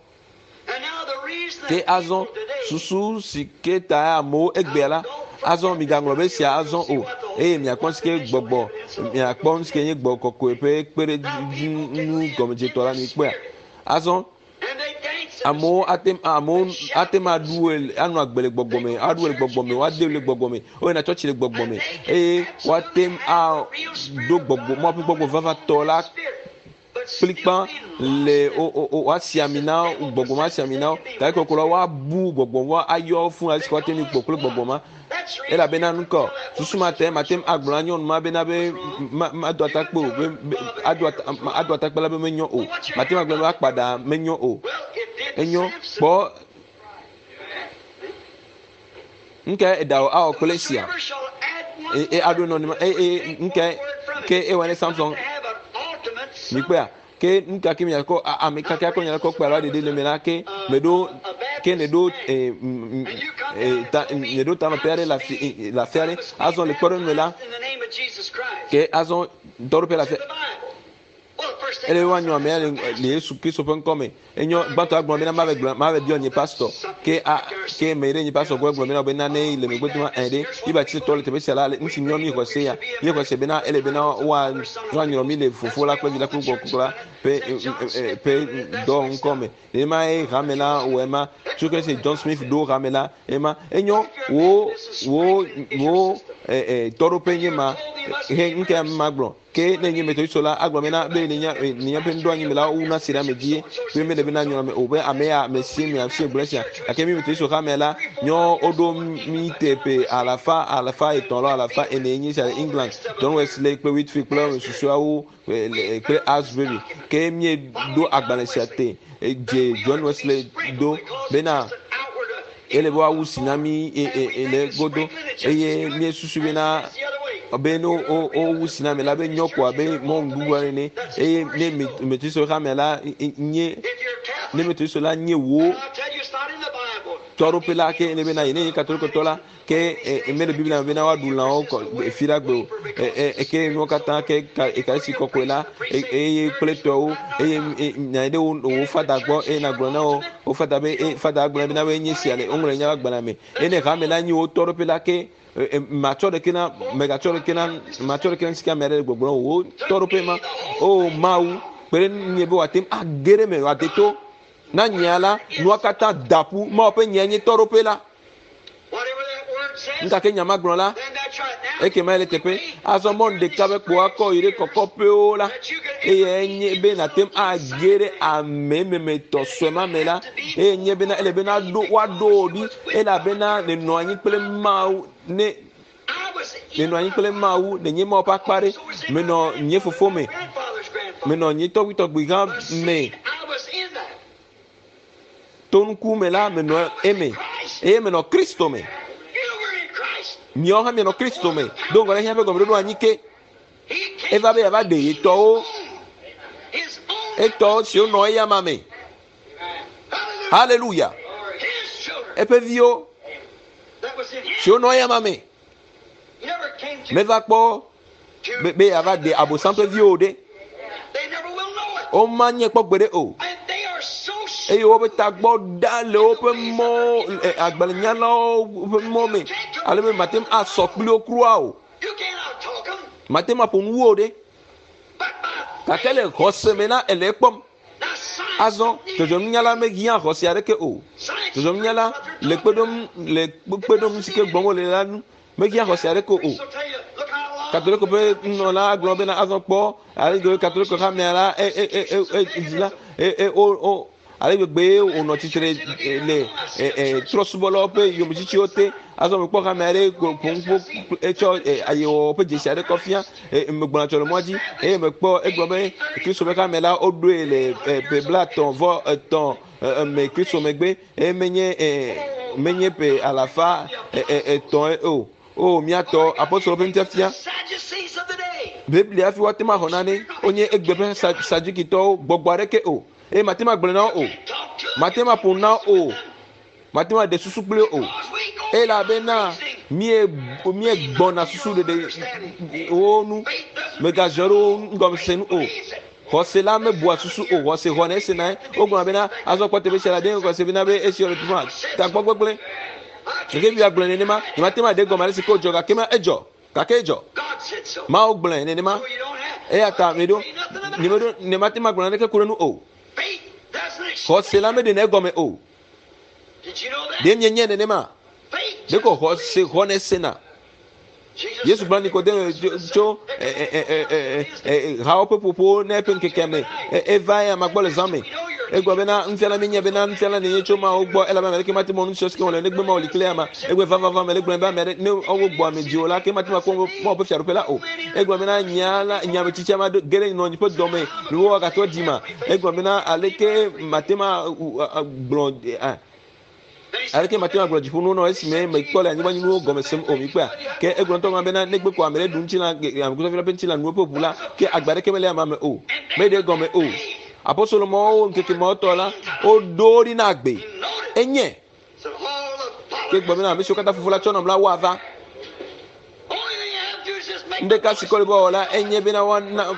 Ke azɔ susu si ke ta amewo egbea la, azɔ migaŋlɔ be esia azɔ o eye miakpɔ nu si ke gbɔgbɔ miakpɔ nu si ke nye gbɔ kɔkɔe ƒe kpeɖeŋu gɔmedzetɔ la mikpɔea. Azɔ Amewo ate amewo ate ŋu aɖu ɣe anɔ agbe le gbɔgbɔ me, aɖu ɣe le gbɔgbɔ me, woade le gbɔgbɔ me, woyina tsɔtsi le gbɔgbɔ me eye woate ŋu aɖo gbɔgbɔ Mawu ƒe gbɔgbɔ vavãtɔ la kplikpa le wo wo wo woasi ami na wo gbɔgbɔ ma asi ami na wo gake kɔkɔ la woabu gbɔgbɔ ma ayɔ wo fũ ale si woate ŋu kpɔ kple gbɔgbɔ ma. Elabena nukɔ susu ma te mate ŋu agblɔ na nyɔnu ma bena be ma mado atakpe o be be ado ata ado atakpe la be menyo o. Mate ŋu agblɔ be akpa ɖa menyo o. Enyo kpɔ nuka eɖa wò awɔ kple esia? E e aɖo nɔ nima e e nuka ke ewɔ ne Samson mikpɔea? Ke nu ka ke miakɔ ame ka ke akɔ nya kɔ kpe alo aɖe ɖe le me la ke meɖo ke ne ɖo e, e, ta ne ɖo tanɔƒe aɖe le afi e, le afi aɖe azɔ le kpɔɖeŋu me la ke azɔ dɔɖoƒe le afi ele woanyɔ amea le le Yesu Kristo ƒe ŋkɔ me Enyo, gbãtɔ agblɔ bena mave gblɔ, mave biɔ nye pastor. Ke a, ke me ɖe nye pastor gbɔ gblɔ bena be nane le megbe doma ɛ ɖe. Biblia tsi tɔ le teƒe sia la, nu si nyɔ mi xɔse ya. Mi xɔse bena ele bena woa woanyrɔ mi le fofo la kple vi la kple gbɔgbɔ kɔkɔe la ƒe ƒe dɔ ŋkɔ me. Nenema ye hame la wɔ ema. Tso ke se John Smith ɖo hame la ema. Enyo wo wo wo ɛ ɛ tɔɖoƒe nye ma. He ŋkea ma gblɔ. Ke ne nye Methodistɔ la, agblɔ bena be le nya le míaƒe nuɖoanyi me la, wowuna asi ɖe ame dzi be mele bena nyɔ ame o be ame ya ame si me asi gblɔ esia. Gake mí Methodistɔ hame la, nyɔ woɖo mí teƒe alafa alafa etɔ̃ alo alafa ene nye sia le England, John Wesley kple Whitfield kple ame susɔeawo kple Asbury. Ke míeɖo agbalẽ sia te dze John Wesley ɖo bena ele be woawu si na mí le godo eye míesusu bena be ne wowu si na ame la be nyɔ ko abe mɔnu bubu aɖe ene eye ne metrisɔ hame la nye ne metrisɔ la nye wo tɔɖoƒe la ke ele bena yene nye katolikotɔ la ke mele biblia me bena woaɖu lãwo kɔ fi ɖa gbe o ke nuwo katã ke ekarisi kɔkɔe la eye kple tɔwo eye nya ɖe wo wo fada gbɔ eye nagblɔ na wo wo fada be fada gblɔ bena be nye sia le woŋlɔ nya agbalẽ me eye ne hame la nyi wo tɔɖoƒe la ke matsɔ ɖeke na megatsɔ ɖeke na matsɔ ɖeke na sika ame aɖe le gbɔgblɔm wo tɔɖoƒe ma o mawu kpe ɖe nye be wòate ŋu age ɖe me wòade to na nyea la nua katã da ƒu mawu ƒe nyea nye tɔɖoƒe la Nu ka ke nya ma gblɔ la, ekema ele teƒe. Azɔ mɔnu ɖeka be kpo akɔ yi ɖe kɔkɔƒewo la, eye enye be nàte ŋu age ɖe ame memetɔ sue ma me la, eye nye bena ele bena ɖo woaɖo wò ɖi elabena nènɔ anyi kple Mawu ne nènɔ anyi kple Mawu nènye Mawu ƒe akpa ɖe. Menɔ nye fofo me, menɔ nye tɔgbuitɔgbui hã me. To nuku me la, menɔ eme eye menɔ Kristo me. Miawo hã mianɔ Kristo me. Do ŋgɔ ɖe xexea ƒe gɔmeɖoɖo anyi ke. Eva be yeava ɖe ye tɔwo. Etɔ siwo nɔ eyama me. Haleluya. Eƒe viwo siwo nɔ eyama me. Meva kpɔ be yeava ɖe abosam ƒe viwo ɖe. Womanye kpɔ gbeɖe o. Eye woƒe tagbɔ ɖa le woƒe mɔ agbalẽnyalawo ƒe mɔ me ale be mate ŋu asɔ kpli wo kura o. Mate ŋu aƒo nu wo ɖe. Gake le xɔse me la ele ekpɔm. Azɔ dzɔdzɔmenunyala mehiã xɔse aɖeke o. Dzɔdzɔmenunyala le kpe ɖom le kpe ɖom nu si ke gblɔm wole la nu mehiã xɔse aɖeke o. Katoliko ƒe nunɔla gblɔ bena azɔ kpɔ ale gbegbe Katoliko hamea la e e e e e la e e o o ale gbegbe wònɔ tsitre le trɔsubɔlawo ƒe yometsitsiwo te. Azɔ mekpɔ hame aɖe ƒo etsɔ ayewɔwɔ ƒe dzesi aɖe kɔ fia megbɔna tsɔ le mɔa dzi eye mekpɔ egblɔ be Kristo ƒe hame la woɖoe le ƒe blaetɔ̃ vɔ etɔ̃ me Kristo megbe eye menye menye ƒe alafa etɔ̃ o. O míatɔ apostolo ƒe nufiafia Biblia hafi woate ŋu axɔ nane wonye egbe ƒe Sadukitɔwo gbɔgbɔ aɖeke o. Eye mate ŋu agblɔe na wo o. Mate ŋu aƒo nu na wo o. Mate ŋu aɖe susu kpli wo o. Elabena mie míegbɔna susu ɖeɖe wo nu. Megazɔ ɖe wo nugɔmesese nu o. Xɔse la mebua susu o. Xɔse xɔnɛ esena. Wogblɔna bena azɔ kpɔ teƒe sia la ɖe xɔse bena be esi le teƒe ma tagbɔ gbegblẽ. Gake Biblia gblɔe nenema. Nyemate ŋu aɖe egɔme ale si ke wòdzɔ gake ma edzɔ. Gake edzɔ. Mawu gblɔe nenema. Eya ta meɖo, nyemeɖo, nyemate ŋu agblɔ naneke ku ɖe nu o. Xɔse la meɖenɛ egɔme o. Ɖe mienyae nenema? Ɖeko xɔse xɔnɛ sena. Yesu gblɔ Nikodemo tso hawo ƒe ƒoƒo ne eƒe ŋkekea me eva eya ma gbɔ le zã me. Egblɔ bena nufiala míenye bena nufiala nènye tso Mawu gbɔ elabe ame aɖeke mate ŋu nu siwo wòle negbe Mawu li kple ama. Egblɔ vavava mele gblɔm be ame aɖe ne wogbɔ ame dzi o la ke mate ŋu akpɔ Mawu ƒe fiaɖuƒe la o. Egblɔ bena nya la nya me tsitsi ame aɖe ge ɖe nɔ ƒe dɔme ne woagatrɔ dzi ma. Egblɔ bena aleke mate ŋu agblɔ Aleke mate ŋu agblɔ dziƒonuwo na wò esime mekpɔ le anyigbadzinuwo gɔme sem o? Mikpɔea? Ke egblɔ ŋutɔ gblɔ bena, negbe ko ame ɖe ɖu ŋutilã, amegbetɔvi la ƒe ŋutilã nu eƒe ʋu la, ke agbe aɖeke mele amea me o. Meɖe egɔme o. Apostolo mawo ŋkeke mawo tɔ la, woɖo wo ɖi na agbe. Enye. Ke gblɔ bena, ame siwo katã Fofo la tsɔ nam la, woava. Ŋɖeka si kɔ le be woawɔ la, enye bena woana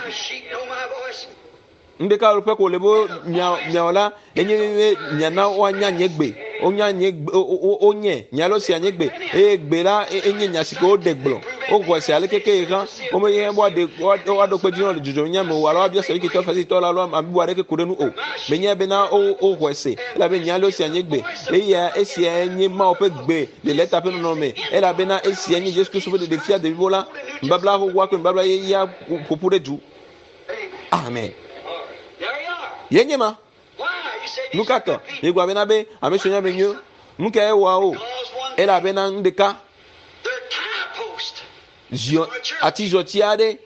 Ŋɖeka ƒe ko le be miawɔ la enye be miana woanya nye gbe. Wonya nye gbe, wonye nye alo sia nye gbe eye gbe la enye nya si ke woɖe gblɔ. Woxɔe se aleke ke hã womenye be woaɖe woaɖo kpe dzi na le dzɔdzɔmenya me o alo woabia Sadukitɔ, Farisitɔ la alo ame bubu aɖeke ku ɖe nu o. Menye bena woxɔe se elabe nye alo sia nye gbe eya esia nye Mawu ƒe gbe le lɛta ƒe nɔnɔme elabena esia nye Yesu Kristo ƒe ɖeɖefia deblibo la. Nubabla xoxoa kple nubabla yeyea ƒoƒu ɖe du. Amen. Ye nye ma. Nu ka tɔ? Miegblɔ bena be ame siwo nye ame nyuiwo, nu kae wɔa wo? Elabena nu ɖeka ziɔ atizɔti aɖe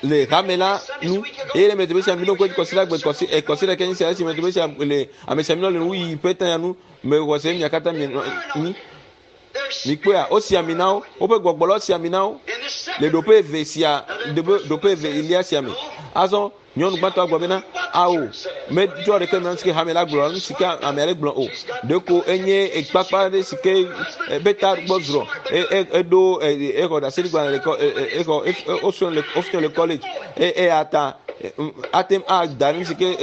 le hame la nu eye le mete sia mi ɖo ŋku kɔsi la gbe kɔsi kɔsi ɖeke nyi sia esi mete sia le ame sia mi le nu yi ƒe tanya nu me xɔ se mia katã mi nyi Mikpɔea, wosi ami na wo, woƒe gbɔgbɔ la wosi ami na wo le ɖoƒe eve sia, ɖoƒe eve elia sia me. Azɔ nyɔnu gbãtɔa gblɔ bena, ao, medzɔ ɖeke me nu si ke hame la gblɔ, nu si ke ame aɖe gblɔ o. Ɖeko enye kpakpa aɖe si ke ƒe ta gbɔ zrɔ̃, eɖo exɔ ɖaseɖigbalẽ le exɔ wosrɔ̃ le wosrɔ̃ le college eya ta ate ŋu ada nu si ke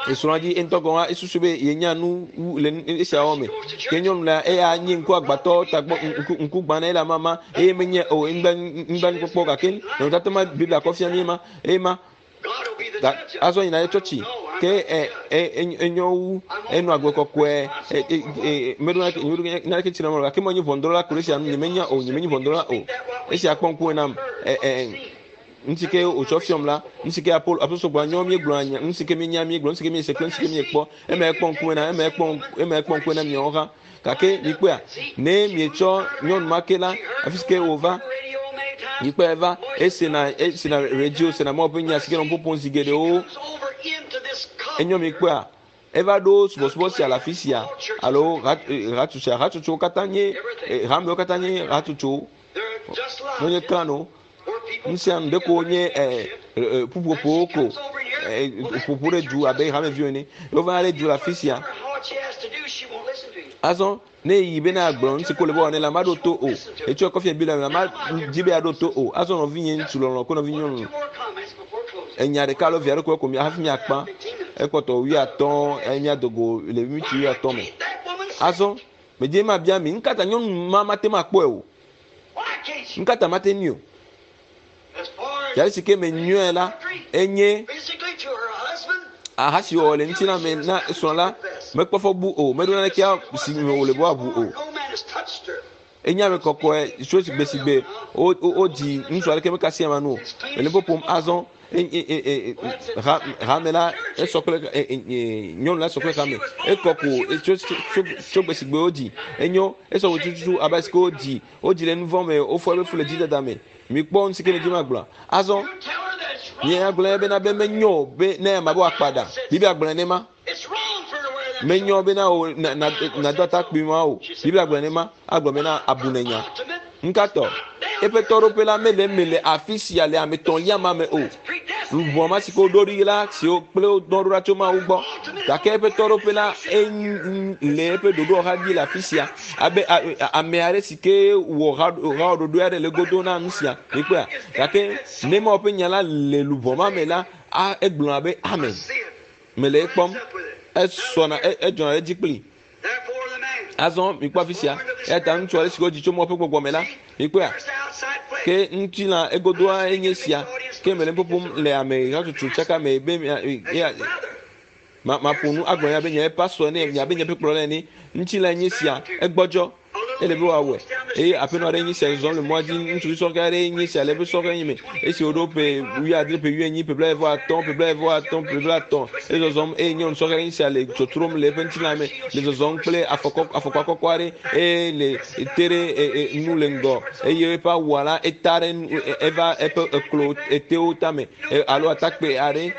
esrɔ̃a dzi ŋutɔ gɔ̃ hã esusu be yenya nu wu le esia wɔwɔ me. Ke nyɔnu la eya nye ŋkuagbãtɔ tagbɔ ŋku ŋkugbãna ye le amama eye menye o nublanuikpɔkpɔ gake nɔnɔmetata ma Biblia kɔ fia mí ma eye ma ga azɔ yina ɖe tsɔtsi ke e e enyo wu enɔ agbe kɔkɔe e e e meɖo naneke tsi na me gake menye ʋɔnudrɔ̃la ku ɖe esia nu nyemenya o nyemenye ʋɔnudrɔ̃la o esia kpɔ ŋkume nam e e Nu si ke wòtsɔ fiɔm la, nu si ke Apolo, apostol gblɔ, nyɔ míegblɔa nya, nu si ke míenya míegblɔ, nu si ke míese kple nu si ke míekpɔ, ema ekpɔ ŋkume na, ema ekpɔ, ema ekpɔ ŋkume na miawo hã. Gake mikpɔea, ne mietsɔ nyɔnu ma ke la, afi si ke wòva, mikpɔe eva, esena, esena radio, sena Mawu ƒe nya si ke nɔ ƒoƒom zi geɖewo. Enyɔ mikpɔea, eva ɖo subɔsubɔ sia le afi sia alo hatsotsoa, hatsotsowo katã nye, hamewo katã nye hatsotsowo. Wonye klano. Nu sia nu ɖeko wonye ƒuƒoƒowo ko. ƒoƒu ɖe du abe hameviwo ene. Wovana ɖe du le afi sia. Azɔ ne yi bena agblɔ nu si ko le be wɔnɛ la, maɖo to o. Etsɔ kɔfi Biblia me la, ma dzi be aɖo to o. Azɔ nɔvinye ŋutsu lɔlɔ kple nɔvi nyɔnu enya ɖeka alo via ɖe ko mi hafi miakpa ekpɔtɔ wuiatɔ̃ eye miado go le miniti wuiatɔ̃ me. Azɔ medze ma bia mi nukata nyɔnu ma mate ŋu akpɔe o? Nukata mate ŋui o? Yali si ke me nyɔe la enye aha si wɔwɔ le ŋutilã me na srɔ̃ la mekpɔ fɔ bu o meɖo naneke si me wòle be woabu o. Enye ame kɔkɔe tso gbe si gbe wodzi ŋutsu aɖeke mekasi ama nu o. Ele ƒoƒom azɔ hame la esɔ kple nyɔnu la sɔ kple hame. Ekɔ ko tso tso gbe si gbe wodzi. Enyo esɔ ko tututu abe si ke wodzi wodzi le nuvɔ̃ me wofɔ eƒe fu le dzidada me. Mikpɔ nu si ke medzi magblɔ. Azɔ nye agblɔ bena be menyo be ne ame be wòakpa ɖa. Biblia gblɔe nema. Menyo bena o na na nado atakpui ma o. Biblia gblɔe nema. Agblɔ bena abunenya. Ŋkatɔ eƒe tɔɖoƒe la mele eme le afi sia le ame etɔ̃lia ma me o. Luʋɔ ma si ke woɖo ɖi la si wo kple wo dɔ ɖo ɖa tso Mawu gbɔ. Gake eƒe tɔɖoƒe la le eƒe ɖoɖoa dzi le afi sia abe ame aɖe si ke wɔ haɖoɖo aɖe le godo na nu sia. Mikpɔea? Gake ne Mawu ƒe nya la le luʋɔ ma me la, egblɔna be amen. Mele ekpɔm. Esɔna edzɔna ɖe edzi kpli. Azɔ mikpɔ afi sia. Eya ta ŋutsu aɖe si wodzi tso Mawu ƒe gbɔgbɔ me la, mikpɔea? Ke ŋutilã egodoa enye sia. Ke mele nu ƒoƒom le ame hatsotso tsaka me be mia ma maƒo nu agblɔ nya be nye pastor ene, nye abe nye ƒe kplɔla ene. Ŋutilã enye sia, egbɔdzɔ. Ele be wòawɔe. Eye aƒenɔ aɖe nye sia zɔzɔm le mɔa dzi, ŋutsuvi sɔhɛ aɖe nye sia le eƒe sɔhɛ me. Esi wòɖo ƒe wuiadre, ƒe wuienyi, ƒe blaeve vɔ atɔ̃, ƒe blaeve vɔ atɔ̃, ƒe blaetɔ̃, ezɔzɔm eye nyɔnu sɔhɛ aɖe nye sia le tɔtrɔm le eƒe ŋutilã me, le zɔzɔm kple afɔkɔ afɔkpa kɔkɔ aɖe eye le te ɖe e, e, nu le ŋgɔ eye eƒe awua la eta ɖe nu eva eƒe eklo etewo tame alo atakpe aɖe.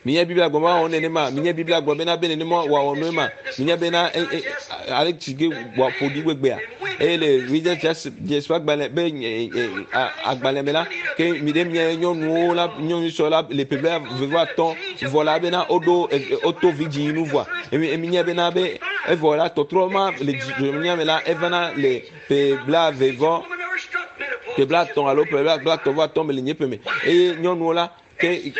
Minya Biblia gblɔ be woawɔ nenema. Minya Biblia gblɔ bena be nenema wòawɔ nu ema. Minya bena e, e, ale si ke wòaƒo ɖi gbegbea. Eye le Reader's Digest ƒe agbalẽ be agbalẽ me la, ke mi ɖe mia nyɔnuwo la nyɔnu sɔ la le ƒe blaeve-vɔ-atɔ̃ vɔ la bena woɖo woto vidzĩ nu vɔa. Minya bena be evɔ la tɔtrɔ ma le dzidzɔnya me la evana le ƒe blaeve vɔ ƒe blaetɔ̃ alo ƒe blaetɔ̃ vɔ atɔ̃ me le nye ƒe me eye nyɔnuwo la Ke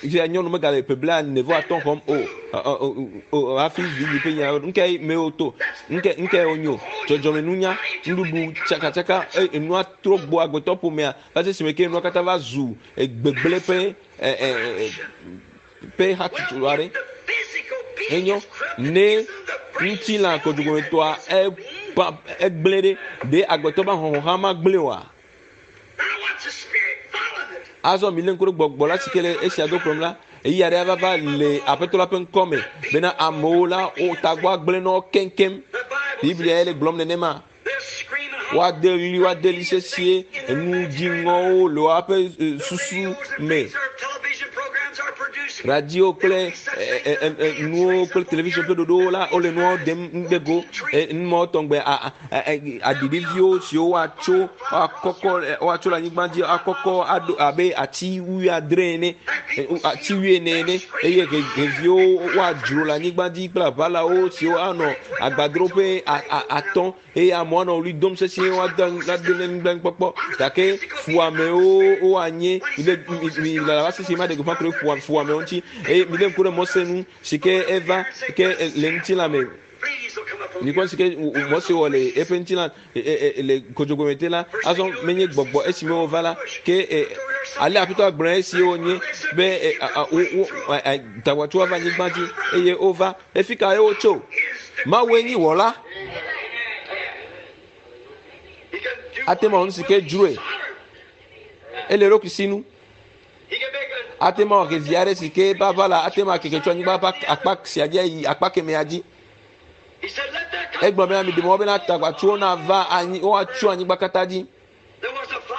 fia nyɔnu megale ƒe blaene vɔ atɔ̃ xɔm o o hafi vidzĩ ƒe nya nuka me woto nuka nuka wonyo dzɔdzɔmenunya nuɖuɖu tsakatsaka enua trɔ gbɔ agbetɔ ƒomea va se esime ke nua katã va zu gbegblẽ ƒe ƒe hatsotso aɖe. Enyo ne ŋutilã kɔdzogɔmetɔa egblẽ ɖe ɖe agbetɔ ƒe ahɔhɔ̃ hã magblẽ oa? Azɔ milé ŋku ɖe gbɔgbɔ la si ke le esia do kplɔm la, ɣeyiɣi aɖe ava va le Aƒetɔ la ƒe ŋkɔ me bena amewo la wo tagbɔ agblẽ na wo keŋkeŋ. Biblia ye le gblɔm nenema. Woade ɣli, woade ɣli sesĩe, enu dziŋɔwo le woaƒe e, susu me. Radio kple e, e, nuwo kple television ƒe ɖoɖowo la, wole nuwo ɖem ɖe go. Numɔwo tɔgbe aɖiɖiviwo siwo woatso woakɔkɔ woatso le anyigba dzi akɔkɔ aɖo abe ati wuiadre ene ati wuiene ene eye xeviwo woadzro le anyigba dzi kple aʋalawo siwo anɔ agbadroƒe atɔ̃ eye amewo anɔ ɣli dom sesĩe woade ade ne nublanuikpɔkpɔ gake fuamewo woanye mi mi lala va sisi ma ɖe gbeƒã ku ɖe fuamewo ŋuti eye mi lé ŋku ɖe Mose ŋu si ke eva ke le ŋutilã me. Mikpɔ si ke Mose wɔ le eƒe ŋutilã le kodzogbe te la, azɔ menye gbɔgbɔ esime wova la, ke ale Aƒetɔ gblɔ esi wonye be tagbɔtsoa va anyigba dzi eye wova. Efi kae wotso? Mawue nyi wɔla. Ate ŋu awɔ nu si ke dzroe. Ele eɖokui sinu. Ate ŋu awɔ xevi aɖe si ke eƒe aʋala ate ŋu akeke tso anyigba ƒe akpa sia dzi ayi akpa kemɛa dzi. Egblɔ bena miɖe mɔ bena tagbatsuwo nava anyi woatso anyigba katã dzi.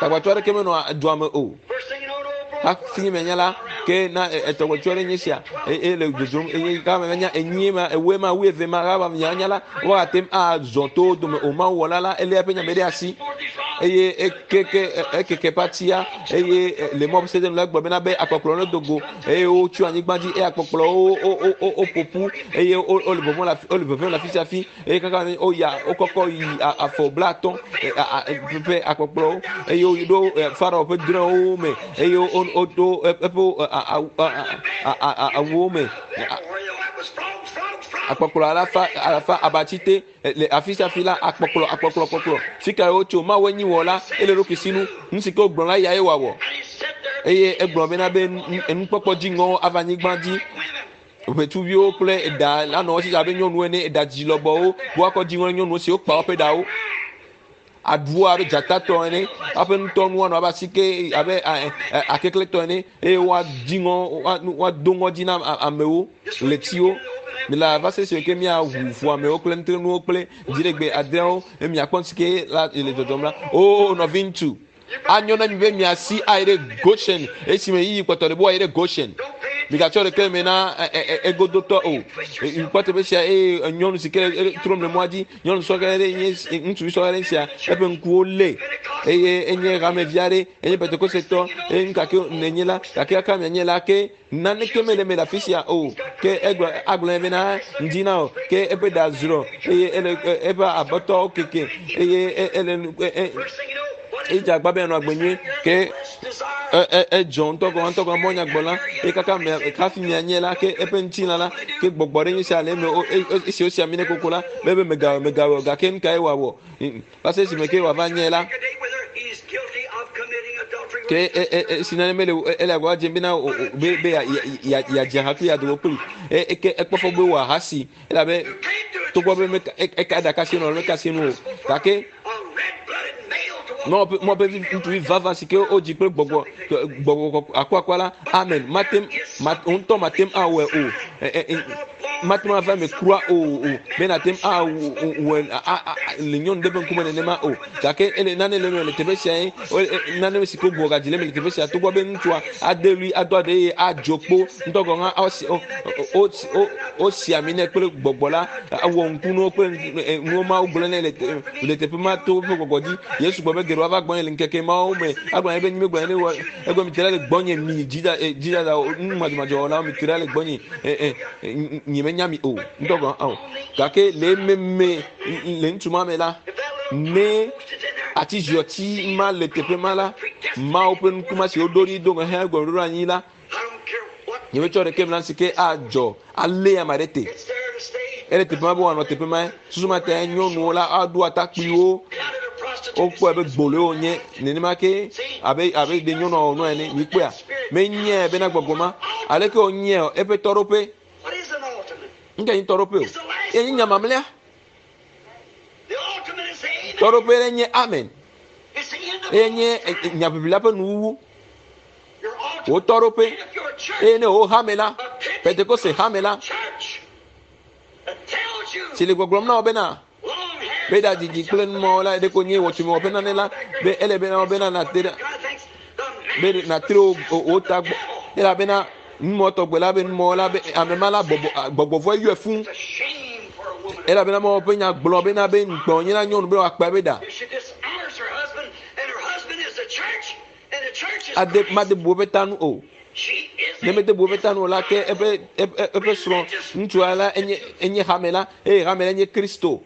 Tagbatsu aɖeke menɔ dua me o. Hafi menya la, ke na etɔgbetsu aɖe nye sia eye le dzodzom eye gama menya enyie ma ewoe ma wuieve ma gama menya la woagate ŋu azɔ to wo dome o. Mawu wɔla la elé eƒe nya me ɖe asi. Eye ekeke ekeke ƒe atia eye le mɔ sede nu la gblɔ bena be akpɔkplɔ ne dogo eye wotso anyigba dzi eye akpɔkplɔwo wo wo wo woƒoƒu eye wo wole vɔvɔm le afi wole vevem le afi sia afi eye kaka woya wokɔkɔ yi afɔ blatɔ̃ ƒe akpɔkplɔwo eye woɖo Farao ƒe drɔ̃ewo me eye woɖo eƒe awuwo me akpɔkplɔ alafa alafa abatsi te le afi sia afi la akpɔkplɔ akpɔkplɔ kpɔkplɔ fi ka wotso Mawu enyi wɔ la ele ɖokui sinu nu si ke wogblɔ la ya ye wòawɔ eye egblɔ bena be nukpɔkpɔ dziŋɔwo ava anyigba dzi ʋetsuviwo kple eɖa anɔ wo si abe nyɔnuwo ene eɖa dzi lɔbɔwo woakɔ dziŋɔ nyɔnuwo siwo kpa woƒe ɖawo aɖuwo abe dzatatɔ ene woaƒe ŋutɔnuwo anɔ abe asike abe akeklẽtɔ ene eye woadzi ŋɔ woado ŋɔdzi na amewo ɣletiwo mi la va se si ke miaʋu ʋu amewo kple nutrenuwo kple dziɖegbe adreawo eye miakpɔ nu si ke la le dzɔdzɔm la o nɔvi ŋutsu anyo na mi be miasi ayi ɖe Goshen esime yiyi kpɔtɔ ɖe be woayi ɖe Goshen migatsɔ ɖeke me na egodotɔ o kpɔ teƒe sia eye nyɔnu si ke trɔm le mɔa dzi nyɔnu sɔhɛ aɖe nye ŋutsuvi sɔhɛ aɖe sia eƒe ŋkuwo lé eye enye hamevi aɖe enye pentekosetɔ eye nu gake nenye la gake kaka mianye la ke naneke mele eme le afi sia o ke egblɔ agblɔ bena ŋdi na o ke eƒe ɖa zrɔ eye ele eƒe abɔtɔwo keke eye ele edze agba be yanɔ agbe nyui ke edzɔ ŋutɔ gɔme ŋutɔ gɔme mɔnya gbɔ la eye kaka mia hafi mianye la ke eƒe ŋutilã la ke gbɔgbɔ ɖe nye sia le eme esi wosi ami ne koko la be be megawɔ megawɔ gake nu kae wòawɔ va se esime ke wòava nye la ke esi nane mele ele agbagba dzem bena be be yeadze ha kpli yeado go kpli ke ekpɔ fɔ be wɔ ahasi elabe togbɔ be meka eka ɖaka si nɔ meka si nu o gake mɔ ƒe ŋutsuvi vava si ke wodzi kple gbɔgbɔ gbɔgbɔ akuakua la amen mate ŋutɔ mate awɔe o mate ŋu ava eme kura o o be nate ŋu awɔe le nyɔnu ɖe ƒe ŋkume nenema o gake ele nane le eme le teƒe sia ye nane si ke wogbugbɔ gadzi le eme le teƒe sia togbɔ be ŋutsua ade ɣli ado aɖe eye adzo kpo ŋutɔ gɔ̃ hã wosi ami nɛ kple gbɔgbɔ la awɔ ŋkunuwo kple nuwo mawo gblɔ nɛ le teƒe ma to woƒe gbɔgbɔ dzi yesu gblɔ be geɖewo ava gbɔnye le ŋkeke mawo me agblɔ nɛ be nyime gblɔ nɛ wɔ egblɔ mi te ɖa le gbɔnye mi dzidada nu madzɔmadzɔ wɔlawo mi te ɖa le gbɔnye nye menya mi o ŋutɔ gɔ̃ hã o gake le ememe le ŋutsu ma me la ne ati ziɔti ma le teƒe ma la mawo ƒe nukuma si woɖo ɖi do ŋɔ hã gɔme ɖo anyi la nyemetsɔ ɖeke me na si ke adzɔ alé ame aɖe te ele teƒe ma be wòanɔ teƒe ma susu ma ta nyɔnuwo la aɖo atakpuiwo wokpɔe be gboloe wonye nenema ke abe abe ɖe nyɔnua wɔ nua ene mikpɔea menyae bena gbɔgbɔ ma aleke wònyae eƒe tɔɖoƒe ŋke nyi tɔɖoƒe o ye nye nya mamlɛa tɔɖoƒe ɖe nye amen eye nye nyaʋiʋli la ƒe nuwuwu wò tɔɖoƒe eye ne wò hame la pentekoste hame la si le gbɔgblɔm na wò bena be ɖadzidzi kple numɔwo la ɖeko nye wɔtsume wɔƒe nane la be ele bena wò bena nàte ɖe be nàtre wò ta gbɔ elabena numɔ tɔgbe la be numɔ la be ame ma la gbɔgbɔ gbɔgbɔvɔ yɔe fũ elabena mɔ ƒe nya gblɔ bena be ŋukpe nye na nyɔnu be wòakpa ebe ɖa ade made bu eƒe ta nu o ne mede bu eƒe ta nu o la ke eƒe eƒe srɔ̃ ŋutsua la enye enye hame la eye hame la nye Kristo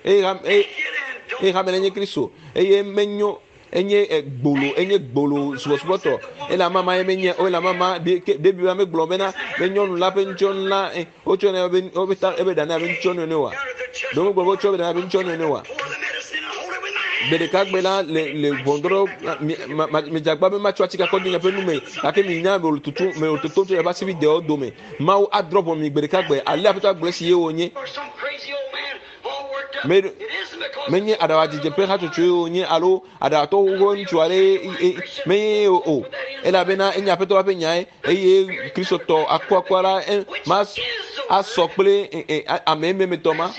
eye hame eye hame la nye Kristo eye menyo enye gbolo enye gbolo subɔsubɔtɔ ele amama ye menye o ele amama ɖevi la megblɔ bena be nyɔnu la ƒe ŋutsɔnu la wotsɔ ne be woƒe ta ebe ɖa ne abe ŋutsɔnu ene oa ɖe womegblɔ be wotsɔ ebe ɖa ne abe ŋutsɔnu ene oa gbe ɖeka gbe la le le ʋɔnudrɔ̃ medze agba be matsɔ atike akɔ de miaƒe nu me gake minya me wòle tutum me wòle totom tso miaƒe asibidewo dome mawu adrɔ̃ ʋɔnu mi gbe ɖeka gbe ale aƒetɔ agblɔ esi ye wònye me menye aɖaʋadzedze ƒe hatsotsoe wònye alo aɖaʋatɔwo ƒe ŋutsu aɖe menye o elabena enye aƒetɔ la ƒe nyae eye kristotɔ akuakua la ma asɔ kple ame ememetɔ ma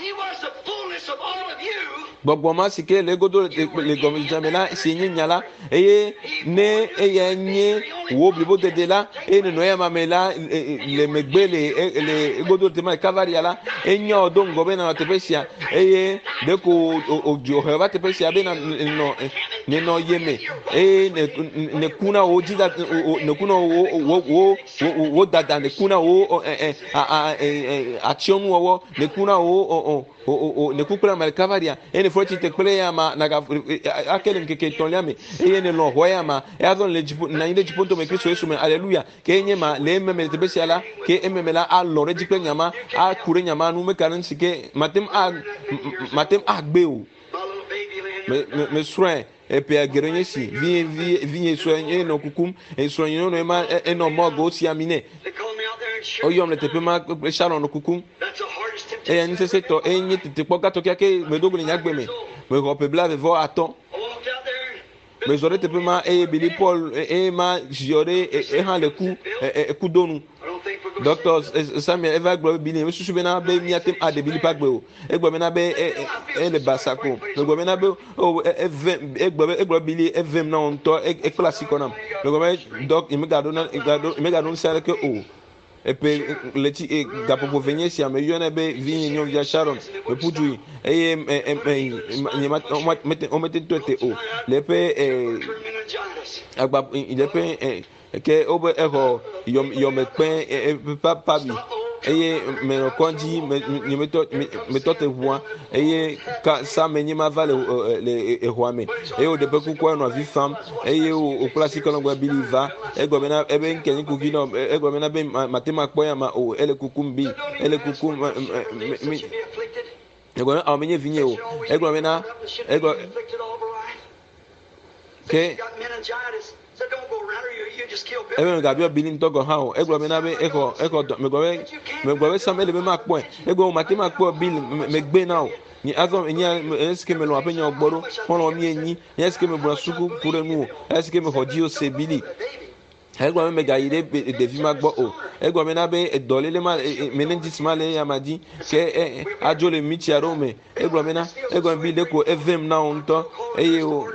gbɔgbɔ ma si ke le egodo le gɔmedzedzea me la si nye nya la eye ne eyae nye Wo blibo dede la eye nenɔ eya ma me la le megbe le le egodo tema le Kavaria la enya wò do ŋgɔ be nanɔ teƒe sia eye ɖeko wòdzo he va teƒe sia be nenɔ nenɔ ye me eye neku na wò dzida neku na wò wò wò wò dada neku na wò atsyɔnuwɔwɔ neku na wò o ne ku kple ame ɖeka va ɖia eye ne fɔ tsi te kple ya ma naga ake le ŋkeke etɔ̃lia me eye ne lɔ̃ xɔ ya ma eya zɔ le dziƒo nɔ anyi ɖe dziƒo ŋutɔ me Kristo Yesu me aleluya ke nye ma le ememe le teƒe sia la ke ememe la alɔ ɖe edzi kple nya ma aku ɖe nya ma nu meka ɖe ŋuti ke mate ŋu a mate ŋu agbe o me me mesrɔ̃e eƒea geɖe nye si vi vi vinye sue ye nɔ kukum esrɔ̃ nyɔnu ema enɔ mɔgo si ami nɛ woyɔm le teƒe ma kple Sharon nɔ kukum eya nu sesẽtɔ eye nye tetekpɔ gãtɔ kekeake medo go le nye agbe me mexɔ ƒe blaeve-vɔ-atɔ̃ mezɔ ɖe teƒe ma eye Billy Paul eye ma ziɔ ɖe ehã le ku ekudo nu Dɔkta Samuel eva gblɔ be Billy mesusu bena be míate ŋu aɖe Billy ƒe agbe o egblɔ bena be ele basa ko megblɔ bena be o eve egblɔ be egblɔ Billy evem na wo ŋutɔ ekpla asi kɔ nam megblɔ be dɔk nyemegaɖo na nyemegaɖo ŋusẽ aɖeke o Eƒe ɣleti e gaƒoƒo eve nye esia meyɔnɛ be vinye nyɔnuvia Sharon meƒu du yi eye nye mete womete tɔe te o le eƒe e agba le eƒe e ke wobe exɔ yɔmekpe eƒe papabi eye menɔ kɔdzi me nye metɔ metɔ te ʋua eye ka same nye ma va le le exɔa me eye woɖe ƒe kukua nɔ avi fam eye wòkpla asi kɔ nɔ gblɔ Billy va egblɔ bena ebe ŋke nye kuki nɔ egblɔ bena be mate ma kpɔ ya ma o ele kukum bi ele kukum mi egblɔ bena awo menye vinye o egblɔ bena egblɔ ke ebe megabiɔ Billy ŋutɔ gɔ̃ hã o egblɔ bena be exɔ exɔ dɔ megblɔ be megblɔ be Sam ele be makpɔe egblɔ be mate makpɔe Bill megbe na o nye azɔ nye esi ke melɔ̃ aƒe nyawo gbɔ ɖo xɔlɔ̃ mi enyi nye esi ke megblɔ suku ku ɖe nu o esi ke mexɔ dzi o se Billy Egblɔ be megayi ɖe ɖevi ma gbɔ o. Egblɔ bena be dɔléle ma meningitis ma le eya ma dzi ke adzo le mitsi aɖewo me. Egblɔ bena egblɔ be ɖeko evem na wo ŋutɔ eye wo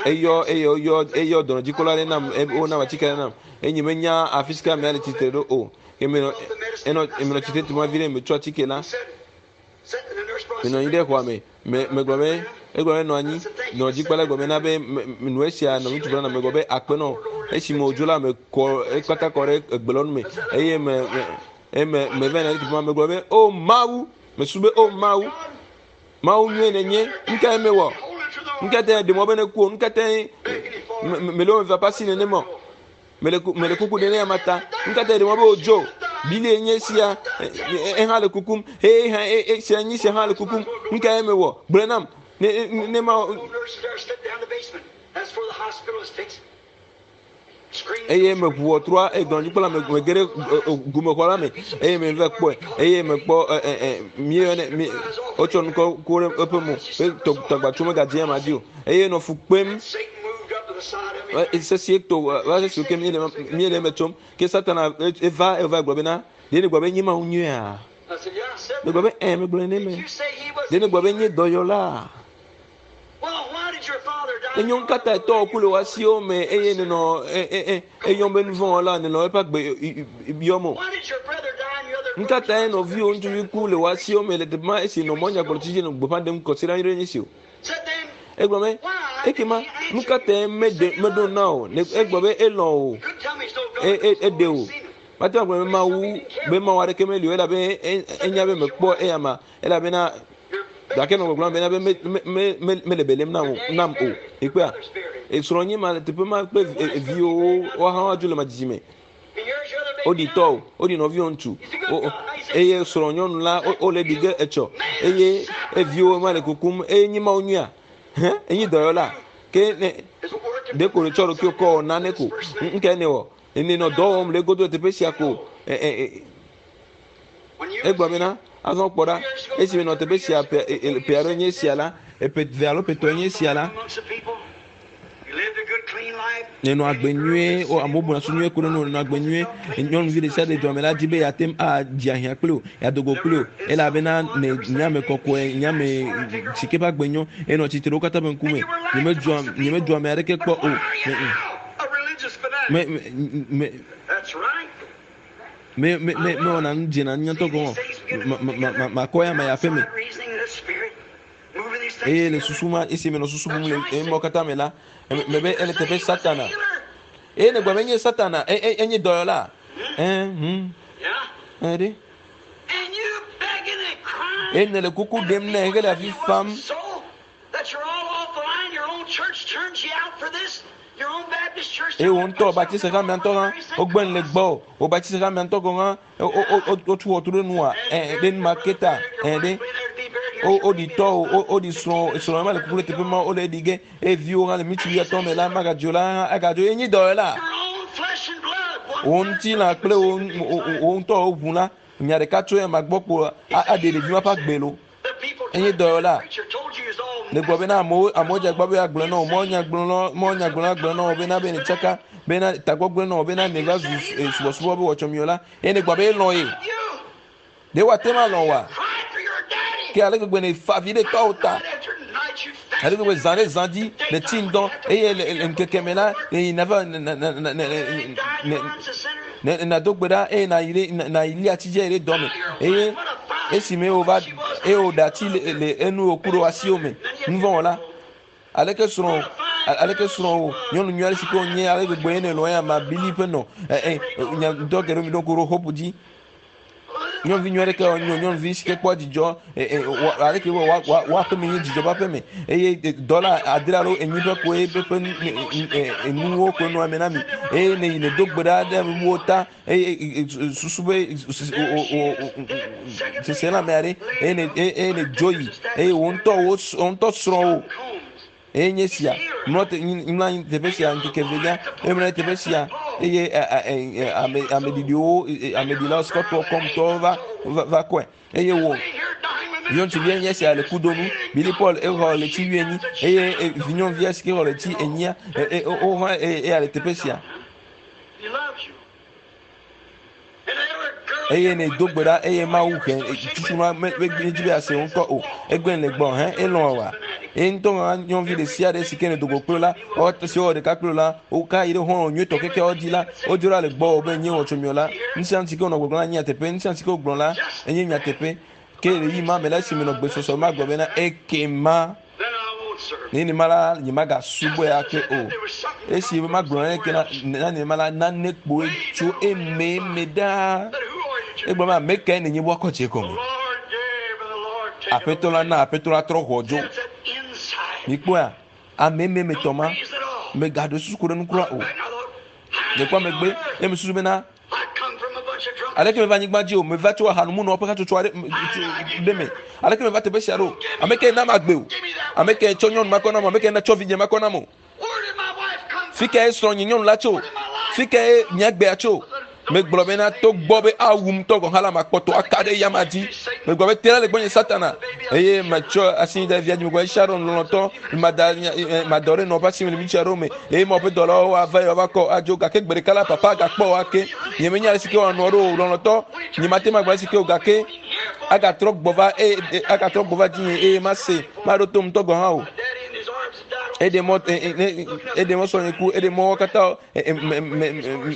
eyɔ eye woyɔ eyɔ dɔnɔdzikpɔla aɖe nam wonam atike aɖe nam eye nyemenya afi si ke amea le tsitre ɖo o. Ke menɔ enɔ menɔ tsitre tu ma vi ɖe metsɔ atike la. Menɔ anyi ɖe xɔa me. Me megblɔ be egblɔ be nɔ anyi. Nɔ dzikpɔla gblɔ be na be nu esia nɔ ŋutsu gblɔ na megblɔ be akpe nɔ. Esi me wòdzo la mekɔ ekpata kɔ ɖe egbelɔnu me eye me me eme me va yina ɖe teƒe ma megblɔ be o Mawu mesu be o Mawu Mawu nyuie nènye nu kae mewɔ nu ka tae ɖe mɔ be ne ku o nu ka tae mele wo me va pasi nenema o. Mele ku mele kuku ɖe ne ama ta. Nu ka ta ɖe mɔ be wòdzo? Bilie nye esia ehã le kukum. Eye hã esia nye esia hã le kukum. Nu kae mewɔ? Gblɔe nam. Ne ne ma eye meʋu ʋɔtrua eye dɔnɔdzikpɔla me mege ɖe gumexɔ la me eye meva kpɔe eye mekpɔ míeyɔnɛ mi wotsɔ nu kɔ ku ɖe eƒe mo be tɔgbatso megadze ama dzi o eye nɔ fu kpem Sesie to va se ke míele míele eme tsom ke Satana eva eva gblɔ bena ɖe nègblɔ be nye Mawu nyuia? Megblɔ be ẽ megblɔe ne me. Ɖe nègblɔ be nye dɔyɔla? Enyo nu ka tae tɔwò ku le wò asiwo me eye nènɔ eyɔm be nuvɔ̃wɔla nènɔ eƒe agbe yɔm o? Nu ka tae nɔviwò ŋutsuvi ku le wò asiwo me le teƒe ma esi nɔ mɔ nyagblɔtsi dzi nɔ gbeƒã ɖem kɔsiɖa nyuiɖe nye esi o? Egblɔ be, ekema nu ka tae meɖe meɖo na o? Egblɔ be elɔ̃ o, e, e, eɖe o. Mate ŋu agblɔ be Mawu be Mawu aɖeke meli o elabe enya be mekpɔ eyama elabena gake nɔ gbɔgblɔm bena be me, me, me, mele be lém nam o, nam o. Ekpea? Esrɔ̃nye ma le teƒe ma kple viwo woawo hã woadzo le ma dzidzime. Woɖi tɔ o, woɖi nɔviwò ŋutsu eye srɔ̃ nyɔnu la wole ɖi ge etsɔ eye eviwo ma le kukum eye nyi mawu nyuia hɛ enyi dɔyɔla ke ne ɖeko netsɔ ɖokuiwò kɔ wɔ nane ko ŋkɛ ne wɔ ene nɔ dɔ wɔm le egodo le teƒe sia ko ɛ ɛ egblɔ bena azɔ kpɔ ɖa esi menɔ teƒe sia ƒe ƒe aɖe nye esia la eƒe eve alo ƒe etɔ̃ nye esia la Nenɔ agbe nyuie, o amewo buna su nyuie ku ɖe nu nenɔ agbe nyuie. Nyɔnuvi ɖe sia ɖe dua me la di be yeate ŋu adze ahiã kpli wò, yeado go kpli wò elabena ne nye ame kɔkɔe, nye ame si ke ƒe agbe nyo, enɔ tsitre wo katã ƒe ŋkume. Nyemedzua nyemedzua ame aɖeke kpɔ o. Me me me me me me mewɔna nu dzena nye ŋutɔ gɔme ma ma ma makɔ ya me yi aƒe me. Eye le susu ma esi menɔ susu bum le emɔ katã me la, mebe ele teƒe Satana. Eye ne gblɔ be enye Satana, e, e, enye dɔyɔla. Ɛ, hm. Ɛ ɖe. Eye nele kuku ɖem nɛ hele avi fam. Eye wò ŋutɔ Baptiste hamea ŋutɔ hã wogbe nu le gbɔwò. Wò Baptiste hamea ŋutɔ gɔ̃ hã wotu xɔtu ɖe nuwòa ɛ ɖe nu ma ke ta ɛ ɖe woɖi tɔwò woɖi srɔ̃wò srɔ̃wò ma le kuku ɖe teƒe ma wole eɖi ge eye viwò hã le mitsi wuiatɔ̃ me la magadzo la hã agadzo ye nyi dɔyɔla. Wò ŋutilã kple wò ŋutɔ wò ʋu la nya ɖeka tso ema gbɔ kpo aɖe ɖevi ma ƒe agbe lo. Enye dɔyɔla. Le gblɔ bena amewo amewo dze agbagba be yeagblɔe na wò, mɔ nyagblɔla mɔ nyagblɔla gblɔe na wò bena be netsaka bena tagbɔ gblẽ na wò bena nèva zu eh, subɔsubɔ be wɔtsɔmiwɔ la. Eye nègblɔ be elɔ̃ ye. Ɖe wòate ŋu alɔ̃ wòa? Ke ale gbegbe nèfa avi ɖe tɔwò ta. Ale gbegbe zã ɖe zã dzi nètsi ŋdɔ eye le le ŋkeke me la nèyina va ne nàdo gbe ɖa eye nàyi ɖe nàyi li atsi dzi ayi ɖe dɔ me eye esime wòva eye wòɖe atsi le le enu wòku ɖe asiwò me nuvɔ̃wɔla aleke srɔ̃ aleke srɔ̃ wò nyɔnu nyui aɖe si ke wònye ale gbegbe ye nèlɔ̃ ya ma bili ƒe nɔ ɛ ɛ nya ŋdɔ geɖewo mi ɖo ŋku ɖo hope dzi Nyɔnuvi nyui aɖeke nyɔ nyɔnuvi si ke kpɔa dzidzɔ e, e, aleke wɔ wa wa wa aƒeme nye dzidzɔ ƒe aƒeme eye dɔla adre alo enyi ƒe koe ƒe enuwo koe nɔa eme na mi eye ne yi ne do gbe ɖa ɖe ame bubuwo ta eye susu be sese le ame aɖe eye ne eye ne dzo yi eye wò ŋutɔ wò ŋutɔ srɔ̃wò Eye nye sia, mlɔ te, mlɔ anyi teƒe sia ŋkeke evelia, eye mlɔ anyi teƒe sia, eye ame ameɖiɖiwo, ameɖilawo, sikɔtɔwo, kɔmtɔwo va va va kɔe. Eye wò nyɔnuvia nye sia le kudonu. Billy Paul exɔ ɣleti wuienyi eye vinyɔnuvia si ke xɔ ɣleti enyia, wohã eya le teƒe sia. Eye ne do gbe ɖa eye Mawu he tutu ma medzi be yease ŋkɔ o. Egbe le gbɔ hɛ elɔ̃ wa. Eye ŋutɔ hã nyɔnuvi ɖe sia ɖe si ke ne dogo kple la, si wɔ ɖeka kple la, woka yi ɖe xɔlɔ̃ nyuietɔ kekeawo dzi la, wodzo ɖa le gbɔwò be nye wɔtsɔmiɔ la. Nu sia nu si ke wonɔ gbɔgblɔm la nye nyateƒe. Nu sia nu si ke wogblɔ la enye nyateƒe. Ke le ɣeyiɣi ma me la, esi menɔ gbesɔsɔ me magblɔ bena, Ekema nenema la, nyemagasubɔe ake o. Esi magblɔ naneke na nenema la, nane kpoe tso ememe ɖaa. Egblɔ be, ame kae nènye be woakɔ dze gɔme? Aƒetɔ la na aƒetɔ la trɔ ʋɔ dzo. Mikpɔea, ame ememe tɔ ma, megaɖo susu ku ɖe nu kura o. Mekpɔ megbe, eye mesusu bena, Aleke meva anyigba dzi o? Meva tso ahanumunɔwo ƒe hatsotso aɖe ɖe me. Aleke meva teƒe sia ɖo? Ame kae nam agbe o? Ame kae tsɔ nyɔnu makɔ nam o? Ame kae tsɔ vidzĩ makɔ nam o? Fi kae srɔ̃nye nyɔnu la tso? Fi kae nye agbea tso? Megblɔ bena togbɔ be awum tɔ gɔ̃ hã la, makpɔtɔ aka ɖe eyama dzi. Megblɔ be te ɖa le gbɔnye Satana. Eye metsɔ asi da via dzi. Megblɔ be Sharon lɔlɔ̃tɔ, mada madɔ ɖe nɔƒe asi me le mitsi aɖewo me. Eye Mawu ƒe dɔlawo ava eye woava kɔ adzo. Gake gbe ɖeka la, Papa agakpɔ wò ake. Nyemenya ale si ke wòanɔ ɖo o, lɔlɔ̃tɔ. Nyemate ŋu agblɔ ale si ke o, gake agatrɔ gbɔ va eye agatrɔ gbɔ va dzinye eye mase, maɖo to ŋutɔ gɔ̃ hã o. Eɖe mɔ eɖe mɔ srɔ̃nye ku, eɖe mɔ wo katã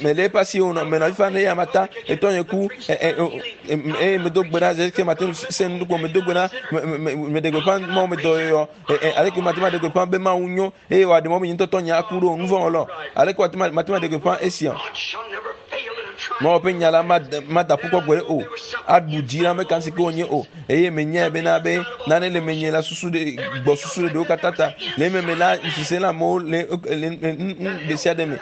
mele eƒe asi o, menɔ afi fa ne eya mata etɔnye ku eye medo gbe ɖa zeke mate ŋu se nu ko medo gbe ɖa meɖe gbeƒã Mawu me dɔyɔyɔ aleke mate ŋu aɖe gbeƒã be Mawu nyo eye wòaɖe mɔ be nye ŋutɔ tɔnye aku ɖo nu vɔ̃ wɔlɔ aleke wòate ŋu mate ŋu aɖe gbeƒã esia Mawu ƒe nya la mada ƒu kpɔ gbeɖe o aɖu dzi na ame ka si ke wònye o eye menyae bena be nane le menye la susu ɖe gbɔ susu ɖe ɖewo katã ta le ememe la sese le amewo le le nu ɖe sia ɖe me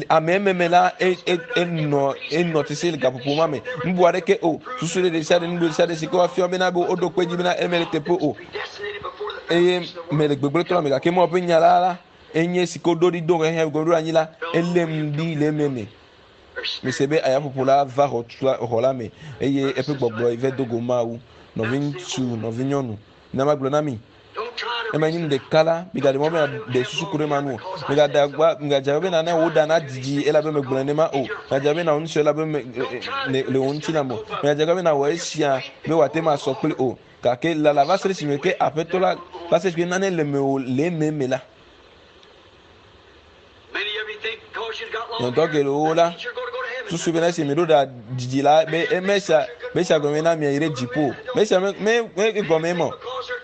ame ememe la enɔ enɔ te se le gaƒoƒo ma me nubu aɖeke o susu ɖe ɖe sia ɖe nu ɖe sia ɖe si ke woafia bena be woɖo kpe dzi bena eme le teƒe o eye mele gbegblẽ trɔ me gake Mawu ƒe nya la la enye si ke woɖo ɖi do xexe gɔmeɖo anyi la elém ɖi le ememe Mise be ayaƒoƒo la va xɔ la me eye eƒe gbɔgblɔ va do go Mawu. Nɔviŋutsu, nɔvinyɔnu, na magblɔ na mi, ema nye nu ɖeka la, migaɖe mɔ be ɖe susu ku ɖe ma nu o. Migaɖe agba, migadze abe nane wò ɖa nadidi elabe megblɔe nenema o. Migadze abe nawɔ nu sia elabe me, le wò ŋutilã me o. Migadze abe nawɔ esia be wòate ŋu asɔ kpli o. Gake lala va se ɖe esime ke Aƒetɔ la, va se ɖe esime nane le mewò le ememe la. Nyɔtɔ geɖewo la susu bena esi mi ɖo ɖa didi la be emesia mesia gɔme na mia yi ɖe dziƒo mesia me me me gɔme mɔ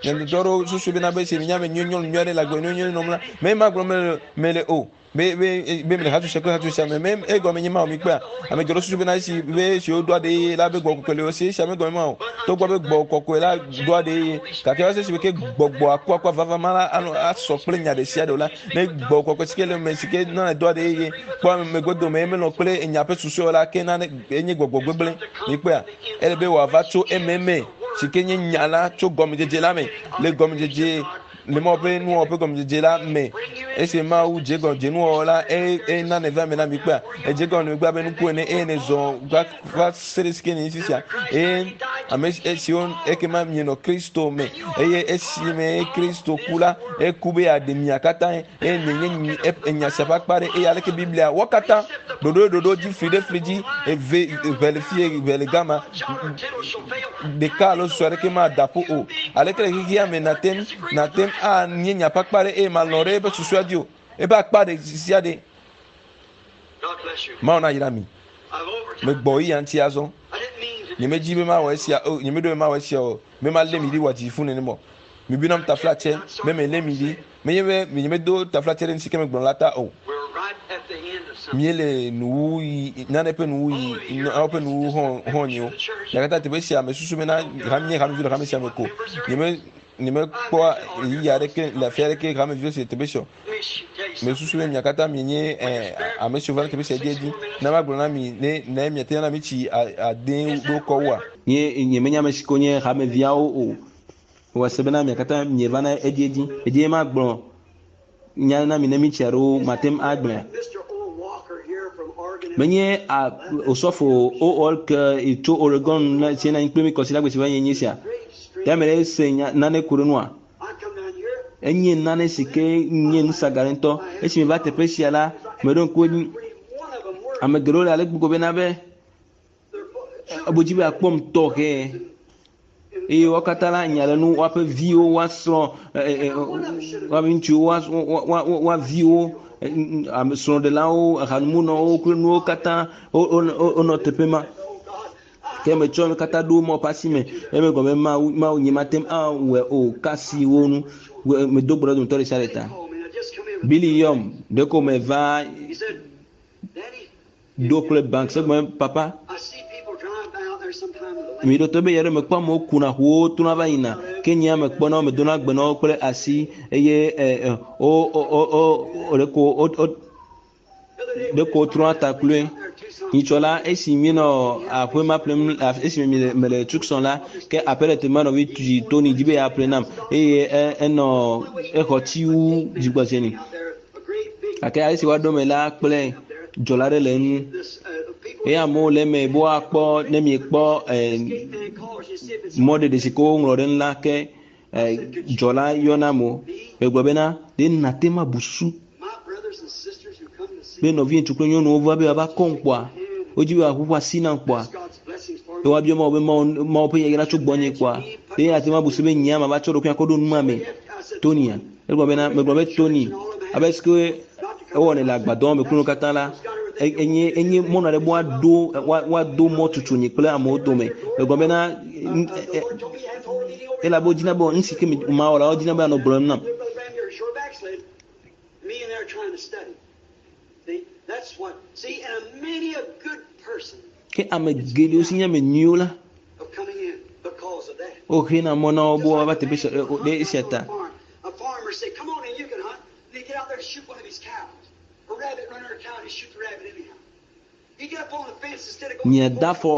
nyɔnutɔ ɖewo susu bena be esi mi nya be nyɔnu nyɔnu nyui aɖe le agbe nyui nyui nɔm la me ma gblɔm mele mele o be be be mele hatsotso kple hatsotso me me egɔme nye ma o mi kpea ame geɖewo susu bena esi be esi wodo aɖe ye la be gbɔ kɔkɔe le wo si esia me gɔme ma o togbɔ be gbɔ kɔkɔe la do aɖe ye gake va se si ke gbɔgbɔ akuakua vava ma la anɔ asɔ kple nya ɖe sia ɖe o la ne gbɔ kɔkɔe si ke le me si ke nana do aɖe ye kpɔ ame godome menɔ kple enya ƒe susu la ke nane enye gbɔgbɔ gbegblẽ mi kpea ele be wòava tso ememe si ke nye nya la tso gɔmedzedze la me le gɔmedzedze le Mawu ƒe nuwɔwɔ ƒe gɔmedzedze la me. Esi Mawu dze gɔme dze nuwɔwɔ la, eye ena nèva eme na mi kpea, edze gɔme megbe abe nuku ene eye nèzɔ va va se ɖe si ke nènye fifia. Eye ame siwo ekema mienɔ Kristo me eye esime Kristo ku la, eku be yeaɖe mia katã eye nènye enya sia ƒe akpa ɖe eye aleke Biblia wɔ katã ɖoɖo ɖoɖo dzi fli ɖe fli dzi eve ʋe le fie ʋe le gama ɖeka alo susɔ aɖeke mada ƒu o. Aleke le xexea me nàte ŋu nàte ŋu anye nya ƒe akpa ɖe eye màlɔ̃ ɖe eƒe susua dzi o? Eƒe akpa ɖe sia ɖe. Mawu nayra mi. Megbɔ ɣeyiɣia ŋuti azɔ. Nyemedi be mawɔ esia o, nyemeɖo be mawɔ esia o, be malé mi ɖi wòadzi fũ nenem o. Mibui nam taflatse be melé mi ɖi. Menye be nyemedo taflatse ɖe nusi ke megblɔ la ta o. Míele nuwuɣi, nane ƒe nuwuɣi, nawo ƒe nuwuwu hã hã nyi o. Gake teƒe sia mesusu bena nye hamevi le hame sia me ko. Nyeme nyemekpɔa ɣeyiɣi aɖeke le afi aɖeke hameviwo si le teƒe sia o. Mesusu be mia katã mienye eh, ame siwo va teƒe sia edziedzi. Na magblɔ na mi ne ne miate ŋu ana mitsi ade ɖo kɔ wua. Nye nyemenye ame si ko nye hameviawo o. Mewɔ se bena mia katã mievana edziedzi. Edzi magblɔ nya na mi ne mitsi alo mate ŋu agblɔe. Menye a osɔfo o ke tso Oregon na si na anyi kple mi kɔsiɖagbe si va yi nye sia. Ya me ɖe se nya nane ku ɖe nua. Enye nane si ke nye nusaga ɖe ŋutɔ. Esi meva teƒe sia la, meɖo ŋku edzi. Ame geɖewo le ale gbogbo bena be ebodzi be akpɔm tɔxɛ eye wo katã la nya le nu woaƒe viwo woasrɔ̃ woaƒe ŋutsuwo woa viwo ame srɔ̃ɖelawo ahanumunɔwo kple nuwo katã wonɔ teƒe ma ke metsɔ nu katã ɖo mɔ ƒe asi me eme gɔme mawu mawu nye mate ŋu awɔe o kasi wo nu medo gbe ɖe dometɔ ɖe sia ɖe ta Billy yɔm ɖeko meva do kple bank sɛgbɛ papa mi ɖo to be yɛrɛ mekpɔ amewo kuna ʋuwo tona va yina ke nye ame kpɔna wo medona gbe na wo kple asi eye ɛ ɛ wo wo wo wo ɖeko wo wo ɖeko wotrɔna ta kloe nyitsɔ la esi míenɔ aƒe ma ƒlem esime mi mele Tucson la ke aƒe ɖe teƒe ma nɔvi tu Tony dzi be yeaƒle nam eye enɔ exɔ tsi wu dzigbɔdzi ni. Gake ale si woaɖo eme la kple dzɔla aɖe le eŋu eye amewo le eme be woakpɔ ne miekpɔ eh, mɔɖeɖe si ke woŋlɔ ɖe enu la ke eh, dzɔla yɔna amewo. Egblɔ bena ɖe nàte ŋu abu susu be nɔvi ŋutsu kple nyɔnuwo va be woava kɔm kpɔa wodzi be woaʋuʋu asi nam kpɔa be woabiɔ Mawu be Mawu Mawu ƒe yayra tso gbɔnye kpɔa ɖe nàte ŋu abu susu be nyea mava tsɔ ɖokuinye akɔ ɖo nu ma me Tonya Egblɔ bena, megblɔ be Tony, abe si ke ewɔnɛ le agbadɔ me kple nu katã la, enye enye mɔnu aɖe be woaɖo woado mɔ tutu nye kple amewo dome. Megblɔ bena elabe wodina be nu si ke mawɔ la wodina be anɔ gblɔm nam. Ke ame geɖewo si nye ame nyuiwo la, woxena mɔ na wo be woava teƒe sia ɖe esia ta. Miada afɔ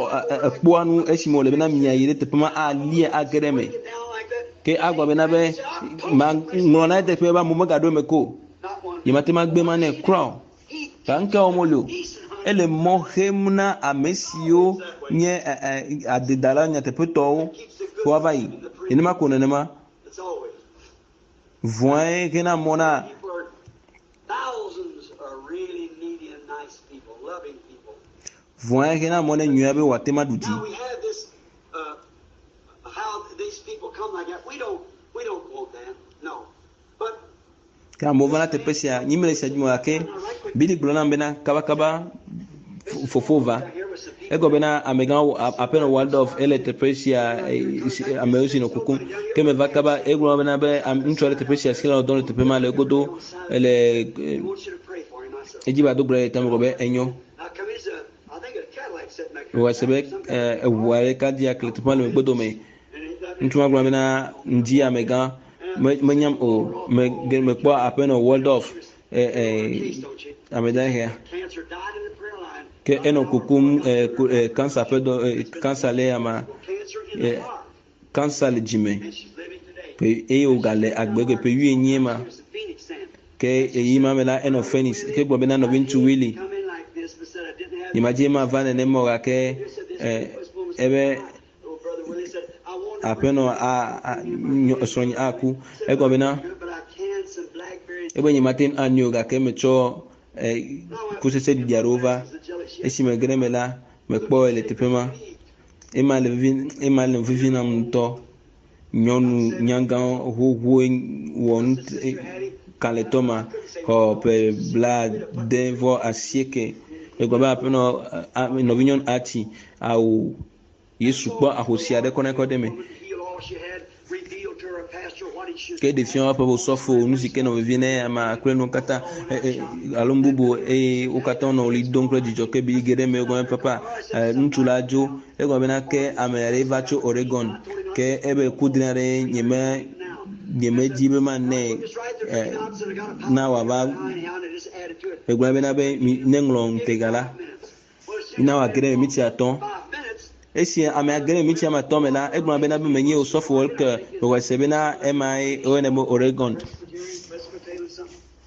ekpoa nu esime wòle bena miayi ɖe teƒe ma alia age ɖe eme. Ke agblɔ bena be maŋlɔ na eteƒe be amewo megaɖo eme ko o. Nyemate ŋu agbe ma nɛ kura o. Ta nu ka wɔm wole o? Ele mɔ xem na ame siwo nye adedala nyateƒetɔwo be woava yi. Nenema ko nenema. Vɔ̃e xena mɔ na vɔ̃e xena mɔ ne nyuia be wòate ŋu aɖu dzi. Ke amewo va na teƒe sia, nyi mele sia dzi me o gake Billy gblɔ nam bena kabakaba fofo va. Egɔ bena amegã aƒenɔ Waldorf ele teƒe sia amewo si nɔ kukum. Ke meva kaba egblɔ bena be ŋutsu aɖe teƒe sia si le dɔ le teƒe ma le egodo ele edzi ba do gbe ɖe tame gblɔ be enyo. Wòwɔ se be eʋu aɖe Cadillac le teƒe ma le megbe dome. Ŋutsu ma gblɔ bena ŋdi amegã menyam o me mekpɔ aƒenɔ Waldorf ame dahe ke enɔ kukum kansa ƒe dɔ kansa le ama kansa le dzime eye wògale agbe ke ƒe wuienyi ma ke eyi ma me la enɔ Phoenix ke gblɔ bena nɔviŋutsu Willie nyemadzi ma va nenema o gake ebe aƒenɔ a srɔ̃nye aku egblɔ bena ebe nyemate ŋu anyo o gake metsɔ kutsetse ɖiɖi aɖewo va esime ge ɖe eme la mekpɔ le teƒe ma ema le vivi ema le vivi nam ŋutɔ nyɔnu nyagã xoxoe wɔ nu kalẽtɔ ma xɔ ƒe 78 egblɔ be aƒenɔ nɔvinyɔnu ati awu Yesu kpɔ ahosi aɖe kɔ ne kɔ ɖe me. Ke ɖeviawo ƒe osɔfo nu si ke nɔ vevie ne amea kple nuwo katã alo nu bubu eye wo katã wonɔ ɣli dom kple dzidzɔ ke bi ge ɖe eme egɔme papa ŋutsu la dzo egɔme bena ke ame aɖe va tso Oregon ke ebe kudri aɖe nyeme nyemedi be manɛ na wòava egblɔ bena be neŋlɔ ŋutega la na wòage ɖe miniti atɔ̃. Esi amea ge ɖe miniti ame atɔ̃ me la, egblɔ bena be menye osɔfo ke mexɔe se bena emae woyɔnɛ be Oregon.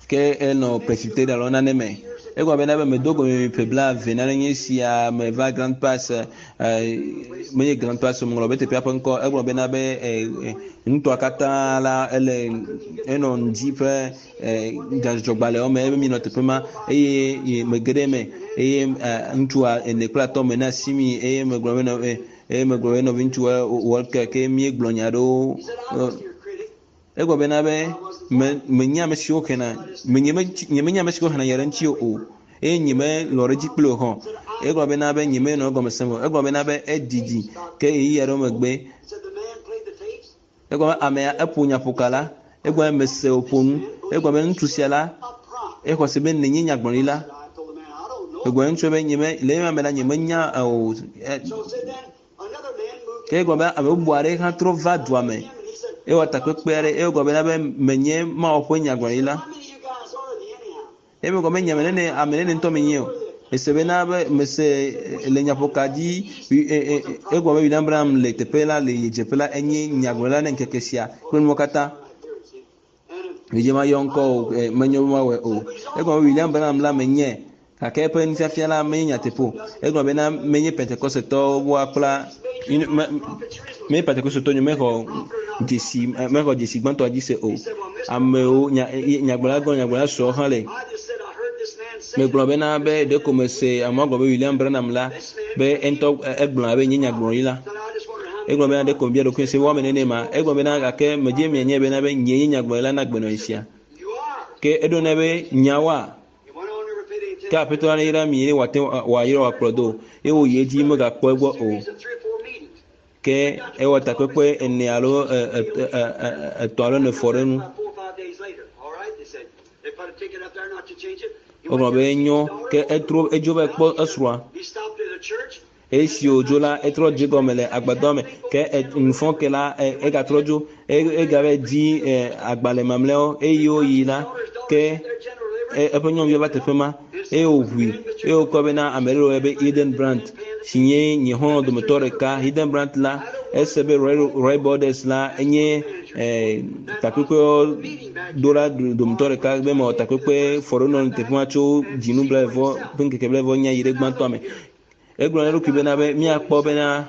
Ke enɔ Presbyterian alo nane me. Egblɔ bena be medo go mi ƒe 20 nane nye sia meva Grand Pass menye Grand Pass o meŋlɔ be teƒea ƒe ŋkɔ. Egblɔ bena be nutoa katã la ele enɔ ŋdi ƒe nyadzɔdzɔgbalẽwo me ebe minɔ teƒe ma eye mege ɖe eme eye ŋutsua ene kple atɔ̃ me na asi mi eye megblɔ be eye megblɔ be nɔviŋutsu Walker ke míegblɔ nya aɖewo. Egblɔ bena be menye ame siwo xena nyemenya ame siwo xena nya ɖe ŋuti o eye nyemelɔ̃ ɖe edzi kpli o hã. Egblɔ bena be nyemenɔ egɔme sem o. Egblɔ bena be edidi ke ɣeyiɣi aɖewo megbe egblɔ be amea eƒo nyaƒoka la egblɔ be mese wòƒo nu. Egblɔ be ŋutsu sia la exɔ se be nenye nyagblɔɖila. Egblɔ ŋutsu be nyeme le ema me la nyemenya o. Ke egblɔ be ame bubu aɖe hã trɔ va dua me. Ewɔ takpekpe aɖe eye egblɔ bena be menye Mawu ƒe nyagblɔɖila. Eye megblɔ be nye ame nene ame nene ŋutɔ menye o. Ese bena be mese le nyaƒoka dzi egblɔ be William Branham le teƒe la le dzeƒe la enye nyagblɔɖila ne ŋkeke sia kple nuwo katã. Medze ma yɔ ŋkɔ o menye be mawɔe o. Egblɔ be William Branham la menye gake eƒe nufiafia la menye nyateƒe o. Egblɔ bena menye Pentekostetɔwo woakpla menye Pentekostetɔ nye mexɔ dzesi mexɔ dzesi gbãtɔa dzi se o. Amewo nyagblɔla gblɔ nyagblɔla srɔ̃ hã le. Megblɔ bena be ɖeko mese amewo gblɔ be William Branham la be eŋutɔ egblɔ abe nye nyagblɔɖila. Egblɔ bena ɖeko mebia ɖokuinye se woame nene ma. Egblɔ bena gake medze mianye bena be nye nye nyagblɔɖila na gbenɔɣi sia. Ke eɖo nɛ be nyawoa ke aƒetɔ la neyra mi eye wòate wòayra wòakplɔ do eye wòyi edzi megakpɔ egbɔ o. Ke ewɔ takpekpe ene alo etɔ̃ alo ene fɔ ɖe enu. Wogblɔ be enyo ke etrɔ edzo va kpɔ esrɔ̃a. Esi wòdzo la etrɔ dze gɔme le agbadɔa me ke nufɔ ke la egatrɔ dzo egava di agbalẽ mamlɛawo eye woyi la ke eƒe nyɔnuvia va teƒe ma eye wòʋui eye wòkpɔ bena ame ɖe le be Eden Brandt si nye nye xɔlɔ̃ dometɔ ɖeka. Eden Brandt la ese be Roy Borders la enye takpekpewo ɖola dometɔ ɖeka be mewɔ takpekpe fɔ ɖo nɔ teƒe ma tso dzinu blaeve ƒe ŋkeke blaeve nya yi ɖe gbãtɔa me. Egblɔ na eɖokui bena be míakpɔ bena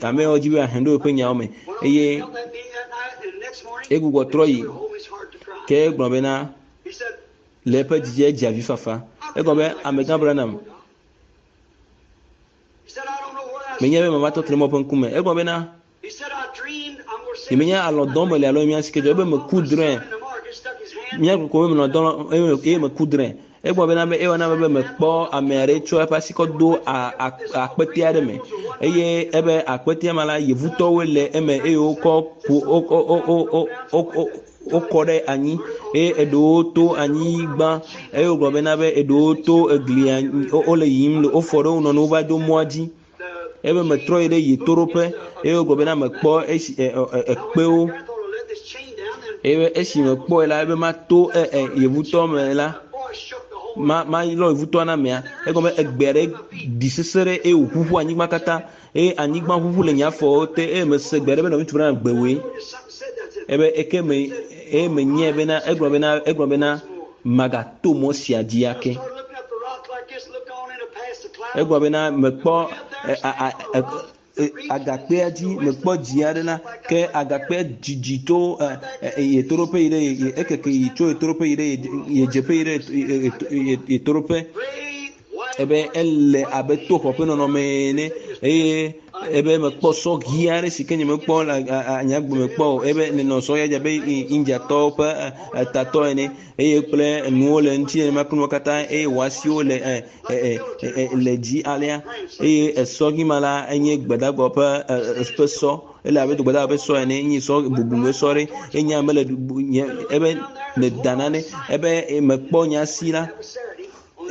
amewo dzi be ahe ɖo eƒe nyawo me eye egbugbɔ trɔ yi ke egblɔ bena le eƒe dzidzi edze avi fafa. Egblɔ be amegã Branham menye be mava tɔ te ɖe mɔ ƒe ŋkume. Egblɔ bena Nyemenya alɔ dɔm mele alo mía si ke dzɔ ebe meku drɔ̃e. Mía koko be menɔ dɔ eye meku drɔ̃e. Egblɔ bena be ewɔ na be mekpɔ ame aɖe tsɔ eƒe asi kɔ do akpete aɖe me eye ebe akpetea me la yevutɔwoe le eme eye wokɔ ƒo wo wokɔ ɖe anyi eye eɖewo to anyigba eye wogblɔ bena be eɖewo to eglia wole yiyim le wofɔ ɖe wo nɔnɔewo va do mɔa dzi ebe metrɔ yi ɖe yetoɖoƒe eye wogblɔ bena mekpɔ esi ekpewo eye esi mekpɔe la ebe mato e e yevutɔ me la ma malɔ yevutɔa na amea egɔme egbe aɖe ɖi sese ɖe eye wòʋuʋu anyigba katã eye anyigba ʋuʋu le nye afɔwo te eye mese gbe aɖe be nɔvi ŋutsu bena gbewoe ebe eke me eye menyae bena egblɔ bena egblɔ bena magato mɔ sia dzi ake. Egblɔ bena mekpɔ agakpea dzi mekpɔ dzi aɖe la ke agakpea dzidzi tso yetoɖoƒe yi ɖe ekeke yi tso yetoɖoƒe yi ɖe yedzeƒe yi ɖe yetoɖoƒe ebe ele abe to xɔ ƒe nɔnɔme ene eye ebe mekpɔ sɔ ɣi aɖe si ke nyemekpɔ le nye agbe me kpɔ o ebe nenɔ sɔ ya dze abe Indiatɔwo ƒe tatɔ ene eye kple nuwo le ŋuti nenema kple nuwo katã eye wò asiwo le le dzi alea eye esɔ ɣi ma la enye gbedagba ƒe ƒe sɔ ele abe gbedagba ƒe sɔ ene enye sɔ bubume sɔ ɖe enye ame le nye ebe meda nane ebe mekpɔ nye asi la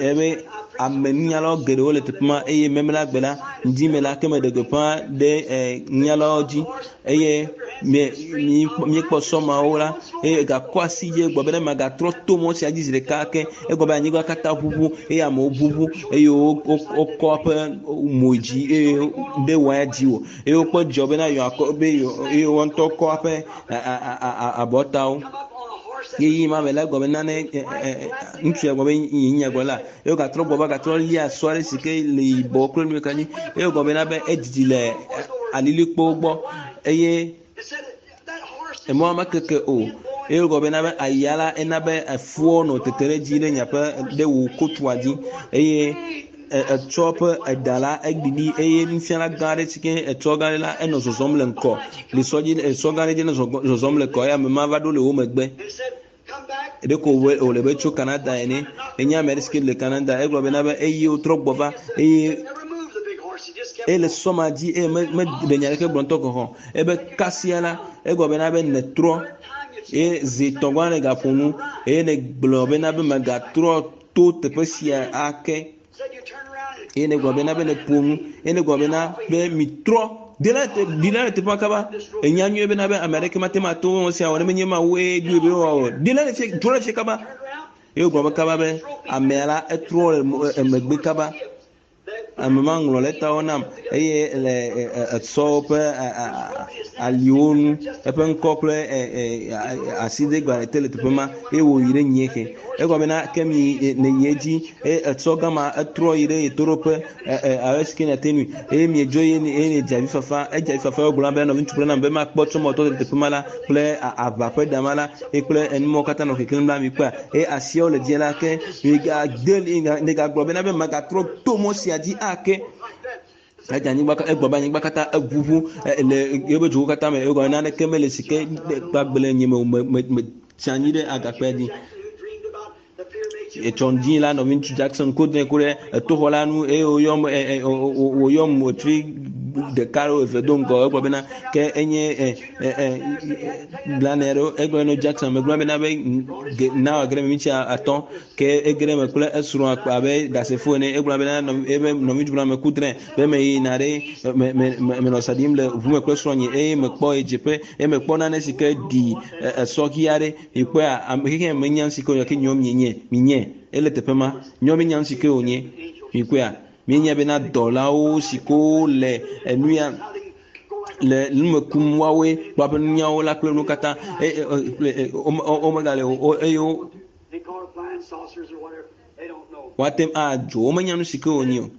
ebe ame nunyalawo geɖewo le teƒe ma eye memla gbe la ŋdi me la ke meɖe gbeƒã ɖe nunyalawo dzi eye míekpɔ sɔmawo la eye gakɔ asi dzi egblɔ be ne magatrɔ to mɔ sia dzi zi ɖeka ke egblɔ be anyigba katã ʋuʋu eye amewo ʋuʋu eye wokɔ eƒe mo dzi eye ɖe wɔ dzi o eye wokpɔ dzidzɔ bena yewoakɔ be eye woa ŋutɔ kɔ eƒe abɔtawo ɣeyiɣi ma me la egblɔ be nane ŋutsu ya gblɔ be yi nya gblɔ la eye wogatrɔ gbɔ va gatrɔ lia sɔ aɖe si ke le yibɔ kple nu ka nyi eye wogblɔ bena be edidi le alilikpowo gbɔ eye emɔa mekeke o eye wogblɔ bena be aya la ena be efuɔ nɔ tete ɖe dzi ɖe nyaƒe ɖe wò kotua dzi eye etsɔ ƒe eɖa la eɖiɖi eye nufiala gã aɖe si ke etsɔ gã aɖe la enɔ zɔzɔm le ŋkɔ le sɔ dzi esɔ gã aɖe dzi nɔ zɔzɔm le ŋkɔ eye ame ma va ɖo le wo megbe. Ɖeko wòle be tso Canada ene. Enye ame aɖe si ke le Canada. Egblɔ bena be eye wotrɔ gbɔ va eye ele sɔ ma dzi eye meɖe nya aɖeke gblɔ ŋutɔ gɔ̃ hã. Ebe kasia la egblɔ bena be netrɔ eye zi etɔ̃ gɔ̃ hã negaƒo nu eye negblɔ bena be megatrɔ to teƒe sia ake. Eye negblɔ bena be neƒo nu eye negblɔ bena be mitrɔ ɖi la le teƒea kaba. Enya nyuie bena be ame aɖeke mate ŋu ato wɔwɔ sia wɔ ne menye Mawu ye ɖoe be woawɔ. Ɖi la le fie, trɔ le fie kaba. Eye wogblɔ be kaba be amea la etrɔ le megbe kaba. Ame ma ŋlɔ lɛtawo nam eye le esɔwo ƒe aliwo nu eƒe ŋkɔ kple asidegbalẽ te le teƒe ma eye wòyi ɖe nyie ke. Egɔme bena ke mi nèyi edzi eye etsɔ gama etrɔ yi ɖe ɣetoɖoƒe alo esi ke nàte ŋui eye miedzo eye eye nèdze avi fafa. Edze avi fafa wogblɔ be nɔviŋutsu kple nam be makpɔ tsɔ mɔtɔ le teƒe ma la kple aʋa ƒe dama la eye kple enumɔwo katã nɔ keklẽm la mikpɔa eye asiawo le dzi la ke migade nègagblɔ bena be magatrɔ to mɔ sia dzi ake. Edze anyigba egblɔ be anyigba katã eʋuʋu le yeƒe dzowo katã me egɔme naneke mele si ke gbagbe le nye me o me me me tsi anyi ɖe agakpea dzi. Etsɔ ŋdi la nɔviŋutsu Jackson ko dze ku ɖe etoxɔ la nu eye woyɔm woyɔm wòtri ɖeka alo eve do ŋgɔ egblɔ bena ke enye blane aɖewo egblɔ ne Jackson megblɔ bena be na wòage ɖe miniti atɔ̃ ke ege ɖe eme kple esrɔ̃a abe ɖasefo ene egblɔ bena ebe nɔviŋutsu bena meku drẽ be meyina ɖe me me menɔ sa ɖim le ʋu me kple srɔ̃nye eye mekpɔ ɣedzeƒe eye mekpɔ nane si ke ɖi esɔ ɣi aɖe mikpɔea ame xexea me menya nu si ke wònye ke nyɔ mienye minye ele teƒe ma nyɔ menya nu si ke wònye mikpɔea mienya bena dɔlawo si ke wole enu ya le nume kum woawoe kple woƒe nunyawo la kple nu katã womegale o eye woate ŋu adzo womenya nu si ke wònye o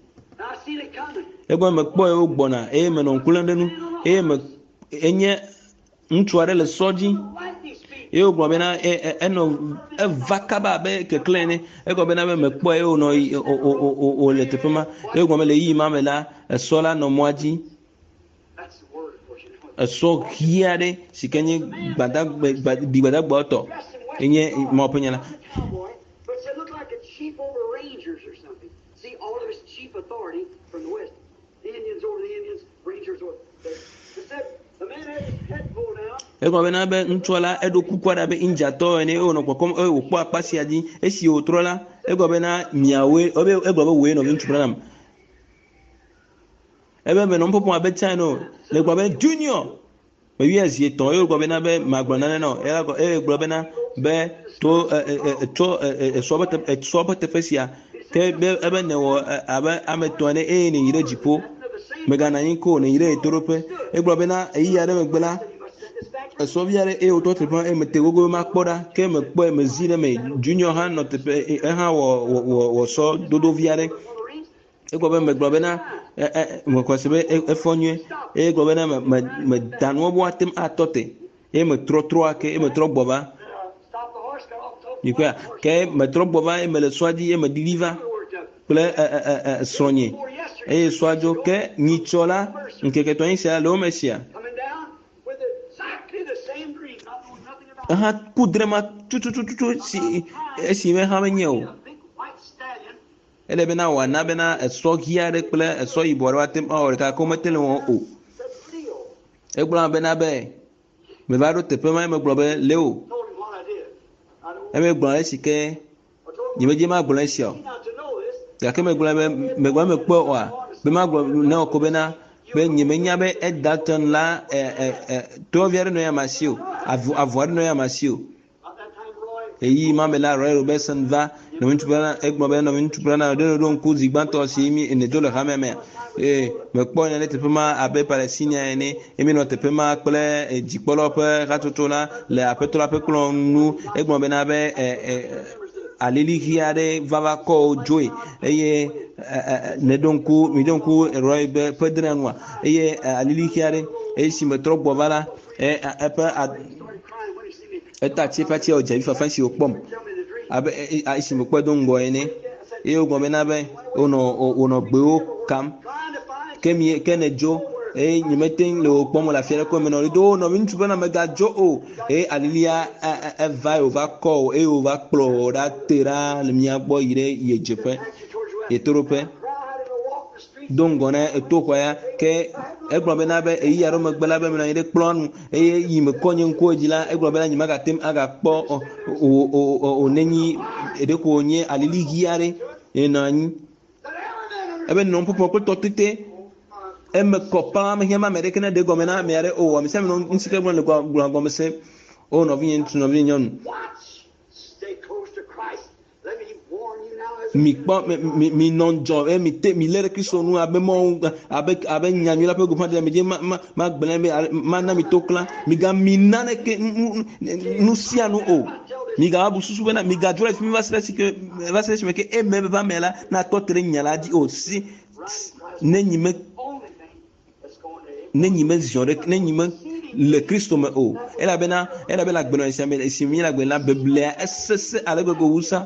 egɔme mekpɔe wogbɔna eye menɔ ŋku lém ɖe nu eye me enye Ŋutsu aɖe le sɔ dzi eye wogblɔ bena enɔ eva kaba abe keklẽ ene. Egblɔ bena be mekpɔe eye wònɔ wòle teƒe ma. Eye wogblɔ be le ɣeyiɣi ma me la, esɔ la nɔ mɔa dzi. Esɔ ɣi aɖe si ke nye gbadagbe ɖi gbadagbawo tɔ enye Mawu ƒe nya la. Egblɔ bena be ŋutsua la eɖo kuku aɖe abe Indiatɔ ene eye wònɔ kpɔkpɔm eye wòkpɔ akpa sia dzi. Esi wòtrɔ la, egblɔ bena miawoe egblɔ be wòe nɔviŋutsu Branham. Ebe menɔ nu ƒoƒom abe tsã ene o. Le gblɔ be Junior meyɔe zi etɔ̃ eye wògblɔ bena be magblɔ nane na wò. Eye gblɔ bena be to tsɔ esɔ ƒe teƒe esɔ ƒe teƒe sia ke be ebe nèwɔ abe ame etɔ̃ ene eye nèyi ɖe dziƒo. Mèganɔ anyi ko o, nèyi ɖe ɣetoɖoƒe. Egblɔ bena ɣeyiɣi aɖe megbe la, esɔvi aɖe eye wòtɔ teƒe ma eye mete gogo be makpɔ ɖa ke mekpɔe mezi ɖe eme. Junior hã nɔ teƒe ehã wɔ wɔ wɔ sɔ dodo vi aɖe. Egblɔ be megblɔ bena e, e, mexɔe se be efɔ nyuie eye egblɔ bena me, me, meda nuwo be woate ŋu atɔ te eye metrɔ trɔ ake eye metrɔ gbɔ va. Mikpɔea? Ke metrɔ gbɔ va eye mele sɔa dzi eye meɖiɖi va kple e, e, e, e, srɔ̃nye eye sɔa dzo. Ke nyitsɔ la, ŋkeke etɔ̃ sia le wo me sia. Eha ku drema tutututu si esi me hã menye o. Ele bena wòana bena esɔ ɣi aɖe kple esɔ yibɔ aɖe woate ŋu awɔ ɖeka gake womete ŋu wɔm o. Egblɔ hã bena be meva ɖo teƒe ma megblɔ be Leo. Eme gblɔ ale si ke nyemedze magblɔ esia o. Gake megblɔ be megblɔ mekpɔe oa be magblɔ na wò ko bena be nyemenya be Edelton la e, e, e, tovi aɖe nɔ ya masi o, avu avu aɖe nɔ ya masi o. Ɣeyiɣi ma me la, Roy Roberson va nɔviŋutsu Branham, egblɔ be nɔviŋutsu Branham, ɖe nèɖo ŋku zi gbãtɔ si mi nèdzo le hamea mea? Ee, mekpɔ nya ɖe teƒe ma abe Palestinia ene, eye míenɔ teƒe ma kple eh, dzikpɔlawo ƒe hatsotso la le aƒetɔ la ƒe kplɔ̃ ŋu. Egblɔ bena be e, e, alili ɣi aɖe va va kɔ wo dzoe eye nèɖo ŋku, miɖo ŋku Roy be ƒe drɔ̃ea nua? Eye alili ɣi aɖe eye si metrɔ gbɔ va la, eƒe Eta tsi eƒe atsia wòdze avi fafa esi wòkpɔm abe esi mekpɔe do ŋgɔ ene. Eye wogblɔ bena be wonɔ wonɔ gbewo kam. Ke mi ke nèdzo eye nyemete ŋu le wò kpɔm le afi aɖeke o. Menɔ ɣli dom o nɔviŋutsu bena mègadzo o. Eye alilia eva eye wòva kɔ wò eye wòva kplɔ wò ɖa te ɖa le mía gbɔ yi ɖe ɣedzeƒe, ɣetoɖoƒe. Do ŋgɔ na etoxɔa ya ke egblɔ bena be ɣeyiɣi aɖewo megbe la be menɔ anyi ɖe kplɔa nu eye yi mekɔ nye ŋkuwo dzi la egblɔ bena nyemagate ŋu agakpɔ o o o o nenyi ɖeko wònye alili ɣi aɖe yenɔ anyi ebe nɔ ƒoƒo kple tɔtete eme kɔ paa mehiã be ame aɖeke naɖe egɔme na ame aɖe o ame sia ame nɔ ŋuti ke gblɔ le gblɔ gɔme se o nɔvinye ŋutsu nɔvinye nyɔnu Mikpɔ, mi, mi, minɔ ŋudzɔ eye mite, milé ɖe Kristo ŋu abe mɔ, abe, abe nyanyui la ƒe gbeƒãɖela mi dzi ma, ma, magblẽ be, mana mi to klã. Migami naneke, nu, nu sia nu o. Migava bu susu bena, migadzo le fi mi va se ɖe esike, va se ɖe esime ke eme ƒe ame la natɔ te ɖe nya la dzi o. Si, ne nyi me ne nyi meziɔ ɖe ne nyi me le Kristo me o elabena elabena agbenɔnɔ sia me si mi le agbe la beblea esese ale gbegbe wu sa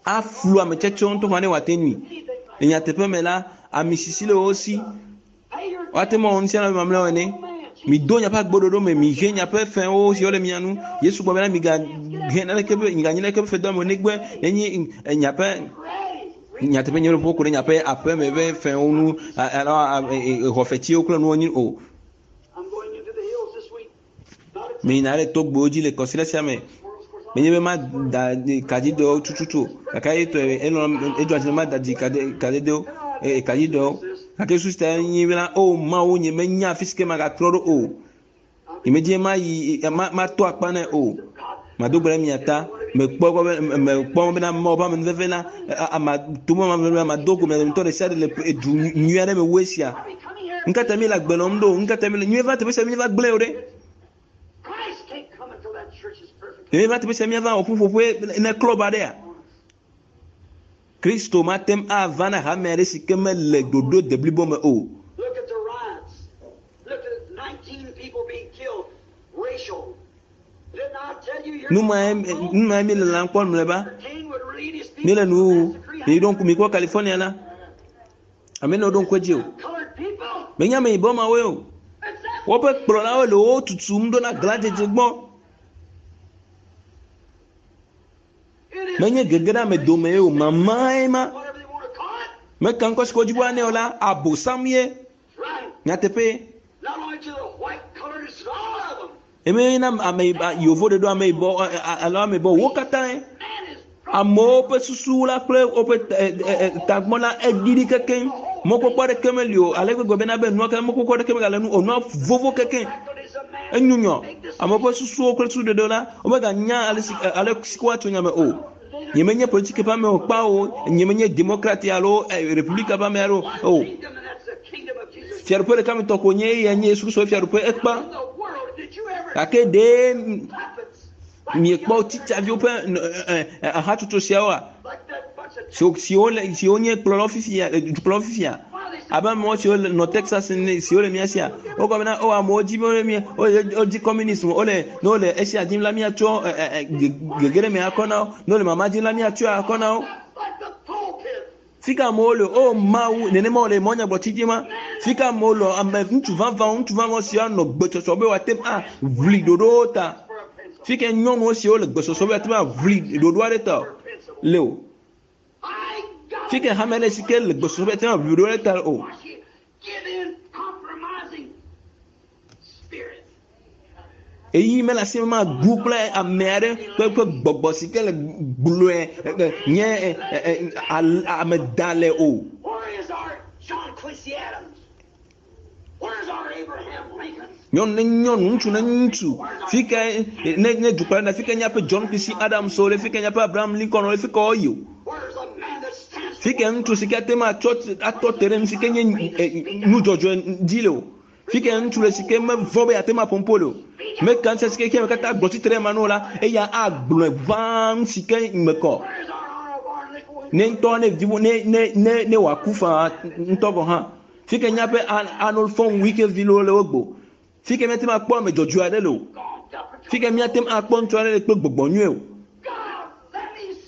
aflu ame tsɛtsɛwo ŋutɔ hã ne wòate nui le nyateƒe me la ami sisi le wo si woate ŋu awɔ nu sia nu abe mamlɛawo ene mido miaƒe agboɖoɖo me mihe miaƒe fɛ̃wo siwo le mia nu yesu gblɔ bena migahe naneke ƒe miganyi naneke ƒe fedɔme o negbe nenye miaƒe Nyateƒe nye ƒo ku ɖe miaƒe aƒeme ƒe fɛ̃wo ŋu alo xɔfetiwo kple nuwo ŋu o. Meyina ɖe togbɛwo dzi le kɔsiɖa sia me. Menye be mada kadzidɔwo tututu o gake etɔe elɔ̃ edzɔa dzi ne mada dzi kadedewo kadzidɔwo gake susu ta nye bena o Mawu nye menya afi si ke magatrɔ ɖo o. Nyemedi be mayi mato akpa nɛ o. Mado gbe ɖe mia ta. Mekpɔ egbɔ be mekpɔ bena Mawu ƒe amenuveve la ama to me amenuveve mado go mia dometɔ ɖe sia ɖe le edu nyui aɖe me wu esia. Nu ka ta mi le agbe nɔm ɖo? Nu ka ta mi le míeva teƒe sia míeva gblẽ o ɖe? Míeva teƒe sia míava wɔ ƒuƒoƒe ne klɔb aɖea? Kristo mate ŋu ava na hame aɖe si ke mele ɖoɖo deblibo me o. Nu mae nu mae míele lãm kpɔ mlɔeba. Míele nuwuwu. Miɖo ŋku mikpɔ California la. Ame nɔ ɖo ŋku edzi o. Menye ame yibɔ mawoe o. Woƒe kplɔlawo le wo tutum ɖo na glãdzedze gbɔ. Menye gege ɖe ame dome ye o, mamae ma. Meka ŋkɔ si ke wodzi be woanɛ o la, abosam ye. Nyateƒee. Eme na ame yevo ɖe ɖo ame yibɔ alo ame yibɔ wo katã amewo ƒe susu la kple woƒe tagbɔ la eɖiɖi kekeŋ. Mɔkpɔkpɔ aɖeke meli o ale gbegbe bena be nua katã mɔkpɔkpɔ aɖeke megale nu o nua vovo kekeŋ. Enyunyɔ amewo ƒe susuwo kple susuɖeɖewo la womeganya ale si ale si woatso nya me o. Nyemenye politiki ƒe ame o kpa o, nyemenye demokrati alo republika ƒe ame aɖe o. Fiaɖuƒe ɖeka me tɔ ko nye eya nye Yesu Kristo ƒe fiaɖuƒe ekpa. Gake ɖe miekpɔ titsaviwo ƒe hatsotso siawoa? Siwo le siwo nye kplɔlawo fifia, dukplɔlawo fifia abe amewo siwo nɔ Texas ene siwo le mía sia wogblɔ bena o amewo dzi be wole wodzi communism wole ne wole esia dzim la míatsɔ gege ɖe me akɔ na wo ne wole mama dzim la míatsɔe akɔ na wo. Fika amewo le o Mawu nenema wole mɔnyagblɔtsi dzi ma fika amewo le ame ŋutsu vavãwo ŋutsu vavãwo siwo anɔ gbetsɔtsɔ be woate ŋu aʋli ɖoɖowo ta fika nyɔnuwo siwo le gbesɔsɔ be woate ŋu aʋli ɖoɖo aɖe ta le o. Fike hame aɖe si ke le gbesɔsɔ be ate ŋu aʋli ɖoɖo aɖe ta o. Eyi mele asi me magu kple ame aɖe ƒe ƒe gbɔgbɔ si ke le gblɔe nye ame da le o. Nyɔnu ne nyɔnu, ŋutsu ne ŋutsu. Fi ka ne ne dukplɔla ɖe fi ka míaƒe John Quincy Adams le fi ka míaƒe Abraham Lincoln le fi ka woyi o. Fi ka ŋutsu si ke ate ŋu atsɔ atɔ te ɖe nu si ke nye nudzɔdzɔe dzi le o. Fi ka ŋutsu le si ke mevɔ̃ be yeate ŋu aƒo nuƒo le o. Meka ŋusẽ si ke xexeame katã gblɔ tsitre ɖe ema nu o la, eya agblɔe ʋãa nu si ke me kɔ. Ne ŋutɔ ne di ne ne ne ne wòaku faa ŋutɔ gɔ̃ hã. Fi ke míaƒe Arnold von Winkelried le wo gbɔ. Fi ke míate ŋu akpɔ ame dzɔdzɔe aɖe le o. Fi ke míate ŋu akpɔ ŋutsu aɖe le kple gbɔgbɔ nyui o.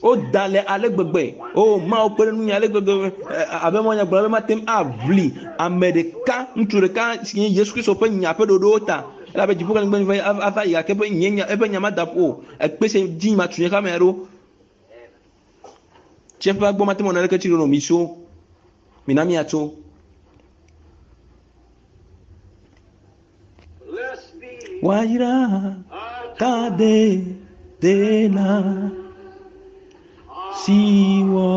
Woda le ale gbegbe. O Mawu kpe ɖe ŋunye ale gbegbe abe mɔ nyagblɔ be mate ŋu aʋli ame ɖeka, ŋutsu ɖeka si nye Yesu Kristo ƒe nya ƒe ɖoɖowo ta. Elabe dziƒo kple anyigba ava yi gake eƒe nye nya eƒe nya mada ƒu o. Ekpe sia dzi matu nye xamea ɖo. Tsiẽƒea gbɔ mate ŋu anɔ naneke tsi ɖo nɔ mi tso. Mina míatso. Woayra tadedela si wɔ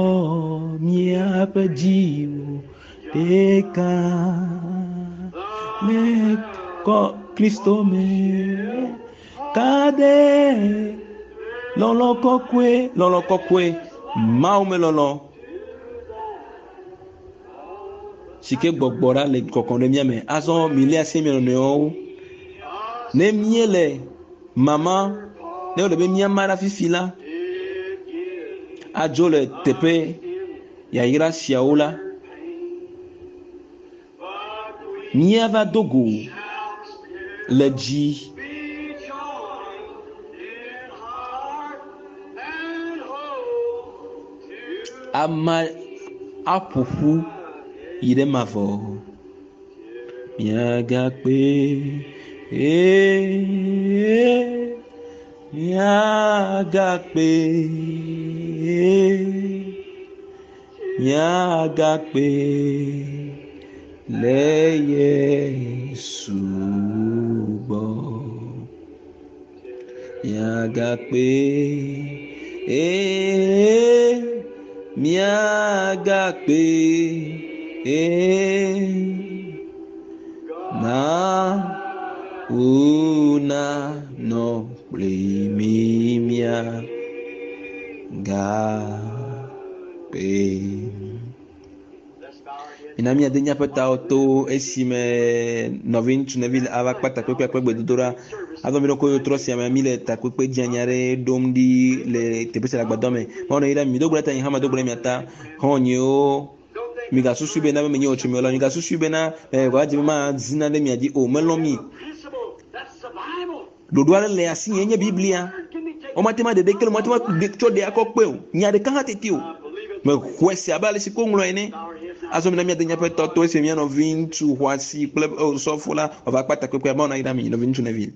míaƒe dziwo ɖeka le kɔ Kristo me. Kade lɔlɔ kɔkɔe, lɔlɔ kɔkɔe, Mawu me lɔlɔ si ke gbɔgbɔ ɖa le kɔkɔm ɖe mía me. Azɔ mili asi mia nɔnɔewo. Ne míele mama, ne wòle be míama ɖe fifi la, adzo le teƒe yayra siawo la, míava do go le dzi. Ama aƒo ƒu yi ɖe mavɔ. Míagakpe, ee, míagakpe, míagakpe le Yesu gbɔ. Míagakpe, ee, míagakpe, ee, na wònanɔ kpli mí míagakpe. Mina míade míaƒe tawo to esime nɔviŋutsu Neville ava kpe takpekpea kple gbedodoɖa. Azɔ mi ɖo trɔ sia me mi le takpekpe dzeani aɖe ɖom ɖi le teƒe sia le agbadɔ me. Mawu nɔ yra mi. Mi do gbe ɖe ta nye hã medo gbe ɖe mia ta. Xɔ̃nyewo, migasusui bena be menye wò tso mi o la, migasusui bena wòadze be mazi nane ɖe mia dzi o. Melɔ̃ mi. Ɖoɖo aɖe le asinye nye Biblia. Womate ŋu aɖe ɖeke le womate ŋu atsɔ ɖe akɔ kpe o. Nya ɖeka hã teti o. Mexɔe se abe ale si ko ŋlɔ ene. Azɔ mina míade míaƒe tɔtɔ esi mía nɔviŋutsu xɔasi kple osɔfo la wòava kpa takpekpea. Mawu nayra mi, nɔviŋutsu Neville.